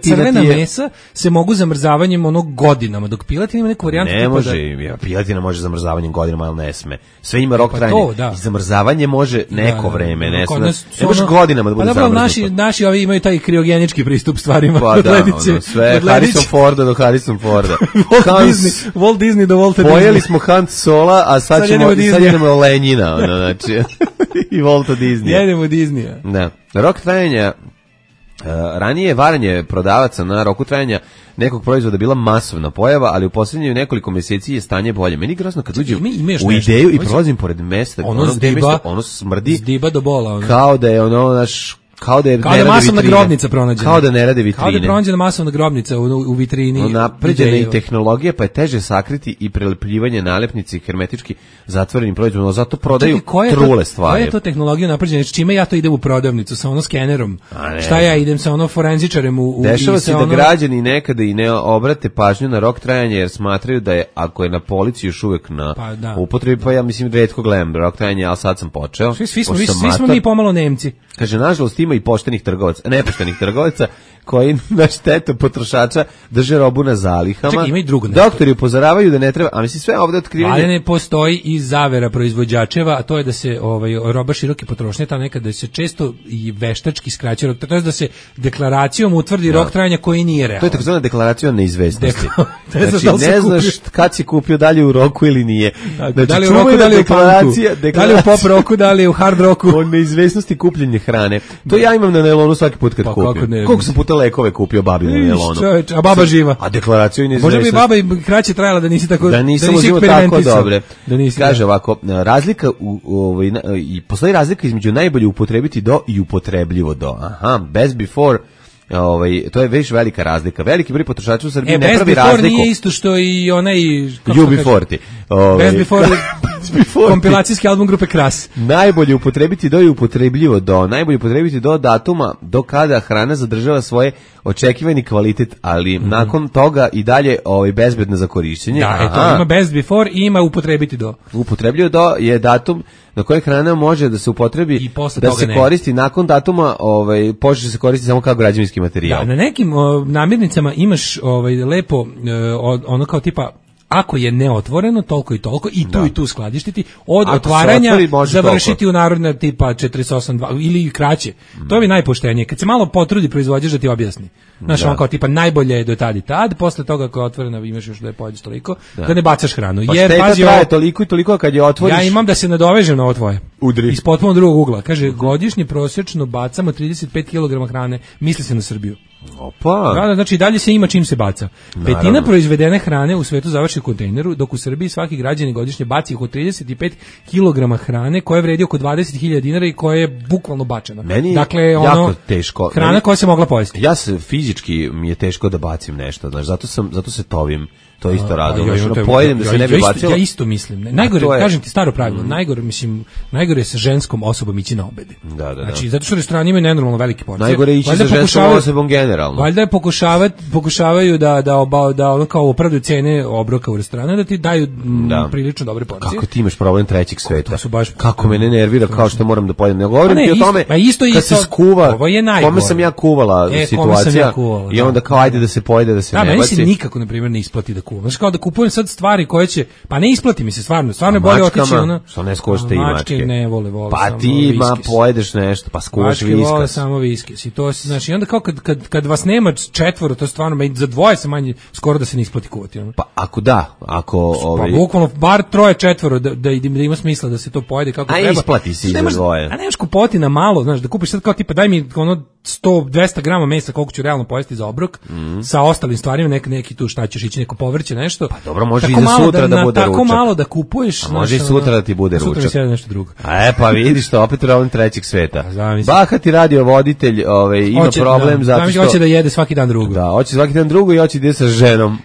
crvena mesa se mogu zamrzavanjem godinama, dok piletina ima neku varijantu. Ne može, piletina može zamrzavanjem godinama, ali ne sme. Sve ima rok trajanja. I zamrzavanje može neko vreme, ne sme. Ne može godinama da bude zamrznuto. Naši ovi imaju taj kriogenički pristup stvarima. Pa da, sve Harrison Forda do Harrison Forda. Walt Disney do Walta Disney. Pojeli smo Han Sola, a sad jedemo Lenjina, znači... i Volta Disneya. Jedemo Disneya. Da. Rok trajanja, ranije varanje prodavaca na roku trajanja nekog proizvoda bila masovna pojava, ali u posljednjih nekoliko mjeseci je stanje bolje. Meni grozno kad uđem u ideju i prolazim pored mesta, ono smrdi zdiba do bola. Kao da je ono naš... Kao da je masovna grobnica pronađena. Kao da ne rade vitrine. Kao da je pronađena masovna grobnica u vitrini. Napređena i tehnologija, pa je teže sakriti i prelepljivanje nalepnice hermetički zatvorenim proizvodom, zato prodaju trule stvari. Koja je to tehnologija napređena? Čime ja to idem u prodavnicu? Sa ono skenerom? Šta ja idem sa ono forenzičarem? Dešava se da građani nekada i ne obrate pažnju na rok trajanja jer smatraju da je, ako je na polici još uvek na upotrebi, pa ja mislim retko gledam rok trajanja, ali sad sam počeo. Svi smo mi pomalo Nemci. Kaže, nažalost ima i poštenih trgovaca, nepoštenih trgovaca koji na štetu potrošača drže robu na zalihama. Čekaj, ima i drugo. Doktori upozoravaju da ne treba, a mislim sve ovdje otkrivanje. Ali ne postoji i zavera proizvođačeva, a to je da se roba široke potrošnje, ta nekada se često i veštački skraća rok, to je da se deklaracijom utvrdi rok trajanja koji nije realan. To je takozvana deklaracija neizvesnosti. Znači, ne znaš kad si kupio, da li u roku ili nije. Znači, da li u roku, da li u punku, da li u pop roku, da li u hard roku. O neizvesnosti kupljenje hrane. To ja imam na nailonu svaki put kad kupim. Koliko sam puta lekove kupio babi na nailonu. A baba živa. A deklaraciju i neizvesnost. Možda bi baba i kraće trajala da nisi tako, da nisi tako dobre. Kaže ovako, razlika i postoji razlika između najbolje upotrebiti do i upotrebljivo do. Aha, best before. To je već velika razlika. Veliki broj potrošača u Srbiji ne pravi razliku. Best nije isto što i onaj UB40. Best before kompilacijski album grupe Kras. Najbolje upotrebiti do i upotrebljivo do. Najbolje upotrebiti do datuma do kada hrana zadržava svoje očekivani kvalitet, ali nakon toga i dalje bezbedna za korišćenje. Da, eto, ima best before i ima upotrebiti do. Upotrebljivo do je datum na koji hrana može da se upotrebi, da se koristi nakon datuma, počne se koristiti samo kao građevinski materijal. Da, na nekim namirnicama imaš lepo ono kao tipa ako je neotvoreno, toliko i toliko, i tu i tu skladištiti, od otvaranja završiti u narodna tipa 48.2 ili kraće. To je najpoštenije. Kad se malo potrudi proizvođač da ti objasni. Znaš, on kao tipa najbolje je do tad i tad, posle toga ako je otvoreno imaš još da je pođeš toliko, da ne bacaš hranu. Pa jer pazi, traje toliko i toliko, a kad je otvoriš... Ja imam da se nadovežem na ovo tvoje. Udri. Iz potpuno drugog ugla. Kaže, godišnje prosječno bacamo 35 kg hrane, misli se na Srbiju. Opa. Da, znači dalje se ima čim se baca. Petina proizvedene hrane u svetu završi u kontejneru, dok u Srbiji svaki građanin godišnje baci oko 35 kg hrane koja vredi oko 20.000 dinara i koja je bukvalno bačena. Meni dakle, jako teško. Hrana koja se mogla pojesti. Ja se fizički mi je teško da bacim nešto, znači zato se tovim. To isto rado. Pojedem da se ne bi bacilo. Ja isto mislim. Najgore, kažem ti staro pravilo, najgore je sa ženskom osobom ići na obede. Da. Znači, zato što restorani imaju nenormalno velike porcije. Najgore je ići sa ženskom osobom generalno. Valjda pokušavaju da ono kao opravdaju cene obroka u restoranu, da ti daju prilično dobre porcije. Kako ti imaš problem trećeg sveta? Kako me ne nervira kao što moram da pojedem. Ne govorim ti o tome kad se skuva, kome sam ja kuvala situacija i onda kao ajde da se pojede, da se ne baci. Meni se nikako, na primjer, ne isplati da kuvam. Znači kao da kupujem sad stvari koje će, pa ne isplati mi se stvarno je bolje otići ono. Što ne skuvaš te i mačke? Ne vole pa ti pojedeš nešto, pa skuvaš viskas. Mačke vole samo viskes i to znači onda kao kad vas nema četvoro, to stvarno za dvoje se manje skoro da se ne isplati kuvati. Ono. Pa ako pa bukvalno bar troje četvoro da ima smisla da se to pojede kako treba. A isplati si za dvoje. A nemaš kupoti na malo, znaš, da kupiš sad kao tipa daj mi ono 100-200 grama mesa koliko ću realno pojesti za obrok sa ostalim stvarima, neki tu šta ćeš ići, neko povrće, nešto. Pa dobro, može i za sutra da bude ručak. Tako malo da kupuješ. A može i sutra da ti bude ručak. Sutra mi nešto drugo. Pa vidiš to, opet problem trećeg sveta. Bahati radiovoditelj ima problem zato što... Hoće da jede svaki dan drugo. Da, hoće svaki dan drugo i hoće da ide sa ženom.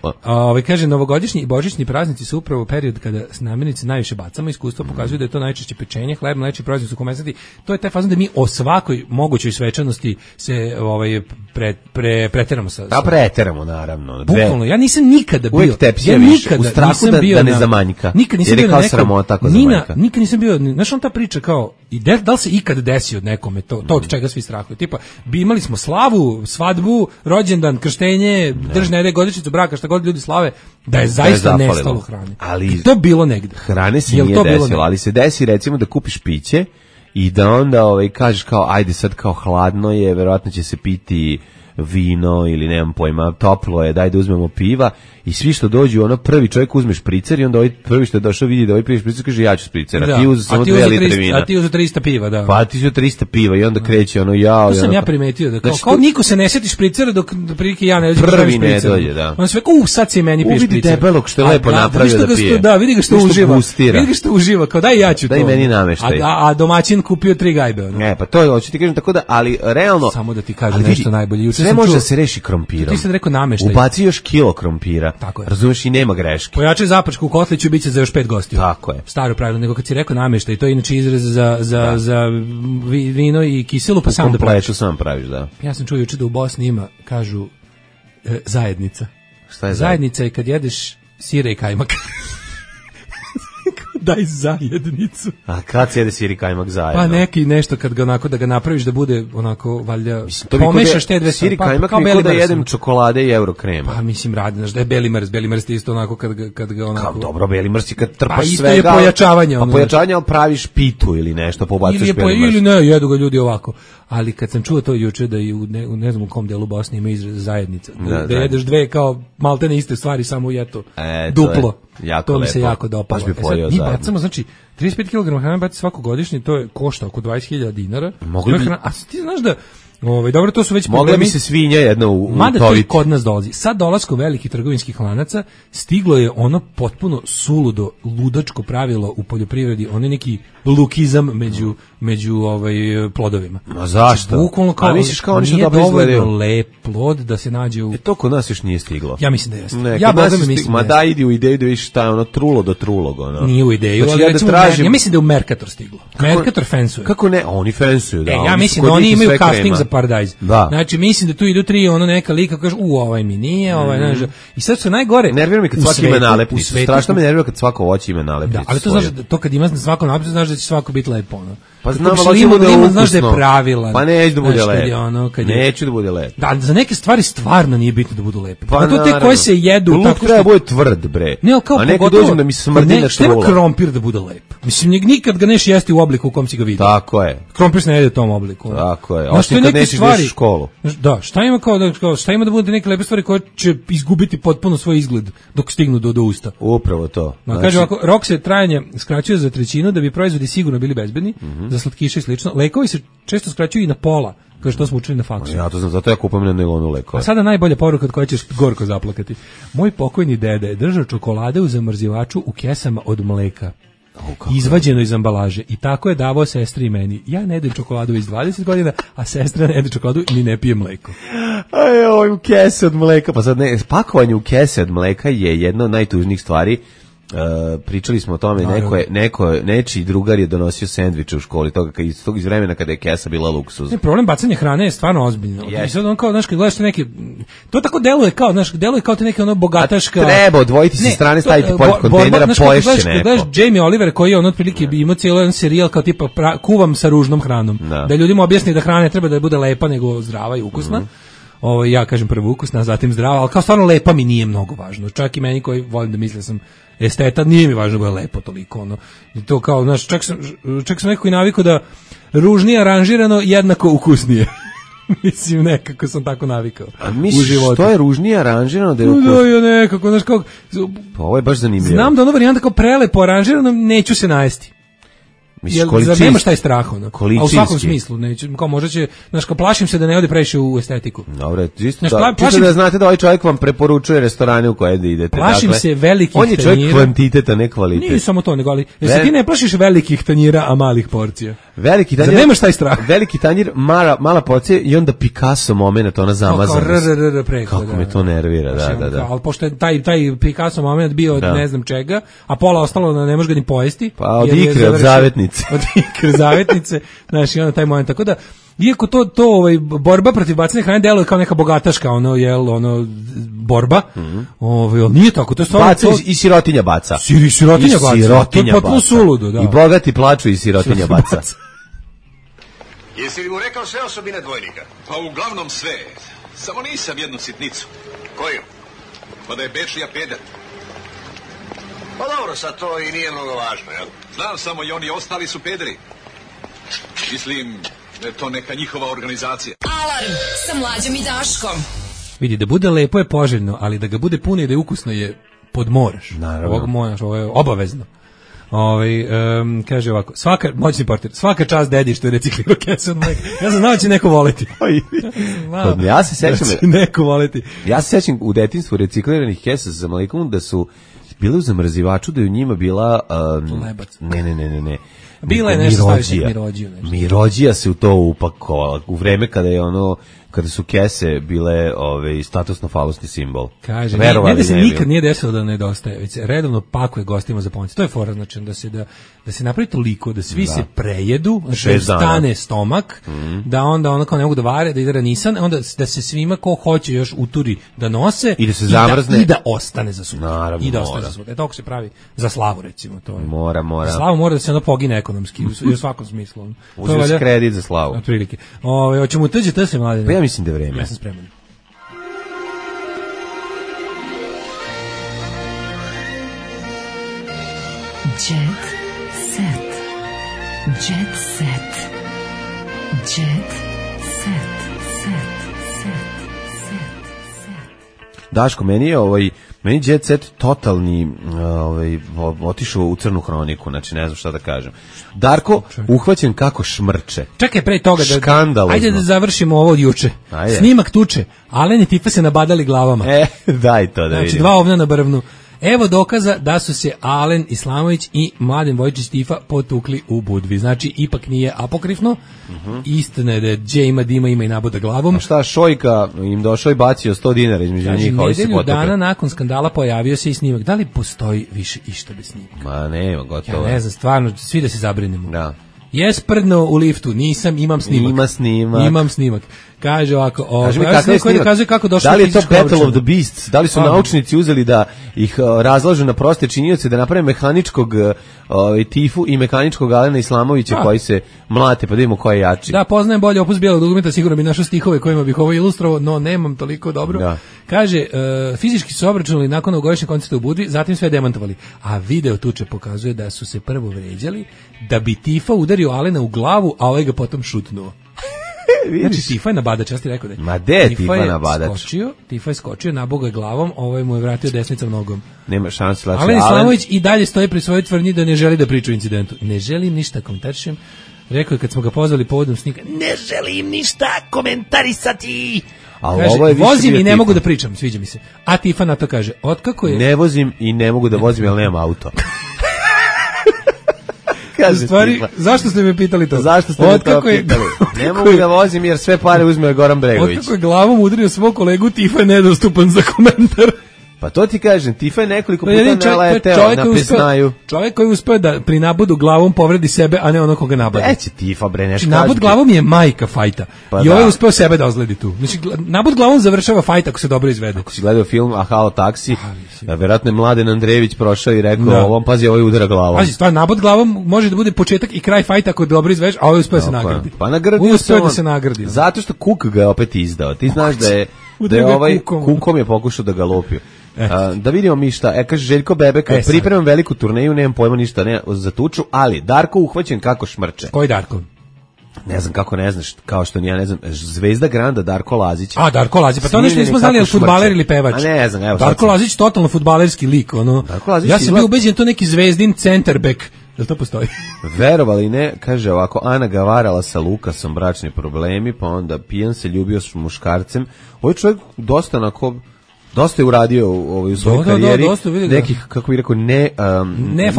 Kaže, novogodišnji i božićni praznici su upravo period kada namirnice najviše bacamo. Iskustvo pokazuje da je to najčešće pečenje, hleb, najčešće proizvodi su komesati. To je taj fazon da mi o svakoj mogućoj svečanosti se preteramo sa. Da, preteramo naravno. Bukvalno, ja nisam nikada bio. Uvijek tepsija više, u strahu da ne zamanjka. Nikad nisam bio kao sramota ako zamanjka. Nikad nisam bio, znaš on ta priča kao, da li se ikad desi od nekome to od čega svi strahuju. Tipa, imali smo slavu, svadbu, rođendan, krštenje, držne godišnjicu braka, šta god ljudi slave, da je zaista nestalo hrane. Ali to bilo negde. Hrane se nije desilo, ali se desi recimo da kupiš piće i da onda kažeš kao ajde sad kao hladno je, verovatno će se piti vino ili nemam pojma, toplo je, daj da uzmemo piva i svi što dođu, ono prvi čovjek uzme špricer i onda ovaj prvi što je došao vidi da ovaj prvi špricer kaže ja ću špricer, a ti uzu samo 2 litre vina. A ti uzu 300 piva, da. Pa ti uzu 300 piva i onda kreće ono jao. To sam ja primetio, da kao niko se ne sjeti špricera dok prilike ja ne dođem prvi ne dođe, da. On sve sad se meni pije špricer. Vidi debelog što je lepo napravio da pije. Da, vidi ga što uživa. Vidi ga što uživa, kao daj ja ću to. Daj meni nameštaj. A domaćin kupio 3 gajbe. Ne, pa to hoću ti kažem tako da, ali realno samo da ti kažem nešto najbolje. Sve može da se reši krompirom. Ti sad rekao nameštaj. Ubaci još kilo krompira. Razumeš i nema greške. Pojačaj zapačku u kotliću, biće za još 5 gostiju. Tako je. Staro pravilo, nego kad si rekao nameštaj, to je inače izraz za vino i kiselu, pa sam da praviš. Sam praviš, da. Ja sam čuo juče da u Bosni ima, kažu, zajednica. Šta je zajednica? Je kad jedeš sira i kajmak. Daj zajednicu. A kad se jede sir i kajmak zajedno? Pa neki nešto kad ga onako da ga napraviš da bude onako valjda pomešaš te dve sir i kajmak kao da jedem čokolade i eurokrem. Pa mislim radi, znaš da je beli mrz isto onako kad ga onako. Kao dobro beli mrz kad trpaš pa svega. Pa isto je pojačavanje. Pa pojačavanje, ali praviš pitu ili nešto, pobacuješ beli mrz. Ili ne, jedu ga ljudi ovako. Ali kad sam čuo to juče da i u ne znam u kom delu Bosne ima izraz zajednica. Da jedeš dve kao maltene iste stvari samo i eto duplo. To mi se jako dopalo. Mi bacamo, znači 35 kg hrane baci svako godišnje, to je košta oko 20.000 dinara. A ti znaš da dobro, to su već problemi. Mogla bi se svinja jedna utoviti. Mada to i kod nas dolazi. Sad dolaskom velikih trgovinskih lanaca stiglo je ono potpuno suludo, ludačko pravilo u poljoprivredi, ono neki lukizam među plodovima. Ma zašto? Bukvalno kao, misliš kao oni su dobro izgledaju? Lep plod da se nađe u... to kod nas još nije stiglo. Ja mislim da jeste. Ja mislim ma da idi u ideju da vidiš šta je ono trulo do trulog. Ono. Nije u ideju, znači, ali recimo, ja mislim da je u Mercator stiglo. Mercator fensuje. Kako ne? Oni fensuju, da. Ja mislim da oni imaju casting za Paradise. Da. Znači mislim da tu idu 3 neka lika kaže ovaj mi nije, znaš. I sad su najgore. Nervira me kad svaki ima nalepnicu. Strašno me nervira kad svako voće ima nalepnicu. Da, ali to znaš da to kad ima na svakom nalepnicu znaš da će svako biti lepo, ono. Pa znam, ali znaš da je pravilan. Pa neće da bude lepo. Neće da bude lepo. Da, za neke stvari stvarno nije bitno da budu lepe. Pa to te koje se jedu tako što treba bude tvrd, bre. A neko dođe da mi smrdi na trula. Nema krompir da bude lep. Mislim, nikad ga neš jesti u obliku u kom si ga vidio. Tako je. Krompir se ne jede u tom obliku. Tako je. Znaš, to je nećeš da ideš u školu. Da, šta ima da bude neke lepe stvari koje će izgubiti potpuno svoj izgled dok stignu do usta. Upravo to. Znači, kaže ovako, rok se trajanje skraćuje za trećinu da bi proizvodi sigurno bili bezbedni, za slatkiše i slično. Lekovi se često skraćuju i na pola, kao što smo učili na faksu. Ja to znam, zato ja kupujem na nailonu lekove. A sada najbolja poruka od koje ćeš gorko zaplakati. Moj pokojni deda je držao čokolade u zamrzivaču u kesama od mleka. Izvađeno iz ambalaže i tako je davao sestri i meni. Ja ne jedem čokoladu već 20 godina, a sestra ne jede čokoladu ni ne pije mleko. Aj, u kese od mleka, pa sad pakovanje u kese od mleka je jedna od najtužnijih stvari. Pričali smo o tome, nečiji drugar je donosio sendviče u školi iz vremena kada je kesa bila luksuz. Problem bacanja hrane je stvarno ozbiljno. I sad on kao, znaš, kad gledaš neki, to tako deluje kao te neke ono bogataška. A treba odvojiti sa strane, staviti pored kontejnera, poješće neko. Kad gledaš Jamie Oliver koji je on otprilike imao cijelo jedan serijal kao tipa kuvam sa ružnom hranom. Da ljudima objasni da hrana ne treba da bude lepa nego zdrava i ukusna. Ja kažem prvo ukusna, a zatim zdrava, ali kao stvarno lepa mi nije mnogo važno. Čak i meni koji volim da mislim da sam esteta, nije mi važno da je lepo toliko. Ono. I to kao, znaš, čak sam nekako i navikao da ružnije aranžirano jednako ukusnije. Mislim, nekako sam tako navikao. A misliš, što je ružnije aranžirano da je ukusnije? Da, ja nekako, znaš, kao... Pa ovo je baš zanimljivo. Znam da ono varijanta kao prelepo aranžirano, neću se najesti. Jer nemaš taj strah, ono. A u svakom smislu, neću, kao možda će, znaš, kao plašim se da ne ode previše u estetiku. Dobro, čisto da znate da ovaj čovjek vam preporučuje restorane u koje da idete. Plašim se velikih tanjira. On je čovjek kvantiteta, ne kvalitet. Nije samo to, nego ali, jer se ti ne plašiš velikih tanjira, a malih porcija. Veliki tanjir, nemaš taj strah. Veliki tanjir, mala porcija i onda Picasso moment, ona zamazanost. Kako me to nervira, da. Ali pošto je taj Picasso moment bio od ne znam čega, a pola ostalo da ne može ga ni pojesti. Pa od ikre, od zavetnice. Od ikre zavetnice, znaš, i onda taj moment, tako da iako to borba protiv bacanja hrane deluje kao neka bogataška borba, nije tako, to je stvarno i sirotinja baca. Sirotinja baca. To je potpuno suludo, da. I bogati plaču i sirotinja baca. Jesi li mu rekao sve osobine dvojnika? Pa uglavnom sve. Samo nisam jednu sitnicu. Koju? Pa da je Bečija peder. Pa dobro, sad to i nije mnogo važno, jel? Znam samo i oni ostali su pederi. Mislim da je to neka njihova organizacija. Alarm sa Mlađom i Daškom. Vidi, da bude lepo je poželjno, ali da ga bude puno i da je ukusno je podmoraš. Naravno. Ovo je obavezno. Kaže ovako, moćni portir, svaka čast dedi što je reciklirao kesu od mleka. Ja sam znao će neko voleti. Ja se sećam neko voleti. Ja se sećam u detinjstvu recikliranih kesa sa mlekom da su bile u zamrzivaču, da je u njima bila lebac. Ne. Bila je nešto staviti mirođiju. Mirođija se u to upakovala u vreme kada su kese bile statusno falosni simbol. Kaže, ne da se nikad nije desilo da nedostaje, već se redovno pakuje gostima za pomoć. To je fora, znači da se napravi toliko, da svi se prejedu, da stane stomak, da onda ono kao ne mogu da vare, da ide ranisan, onda da se svima ko hoće još uturi da nose i da se zamrzne i da ostane za sutra. Naravno, i da ostane za sutra. Tako se pravi za slavu, recimo. To je. Mora. Za slavu mora da se ono pogine ekonomski, u svakom smislu. Uzeo se kredit za slavu. Otprilike. Hoćemo utrđe se mlade. Pa ja mislim da je vreme. Ja sam spreman. Jet set. Jet set. Jet set. Daško, meni Jet Set totalni otišao u crnu hroniku, znači ne znam šta da kažem. Darko uhvaćen kako šmrče. Čekaj, pre toga škandalozno. Ajde da završimo ovo od juče. Ajde. Snimak tuče. Alen i Tifa se nabadali glavama. Daj to da znači, vidim. 2 ovna na brvnu. Evo dokaza da su se Alen Islamović i Mladen Vojčić Tifa potukli u Budvi. Znači, ipak nije apokrifno. Istina je da je Dje ima dima, ima i naboda glavom. A šta, Šojka im došao i bacio 100 dinara između njih, koji se potukli. Nedelju dana nakon skandala pojavio se i snimak. Da li postoji više išta bez snimaka? Ma nema, gotovo. Ja ne znam, stvarno, svi da se zabrinemo. Da. Jes prdno u liftu, nisam, imam snimak. Imam snimak. Kaže ovako, kaži mi kakav je snimak. Kako došlo. Da li je to Battle of the Beasts? Da li su naučnici uzeli da ih razlažu na proste činioce, da naprave mehaničkog Tifu i mehaničkog Alena Islamovića koji se mlate, pa da vidimo ko je jači. Da, poznajem bolje opus bijelog dugmeta, sigurno bi našao stihove kojima bih ovo ilustrovao, no nemam toliko dobro. Da. Kaže, fizički su obračunali nakon ovogodišnjeg koncerta u Budvi, zatim sve demantovali. A video tuče pokazuje da su se prvo vređali, da bi Tifa udario Alena u glavu, a ovaj ga potom šutnuo. Znači, Tifa je nabadač, ja ti rekao da je. Ma de je Tifa nabadač? Tifa je skočio, nabogo je glavom, ovaj mu je vratio desnicom nogom. Nema šanse. Alen Islamović i dalje stoji pri svojoj tvrdnji da ne želi da priča o incidentu. Ne želim ništa komentarišem. Rekao je kad smo ga pozvali povodom snimka, ne želim ništa komentarisati. Kaže, vozim i ne mogu da pričam, sviđa mi se. A Tifa na to kaže, otkako je... Ne vozim i ne mogu da vozim, jer nemam auto. Kaže stvari, zašto ste me pitali to? Zašto ste me to pitali? Ne mogu da vozim jer sve pare uzme Goran Bregović. Otkako je glavom udario svog kolegu, Tifa je nedostupan za komentar. Pa to ti kažem, Tifa je nekoliko puta naleteo na pesnaju. Čovjek koji uspeo da pri nabudu glavom povredi sebe, a ne ono koga nabada. Eće Tifa, bre, nešto kaži. Nabud glavom je majka fajta. I ovaj uspeo sebe da ozledi tu. Znači, nabud glavom završava fajt ako se dobro izvede. Ako si gledao film Ahao taksi, verovatno je Mladen Andrejević prošao i rekao, ovom pazi, ovaj udara glavom. Pazi, stvar, nabud glavom može da bude početak i kraj fajta ako dobro izvedeš, a ovaj uspeo se nagradi. Pa nagradio se on. Da se nagradi. Zato što Kuk ga je opet izdao. Ti znaš da je ovaj Kukom je pokušao da ga lopio. Da vidimo mi šta. Kaže Željko Bebeka, pripremam veliku turneju, nemam pojma ništa ne za tuču, ali Darko uhvaćen kako šmrče. Koji Darko? Ne znam kako ne znaš, kao što ni ja ne znam, Zvezda Granda Darko Lazić. A Darko Lazić, pa to nešto nismo znali, je li fudbaler ili pevač? A ne znam, evo. Darko Lazić totalno fudbalerski lik, ono. Ja sam bio ubeđen to neki Zvezdin centerback. Jel to postoji? Verovali ne, kaže ovako, Ana ga varala sa Lukasom, bračni problemi, pa onda pijan se ljubio s muškarcem. Ovaj čovjek dosta je uradio u svojoj karijeri nekih, kako bih rekao, ne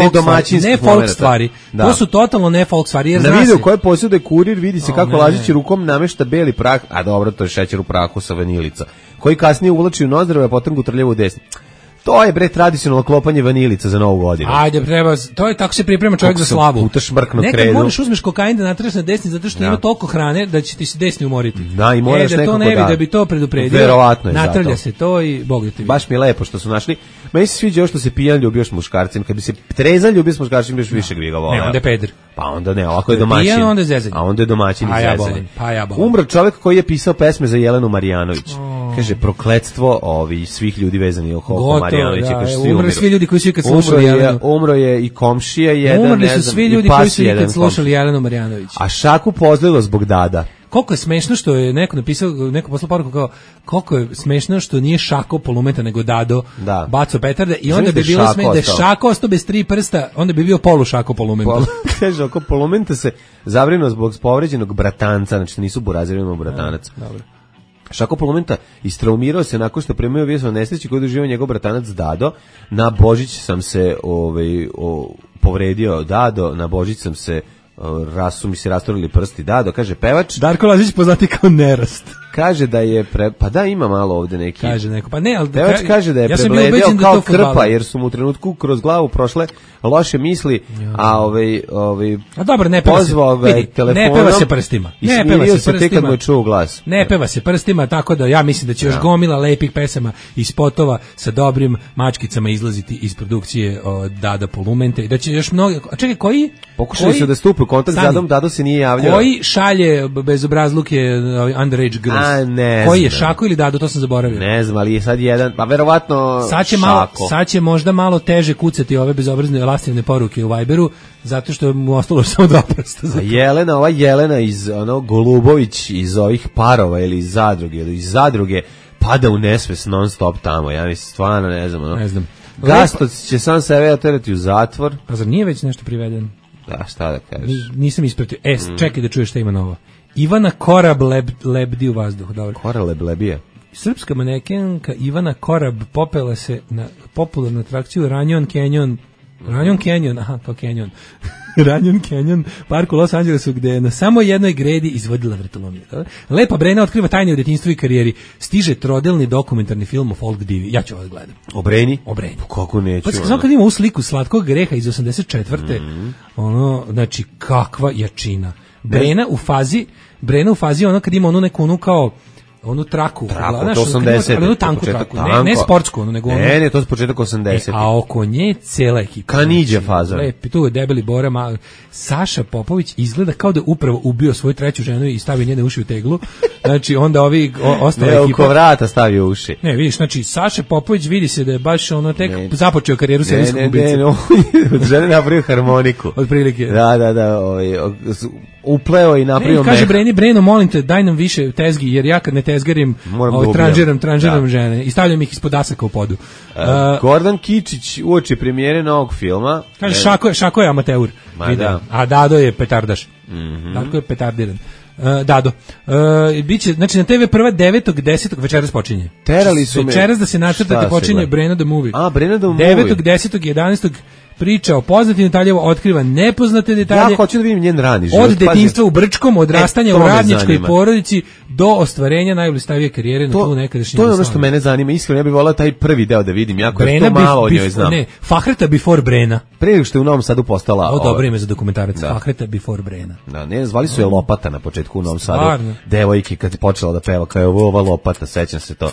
folk stvari. To su totalno ne folk stvari. Jer na videu koje posjeduje Kurir vidi se kako Lazić rukom namešta beli prah, a dobro, to je šećer u prahu sa vanilica, koji kasnije uvlači u nozdrave, a potom ga trljava u desni. To je bre tradicionalno klopanje vanilica za Novu godinu. Ajde, treba, to je tako se priprema čovjek za slavu. Puta šmrkno kredu. Nekad možeš uzmeš kokain da natreš na desni zato što ima toliko hrane da će ti se desni umoriti. Da, i moraš da to ne vidi da bi to predupredio. Verovatno je natrlja zato. Se to i Bog da te vidi. Baš mi je lepo što su našli. Meni se sviđa što se pijan ljubio s muškarcem. Kad bi se trezan ljubio s muškarcem, biš više ga voleo. Ne, onda je peder. Pa onda ne, ovako je domaćin. Pijan, onda je zezanje. A onda je domaćin i zezanje. Pa ja bolam. Umro čovjek koji je pisao pesme za Jelenu Marjanović. Kaže, prokletstvo svih ljudi vezani oko Marjanovića. Umrli svi ljudi koji su ikad slušali Jelenu. Umro je i komšija jedan, umrli su svi ljudi koji su ikad slušali Jelenu Marjanović. A Šaku pozlilo zbog Dada. Koliko je smešno što je neko napisao, neko poslao poruku kao koliko je smešno što nije Šako Polumeta nego Dado baco petarde i onda bi bilo smešno da je Šako ostao bez 3 prsta, onda bi bio polu Šako Polumenta. Kaže, oko Polumenta se zabrinuo zbog povređenog bratanca, znači nisu burazir, imamo bratanac. Dobro. Šako Polumenta istraumirao se nakon što primio vijest o nesreći koju doživio njegov bratanac Dado. Na Božić sam se povredio Dado, na Božić sam se su mi se rastorili prsti Dado, kaže pevač. Darko Lazić poznati kao Nerast. Kaže da je pa da ima malo ovde neki. Kaže neko, pa ne, al pevač kaže da je prebledeo kao krpa jer su mu u trenutku kroz glavu prošle loše misli, a a dobro, ne peva se. Ne peva se prstima. Ne peva se prstima. Kad mu čuo glas. Ne peva se prstima, tako da ja mislim da će još gomila lepih pesama i spotova sa dobrim mačkicama izlaziti iz produkcije Dada Polumente i da će još mnogo. A čekaj, koji pokušali su da stupe u kontakt s Dadom, Dado se nije javljao. Koji šalje bezobrazluke underage girls? Koji je Šako ili Dado, to sam zaboravio. Ne znam, ali je sad jedan, pa verovatno sad će možda malo teže kucati ove bezobrazne lastivne poruke u Viberu, zato što mu ostalo samo 2 prsta. Jelena iz Golubović iz ovih Parova ili iz zadruge pada u nesvest non stop tamo. Ja mislim, stvarno ne znam. Ne znam. Gastoc će sam sebe oterati u zatvor. A zar nije već nešto priveden? Da, šta da kažeš? Nisam ispratio. Čekaj da čuješ šta ima novo. Ivana Korab lebdi u vazduhu. Dobro. Korab lebije. Srpska manekenka Ivana Korab popela se na popularnu atrakciju Ranjon Canyon, kao Canyon. Ranjon Canyon, park u Los Angelesu, gde je na samo jednoj gredi izvodila vratolomiju. Lepa Brena otkriva tajne u detinjstvu i karijeri. Stiže trodelni dokumentarni film o folk divi. Ja ću ovo gledam. O Breni? O Breni. Kako neću? Pa samo kad ima u sliku slatkog greha iz 84. Znači, kakva jačina. Brena u fazi ono kad ima onu neku kao onu traku, to 80, ali onu tanku traku, ne sportsku, nego onu. Ne, to je početak 80. A oko nje cela ekipa. Kaniđe faza. Lepi, tu je debeli Bora, Saša Popović izgleda kao da upravo ubio svoju treću ženu i stavio njene uši u teglu. Znači, onda ovi ostala ekipa. Ne, oko vrata stavio uši. Ne, vidiš, znači, Saša Popović vidi se da je baš tek započeo karijeru serijskog ubice. Ne, žene napravio harmoniku. Od prilike. Da. upleo i napravio Kaže Breno, molim te, daj nam više tezgi, jer ja kad ne tezgarim, tranžiram žene i stavljam ih ispod asaka u podu. Gordon Kičić uoči premijere novog filma. Kaže, Šako je amateur. Da. A Dado je petardaš. Dado je petardiran. Dado. Biće, znači na TV prva 9.10. večeras počinje. Terali su večeras da se nacrtate počinje Breno the Movie. Breno the Movie. 9.10. 11. priča o poznatim detaljima, otkriva nepoznate detalje. Ja hoću da vidim njen rani život. Od detinjstva u Brčkom, odrastanja u radničkoj porodici do ostvarenja najblistavije karijere na tlu nekadašnje. To je ono što mene zanima. Iskreno, ja bih voleo taj prvi deo da vidim. Jako je to malo o njoj znam. Ne, Fahreta before Brena. Pre nego što je u Novom Sadu postala... Ovo dobro ime za dokumentarac. Fahreta before Brena. Da, ne, zvali su je Lopata na početku u Novom Sadu. Devojke kad je počela da peva, kao je ova Lopata, sećam se to.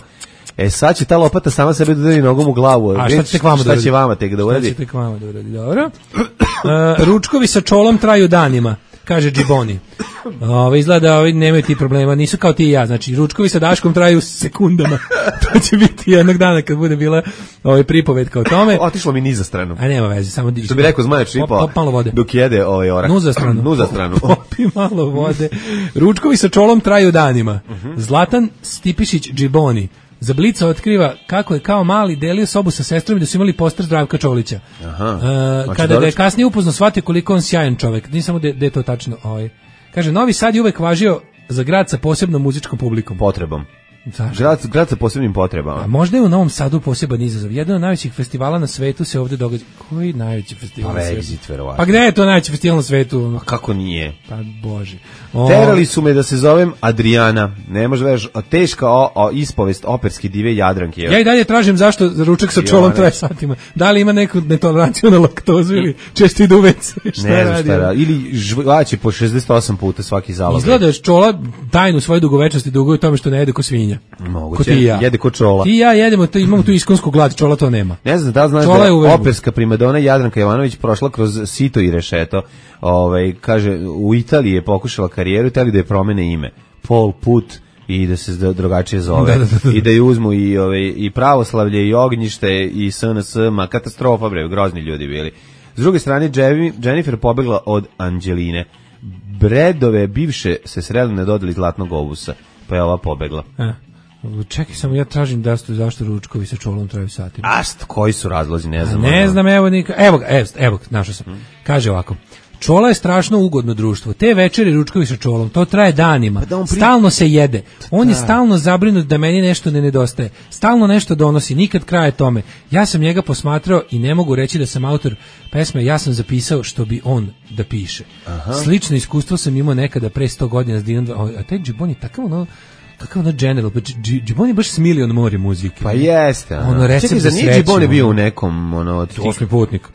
Sad će ta lopata sama sebe da udari nogom u glavu. A šta će vama tek da uradi? Dobro. Ručkovi sa čolom traju danima, kaže Džiboni. Izgleda ovi nemaju ti problema, nisu kao ti i ja. Znači, ručkovi sa Daškom traju sekundama. To će biti jednog dana kad bude bila pripovetka o tome. Otišlo mi niza stranu. A nema veze, samo što bi rekao Zmajač Ripo, dok jede orak. Nuza stranu. Popi malo vode. Ručkovi sa čolom traju danima. Zlatan Stipišić Džiboni za Blica otkriva kako je kao mali delio sobu sa sestrom i da su imali poster Zdravka Čolića. Kada ga je kasnije upoznao, shvatio koliko on sjajan čovjek. Nije samo da je to tačno. Kaže, Novi Sad je uvek važio za grad sa posebnom muzičkom publikom. Potrebom. Grad sa posebnim potrebama. A možda je u Novom Sadu poseban izazov. Jedan od najvećih festivala na svetu se ovdje događa. Koji najveći festival na svetu? Pa gde je to najveći festival na svetu? A kako nije? Pa Bože. Terali su me da se zovem Adriana. Ne može već teška ispovest operske dive Jadranke. Ja i dalje tražim zašto ručak sa čolom traje satima. Da li ima neku netoleranciju na laktozu ili često ide u WC? Ne znam šta radi. Ili žvaće po 68 puta svaki zalog. Izgleda da čola tajnu svoje dugovečnosti duguje tome što ne jede ko svinja. Moguće, jede ko čola. Ti i ja jedemo, imamo tu iskonsku glad, čola to nema. Ne znam da znaš da je operska primadona Jadranka Jovanović prošla kroz sito i rešeto. Kaže, u Italiji je pokušala karijeru, hteli da je promene ime. Pol put i da se drugačije zove. I da je uzmu i pravoslavlje i ognjište i SNS, katastrofa bre, grozni ljudi bili. S druge strane, Jennifer pobegla od Anđeline. Bredove bivše se sreli na dodali Zlatnog obusa. Pa je ova pobegla. Čekaj, samo ja tražim zašto ručkovi sa čolom traju satima. Koji su razlozi, ne znam. Ne znam, evo, našao sam. Kaže ovako, čola je strašno ugodno društvo. Te večeri ručkovi sa čolom, to traje danima. Stalno se jede. On je stalno zabrinut da meni nešto ne nedostaje. Stalno nešto donosi, nikad kraje tome. Ja sam njega posmatrao i ne mogu reći da sam autor pesme, ja sam zapisao što bi on da piše. Slično iskustvo sam imao nekada pre 100 godina s Dinom. A taj Džibon je takav ono general, Džibon je baš Smilion more muzike. Pa jeste. Čekaj, za nije Džibon je bio u nekom... Osmi putnik.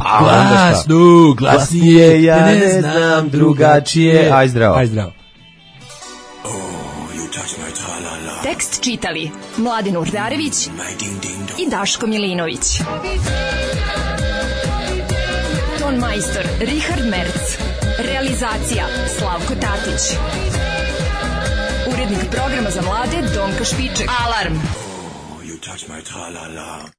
Glasnije, ja ne znam drugačije. Aj zdravo. Tekst čitali Mladin Urdarević i Daško Milinović. Ton majstor Richard Merc. Realizacija Slavko Tatić. Urednik programa za mlade Donka Špiček. Alarm! You touch my tra-la-la.